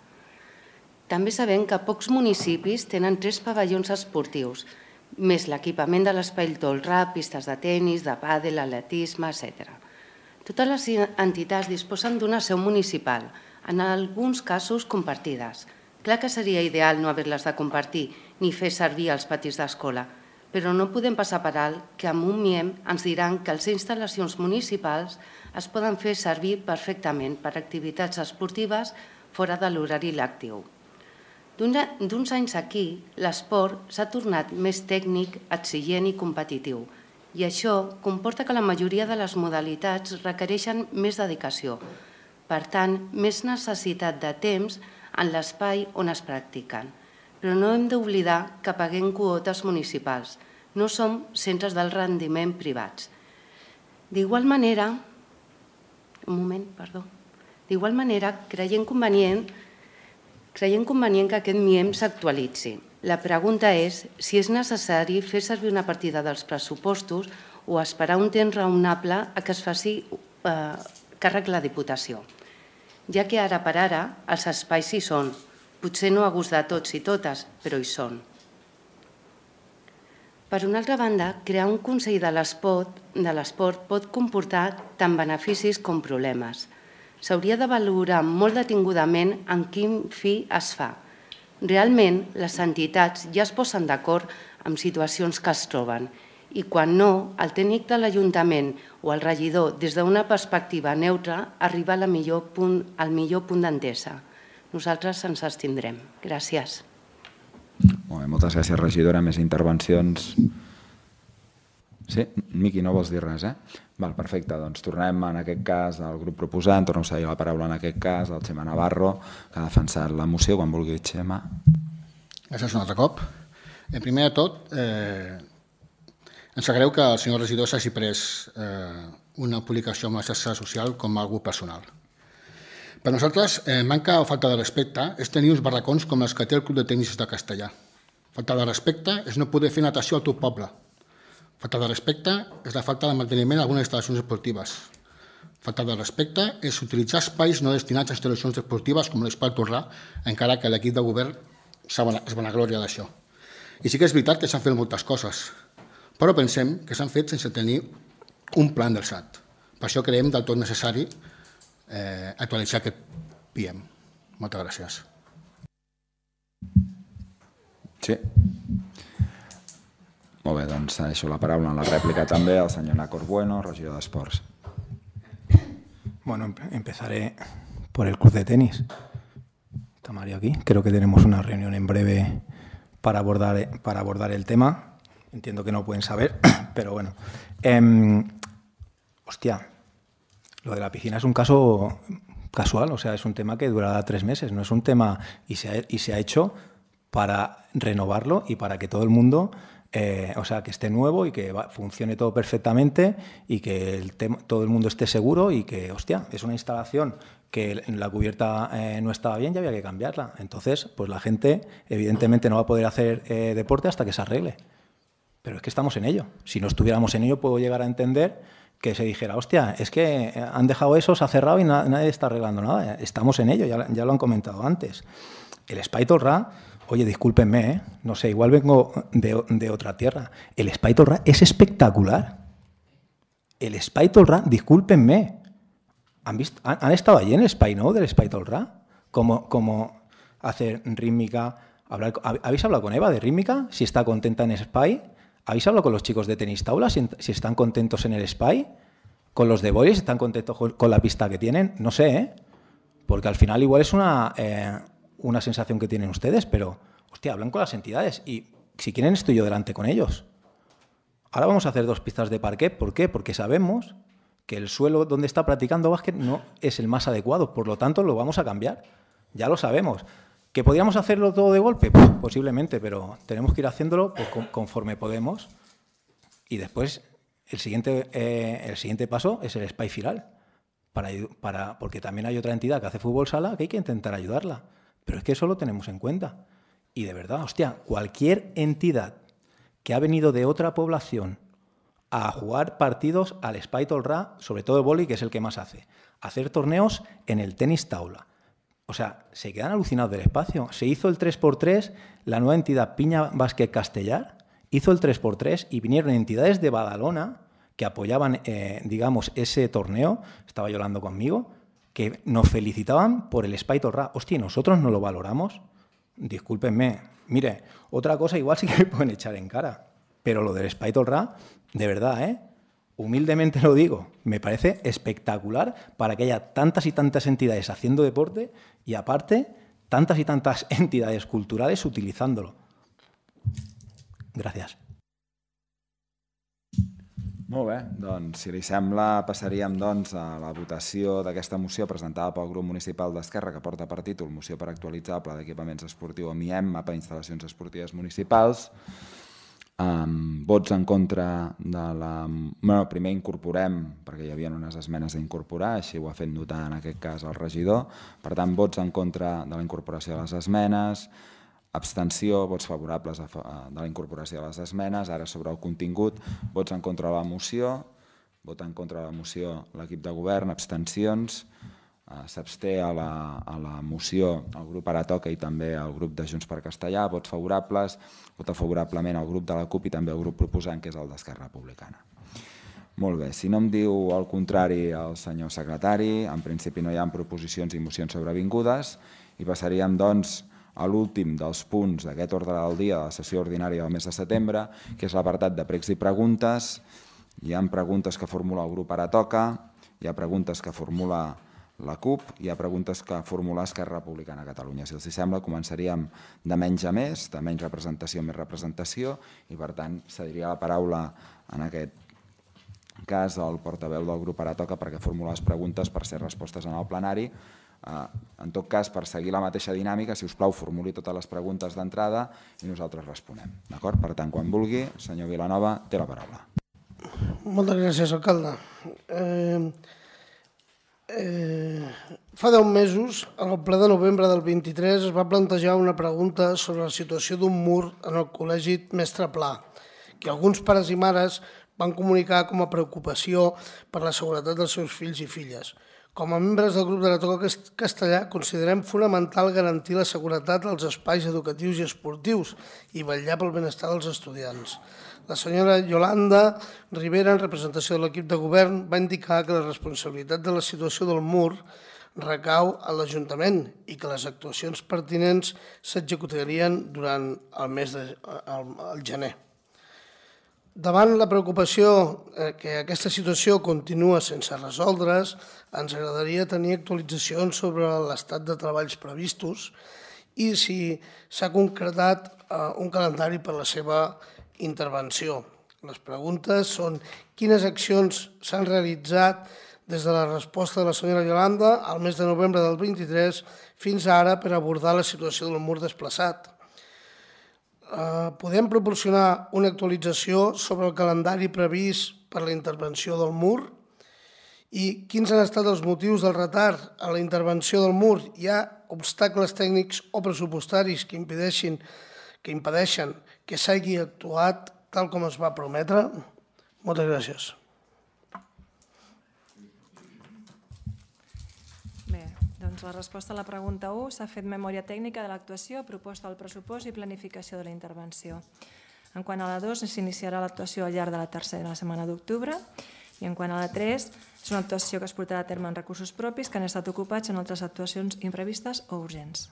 També sabem que pocs municipis tenen tres pavellons esportius, més l'equipament de l'espai Tolrà, pistes de tenis, de pàdel, atletisme, etcètera. Totes les entitats disposen d'una seu municipal, en alguns casos compartides. Clar que seria ideal no haver-les de compartir ni fer servir els patis d'escola, però no podem passar per alt que amb un M I E M ens diran que les instal·lacions municipals es poden fer servir perfectament per activitats esportives fora de l'horari lectiu. D'uns anys aquí, l'esport s'ha tornat més tècnic, exigent i competitiu, i això comporta que la majoria de les modalitats requereixen més dedicació, per tant, més necessitat de temps en l'espai on es practiquen. Però no hem d'oblidar que paguem quotes municipals, no som centres del rendiment privats. D'igual manera, un moment, perdó, d'igual manera, creiem convenient Creiem convenient que aquest M I E M s'actualitzi. La pregunta és si és necessari fer servir una partida dels pressupostos o esperar un temps raonable a que es faci càrrec la Diputació, ja que ara per ara els espais hi són, potser no a gust de tots i totes, però hi són. Per una altra banda, crear un Consell de l'Esport pot comportar tant beneficis com problemes. S'hauria de valorar molt detingudament en quin fi es fa. Realment, les entitats ja es posen d'acord amb situacions que es troben i quan no, el tècnic de l'Ajuntament o el regidor, des d'una perspectiva neutra, arriba al millor punt d'entesa. Nosaltres ens abstindrem. Gràcies. Molt bé, moltes gràcies, regidora. Més intervencions? Sí? Miqui, no vols dir res, eh? Val, perfecte, doncs tornem en aquest cas al grup proposant, tornem a cedir la paraula en aquest cas al Xema Navarro, que ha defensat la moció. Quan vulgui, Xema. Gràcies un altre cop. En primer de tot, eh, ens sap greu que el senyor regidor s'hagi pres eh, una publicació amb la xarxa social com a algú personal. Per nosaltres, eh, manca o falta de respecte és tenir uns barracons com els que té el Club de Tenis de Castellà. Falta de respecte és no poder fer natació al teu poble. Falta de respecte és la falta de manteniment d'algunes instal·lacions esportives. Falta de respecte és utilitzar espais no destinats a instal·lacions esportives com l'Espai Torrà, encara que l'equip de govern es vanagloria d'això. I sí que és veritat que s'han fet moltes coses, però pensem que s'han fet sense tenir un pla endreçat. Per això creiem del tot necessari eh, actualitzar aquest P I E M. Moltes gràcies. Sí. Molt bé, doncs deixo la paraula en la rèplica també al senyor Nacor Bueno, regidor d'Esports. Bueno, empezaré por el club de tenis. Está Mario aquí. Creo que tenemos una reunión en breve para abordar, para abordar el tema. Entiendo que no pueden saber, pero bueno. Eh, hostia, lo de la piscina es un caso casual, o sea, es un tema que durará tres meses, no es un tema y se ha, y se ha hecho para renovarlo y para que todo el mundo, eh, o sea, que esté nuevo y que va, funcione todo perfectamente y que el tema, todo el mundo esté seguro y que, hostia, es una instalación que la cubierta eh, no estaba bien y había que cambiarla. Entonces, pues la gente evidentemente no va a poder hacer eh, deporte hasta que se arregle. Pero es que estamos en ello. Si no estuviéramos en ello, puedo llegar a entender que se dijera, hostia, es que han dejado eso, se ha cerrado y na nadie está arreglando nada. Estamos en ello, ya, ya lo han comentado antes. El Espai Torrà, oye, discúlpenme, ¿eh? No sé, igual vengo de, de otra tierra. El Espai Torrà es espectacular. El Espai Torrà, discúlpenme, ¿han, visto, han, han estado allí en el Espai Nou del Espai Torrà? Como, como hacer rítmica. Hablar, ¿habéis hablado con Eva de rítmica? Si está contenta en Espai. ¿Habéis hablado con los chicos de tenis taula si, si están contentos en el Espai? ¿Con los de bolis están contentos con, con la pista que tienen? No sé, ¿eh? Porque al final igual es una, eh, una sensación que tienen ustedes, pero, hostia, hablan con las entidades y si quieren estoy yo delante con ellos. Ahora vamos a hacer dos pistas de parquet. ¿Por qué? Porque sabemos que el suelo donde está practicando básquet no es el más adecuado, por lo tanto lo vamos a cambiar. Ya lo sabemos. ¿Que podríamos hacerlo todo de golpe? Pues, posiblemente, pero tenemos que ir haciéndolo pues, conforme podemos. Y después, el siguiente, eh, el siguiente paso es el Espai Firal. Para, para, porque también hay otra entidad que hace fútbol sala que hay que intentar ayudarla. Pero es que eso lo tenemos en cuenta. Y de verdad, hostia, cualquier entidad que ha venido de otra población a jugar partidos al Espai Torrà, sobre todo el vóley, que es el que más hace, hacer torneos en el tenis taula. O sea, se quedan alucinados del espacio. Se hizo el tres por tres, la nueva entidad Piña Básquet Castellar hizo el tres por tres y vinieron entidades de Badalona que apoyaban, eh, digamos, ese torneo, estaba llorando conmigo, que nos felicitaban por el Espai Torrà. Hostia, ¿nosotros no lo valoramos? Discúlpenme. Mire, otra cosa igual sí que me pueden echar en cara, pero lo del Espai Torrà, de verdad, ¿eh? Humildemente lo digo, me parece espectacular para que haya tantas y tantas entidades haciendo deporte y, aparte, tantas y tantas entidades culturales utilizándolo. Gràcies. Molt bé, doncs, si li sembla, passaríem doncs, a la votació d'aquesta moció presentada pel grup municipal d'Esquerra que porta per títol Moció per actualitzar el Pla d'Equipaments Esportiu o M I E M, Mapa d'Instal·lacions Esportives Municipals. Um, vots en contra de la... Bueno, primer incorporem, perquè hi havia unes esmenes d'incorporar, així ho ha fet notar en aquest cas el regidor. Per tant, vots en contra de la incorporació de les esmenes, abstenció, vots favorables a, de la incorporació de les esmenes. Ara sobre el contingut, vots en contra de la moció, vot en contra de la moció l'equip de govern, abstencions. S'absté a, la, a la moció el grup Ara Toca i també el grup de Junts per Castellà, vots favorables, vota favorablement el grup de la CUP i també el grup proposant, que és el d'Esquerra Republicana. Molt bé, si no em diu el contrari el senyor secretari, en principi no hi ha proposicions i mocions sobrevingudes i passaríem doncs a l'últim dels punts d'aquest ordre del dia de la sessió ordinària del mes de setembre, que és l'apartat de pregs i preguntes. Hi ha preguntes que formula el grup Ara Toca, hi ha preguntes que formula la CUP, hi ha preguntes que formula Esquerra Republicana de Catalunya. Si els sembla, començaríem de menys a més, de menys representació a més representació, i per tant cediria la paraula en aquest cas al portaveu del grup Ara Toca perquè formula les preguntes per ser respostes en el plenari. En tot cas, per seguir la mateixa dinàmica, si us plau, formuli totes les preguntes d'entrada i nosaltres responem. D'acord? Per tant, quan vulgui, senyor Vilanova, té la paraula. Moltes gràcies, alcalde. Eh, eh, fa deu mesos, en el ple de novembre del vint-i-tres, es va plantejar una pregunta sobre la situació d'un mur en el Col·legi Mestre Pla, que alguns pares i mares van comunicar com a preocupació per la seguretat dels seus fills i filles. Com a membres del grup de la Toca Castellà, considerem fonamental garantir la seguretat als espais educatius i esportius i vetllar pel benestar dels estudiants. La senyora Yolanda Rivera, en representació de l'equip de govern, va indicar que la responsabilitat de la situació del mur recau a l'Ajuntament i que les actuacions pertinents s'executarien durant el mes de el, el gener. Davant la preocupació que aquesta situació continua sense resoldre's, ens agradaria tenir actualitzacions sobre l'estat de treballs previstos i si s'ha concretat un calendari per a la seva intervenció. Les preguntes són quines accions s'han realitzat des de la resposta de la senyora Yolanda al mes de novembre del vint-i-tres fins ara per abordar la situació del mur desplaçat. Podem proporcionar una actualització sobre el calendari previst per la intervenció del mur i quins han estat els motius del retard a la intervenció del mur. Hi ha obstacles tècnics o pressupostaris que impedeixin que impedeixen que s'hagi actuat tal com es va prometre? Moltes gràcies. Doncs la resposta a la pregunta u s'ha fet memòria tècnica de l'actuació, proposta del pressupost i planificació de la intervenció. En quant a la dos, s'iniciarà l'actuació al llarg de la tercera setmana d'octubre i en quant a la tres, és una actuació que es portarà a terme en recursos propis que han estat ocupats en altres actuacions imprevistes o urgents.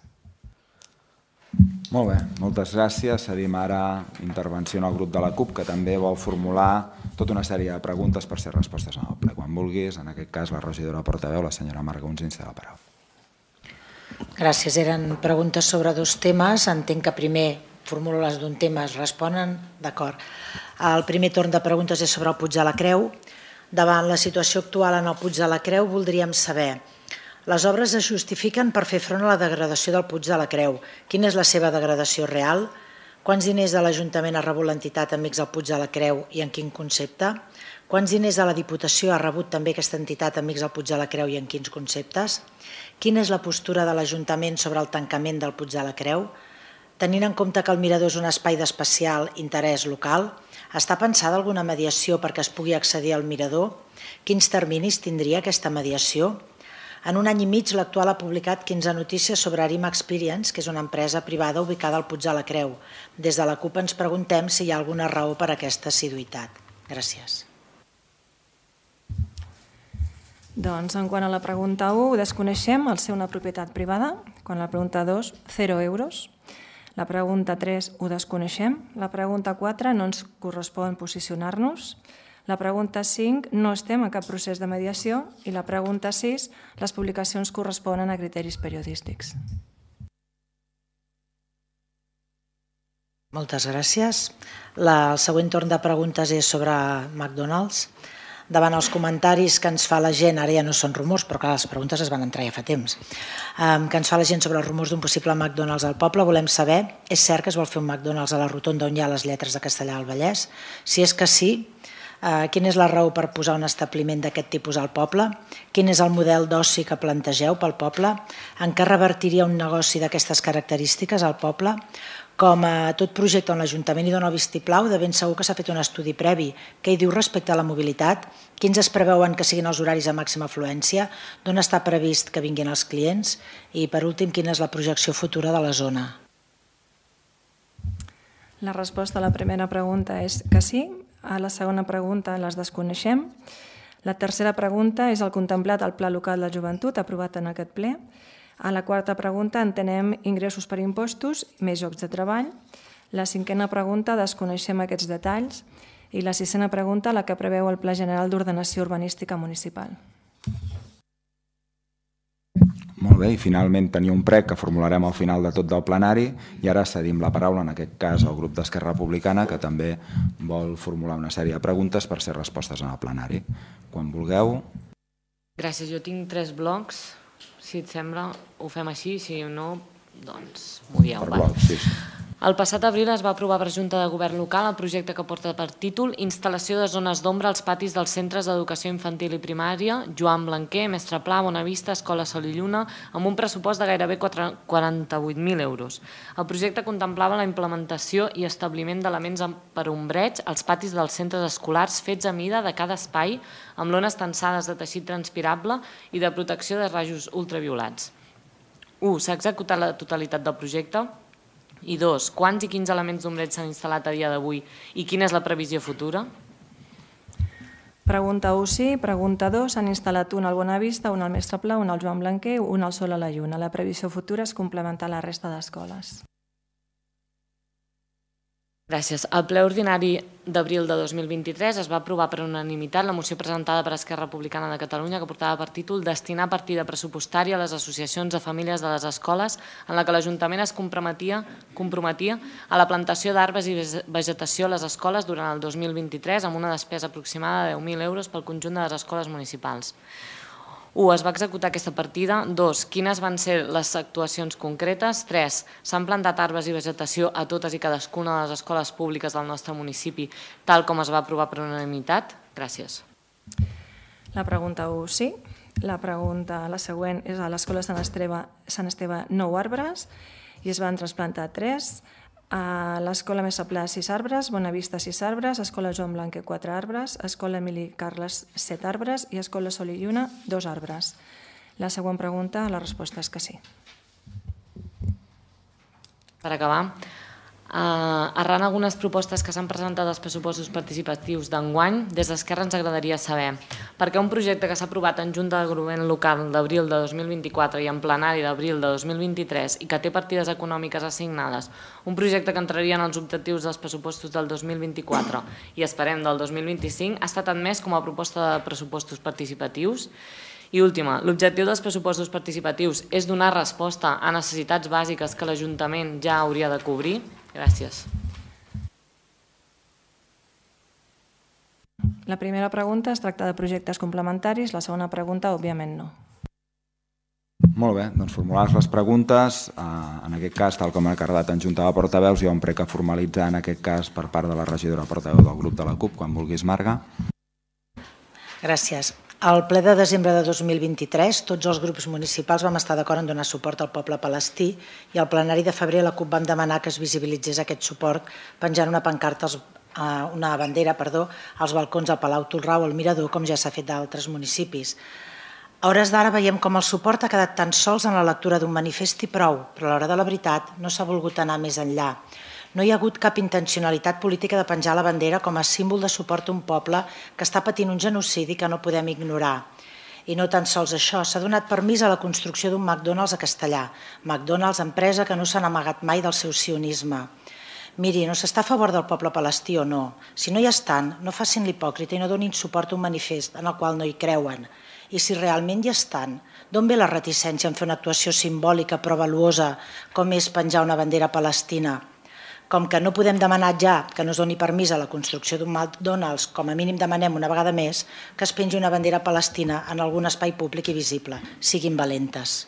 Molt bé, moltes gràcies. Cedim ara intervenció en el grup de la CUP, que també vol formular tota una sèrie de preguntes per ser respostes en el ple. Quan vulguis, en aquest cas, la regidora portaveu, la senyora Marga Gonzins, té la paraula. Gràcies. Eren preguntes sobre dos temes. Entenc que primer formulo les d'un tema, es responen? D'acord. El primer torn de preguntes és sobre el Puig de la Creu. Davant la situació actual en el Puig de la Creu, voldríem saber: les obres es justifiquen per fer front a la degradació del Puig de la Creu. Quina és la seva degradació real? Quants diners de l'Ajuntament ha rebut l'entitat Amics del Puig de la Creu i en quin concepte? Quants diners de la Diputació ha rebut també aquesta entitat Amics del Puig de la Creu i en quins conceptes? Quina és la postura de l'Ajuntament sobre el tancament del Puig de la Creu? Tenint en compte que el mirador és un espai d'especial interès local, està pensada alguna mediació perquè es pugui accedir al mirador? Quins terminis tindria aquesta mediació? En un any i mig, l'actual ha publicat quinze notícies sobre Arima Experience, que és una empresa privada ubicada al Puig de la Creu. Des de la CUP ens preguntem si hi ha alguna raó per a aquesta assiduïtat. Gràcies. Doncs, en quant a la pregunta u, desconeixem el ser una propietat privada. Quan la pregunta dos, zero euros. La pregunta tres, ho desconeixem. La pregunta quatre, no ens correspon posicionar-nos. La pregunta cinc, no estem en cap procés de mediació. I la pregunta sis, les publicacions corresponen a criteris periodístics. Moltes gràcies. El següent torn de preguntes és sobre McDonald's. Davant els comentaris que ens fa la gent, ara ja no són rumors, però clar, les preguntes es van entrar ja fa temps, que ens fa la gent sobre els rumors d'un possible McDonald's al poble, volem saber, és cert que es vol fer un McDonald's a la rotonda on hi ha les lletres de Castellar al Vallès? Si és que sí, quina és la raó per posar un establiment d'aquest tipus al poble? Quin és el model d'oci que plantegeu pel poble? En què revertiria un negoci d'aquestes característiques al poble? Com a tot projecte on l'Ajuntament hi dona el vistiplau, de ben segur que s'ha fet un estudi previ. Què hi diu respecte a la mobilitat? Quins es preveuen que siguin els horaris de màxima afluència? D'on està previst que vinguin els clients? I, per últim, quina és la projecció futura de la zona? La resposta a la primera pregunta és que sí. A la segona pregunta les desconeixem. La tercera pregunta és el contemplat al Pla Local de Joventut aprovat en aquest ple. A la quarta pregunta entenem ingressos per impostos, més llocs de treball. La cinquena pregunta desconeixem aquests detalls. I la sisena pregunta, la que preveu el Pla General d'Ordenació Urbanística Municipal. Molt bé, i finalment tenia un prec que formularem al final de tot del plenari i ara cedim la paraula, en aquest cas, al grup d'Esquerra Republicana, que també vol formular una sèrie de preguntes per ser respostes en el plenari. Quan vulgueu. Gràcies, jo tinc tres blocs. si et sembla, ho fem així, si no, doncs m'ho dieu. Per bloc, sí, sí. El passat abril es va aprovar per Junta de Govern local el projecte que porta per títol Instal·lació de zones d'ombra als patis dels centres d'educació infantil i primària Joan Blanquer, Mestre Pla, Bonavista, Escola Sol i Lluna, amb un pressupost de gairebé quaranta-vuit mil euros. El projecte contemplava la implementació i establiment d'elements per ombreig als patis dels centres escolars fets a mida de cada espai amb lones tensades de teixit transpirable i de protecció de rajos ultraviolats. u. S'ha executat la totalitat del projecte? I dos, quants i quins elements d'ombreig s'han instal·lat a dia d'avui i quina és la previsió futura? Pregunta u, sí. Pregunta dos, s'han instal·lat un al Bonavista, un al Mestre Pla, un al Joan Blanquer, un al Sol a la Lluna. La previsió futura és complementar la resta d'escoles. Gràcies. Al ple ordinari d'abril de dos mil vint-i-tres es va aprovar per unanimitat la moció presentada per Esquerra Republicana de Catalunya que portava per títol Destinar partida pressupostària a les associacions de famílies de les escoles en la que l'Ajuntament es comprometia, comprometia a la plantació d'arbres i vegetació a les escoles durant el dos mil vint-i-tres amb una despesa aproximada de deu mil euros pel conjunt de les escoles municipals. u. Es va executar aquesta partida. dos. Quines van ser les actuacions concretes? tres. S'han plantat arbres i vegetació a totes i cadascuna de les escoles públiques del nostre municipi, tal com es va aprovar per unanimitat? Gràcies. La pregunta u, sí. La pregunta, la següent, és a l'Escola Sant Esteve, Sant Esteve nou arbres i es van trasplantar tres. A l'Escola Mestre Pla sis arbres, Bonavista sis arbres, Escola Joan Blanquer quatre arbres, Escola Emili Carles set arbres i Escola Sol i Lluna dos arbres. La següent pregunta, la resposta és que sí. Per acabar, arran algunes propostes que s'han presentat als pressupostos participatius d'enguany, des d'Esquerra ens agradaria saber per què un projecte que s'ha aprovat en Junta de Govern local d'abril de dos mil vint-i-quatre i en plenari d'abril de dos mil vint-i-tres i que té partides econòmiques assignades, un projecte que entraria en els objectius dels pressupostos del dos mil vint-i-quatre i esperem del dos mil vint-i-cinc, ha estat admès com a proposta de pressupostos participatius? I última, l'objectiu dels pressupostos participatius és donar resposta a necessitats bàsiques que l'Ajuntament ja hauria de cobrir? Gràcies. La primera pregunta es tracta de projectes complementaris, la segona pregunta, òbviament, no. Molt bé, doncs formulades les preguntes, en aquest cas, tal com ha acordat en Junta de Portaveus, hi ha un prec a formalitzar en aquest cas per part de la regidora portaveu del grup de la CUP, quan vulguis, Marga. Gràcies. Al ple de desembre de dos mil vint-i-tres, tots els grups municipals vam estar d'acord en donar suport al poble palestí i al plenari de febrer la CUP vam demanar que es visibilitzés aquest suport penjant una pancarta, una bandera, perdó, als balcons del Palau Tolrau, al Mirador, com ja s'ha fet d'altres municipis. A hores d'ara veiem com el suport ha quedat tan sols en la lectura d'un manifest i prou, però a l'hora de la veritat no s'ha volgut anar més enllà. No hi ha hagut cap intencionalitat política de penjar la bandera com a símbol de suport a un poble que està patint un genocidi que no podem ignorar. I no tan sols això, s'ha donat permís a la construcció d'un McDonald's a Castellà. McDonald's, empresa que no s'han amagat mai del seu sionisme. Miri, no s'està a favor del poble palestí o no. Si no hi estan, no facin l'hipòcrita i no donin suport a un manifest en el qual no hi creuen. I si realment hi estan, d'on ve la reticència en fer una actuació simbòlica però valuosa com és penjar una bandera palestina? Com que no podem demanar ja que no es doni permís a la construcció d'un McDonald's, com a mínim demanem una vegada més que es pengi una bandera palestina en algun espai públic i visible. Siguin valentes.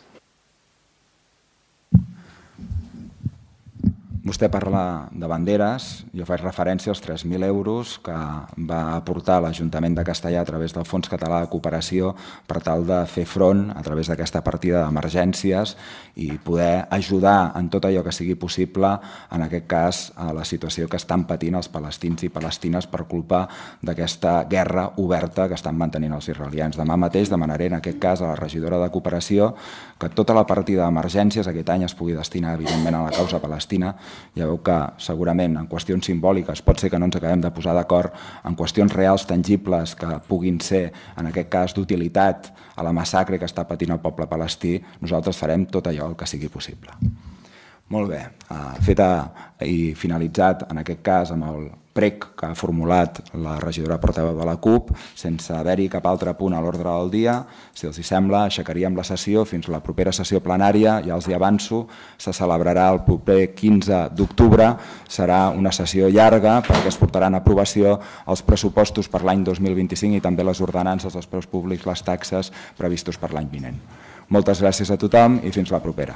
Vostè parla de banderes, jo faig referència als tres mil euros que va aportar l'Ajuntament de Castellà a través del Fons Català de Cooperació per tal de fer front a través d'aquesta partida d'emergències i poder ajudar en tot allò que sigui possible, en aquest cas, a la situació que estan patint els palestins i palestines per culpa d'aquesta guerra oberta que estan mantenint els israelians. Demà mateix demanaré, en aquest cas, a la regidora de Cooperació que tota la partida d'emergències aquest any es pugui destinar, evidentment, a la causa palestina. Ja veu que segurament en qüestions simbòliques pot ser que no ens acabem de posar d'acord en qüestions reals, tangibles, que puguin ser, en aquest cas, d'utilitat a la massacre que està patint el poble palestí, nosaltres farem tot allò el que sigui possible. Molt bé, feta i finalitzat en aquest cas amb el prec que ha formulat la regidora portaveu de la CUP, sense haver-hi cap altre punt a l'ordre del dia, si els hi sembla, aixecaríem la sessió fins a la propera sessió plenària, ja els hi avanço, se celebrarà el proper quinze d'octubre, serà una sessió llarga perquè es portaran a aprovació els pressupostos per l'any dos mil vint-i-cinc i també les ordenances dels preus públics, les taxes previstos per l'any vinent. Moltes gràcies a tothom i fins la propera.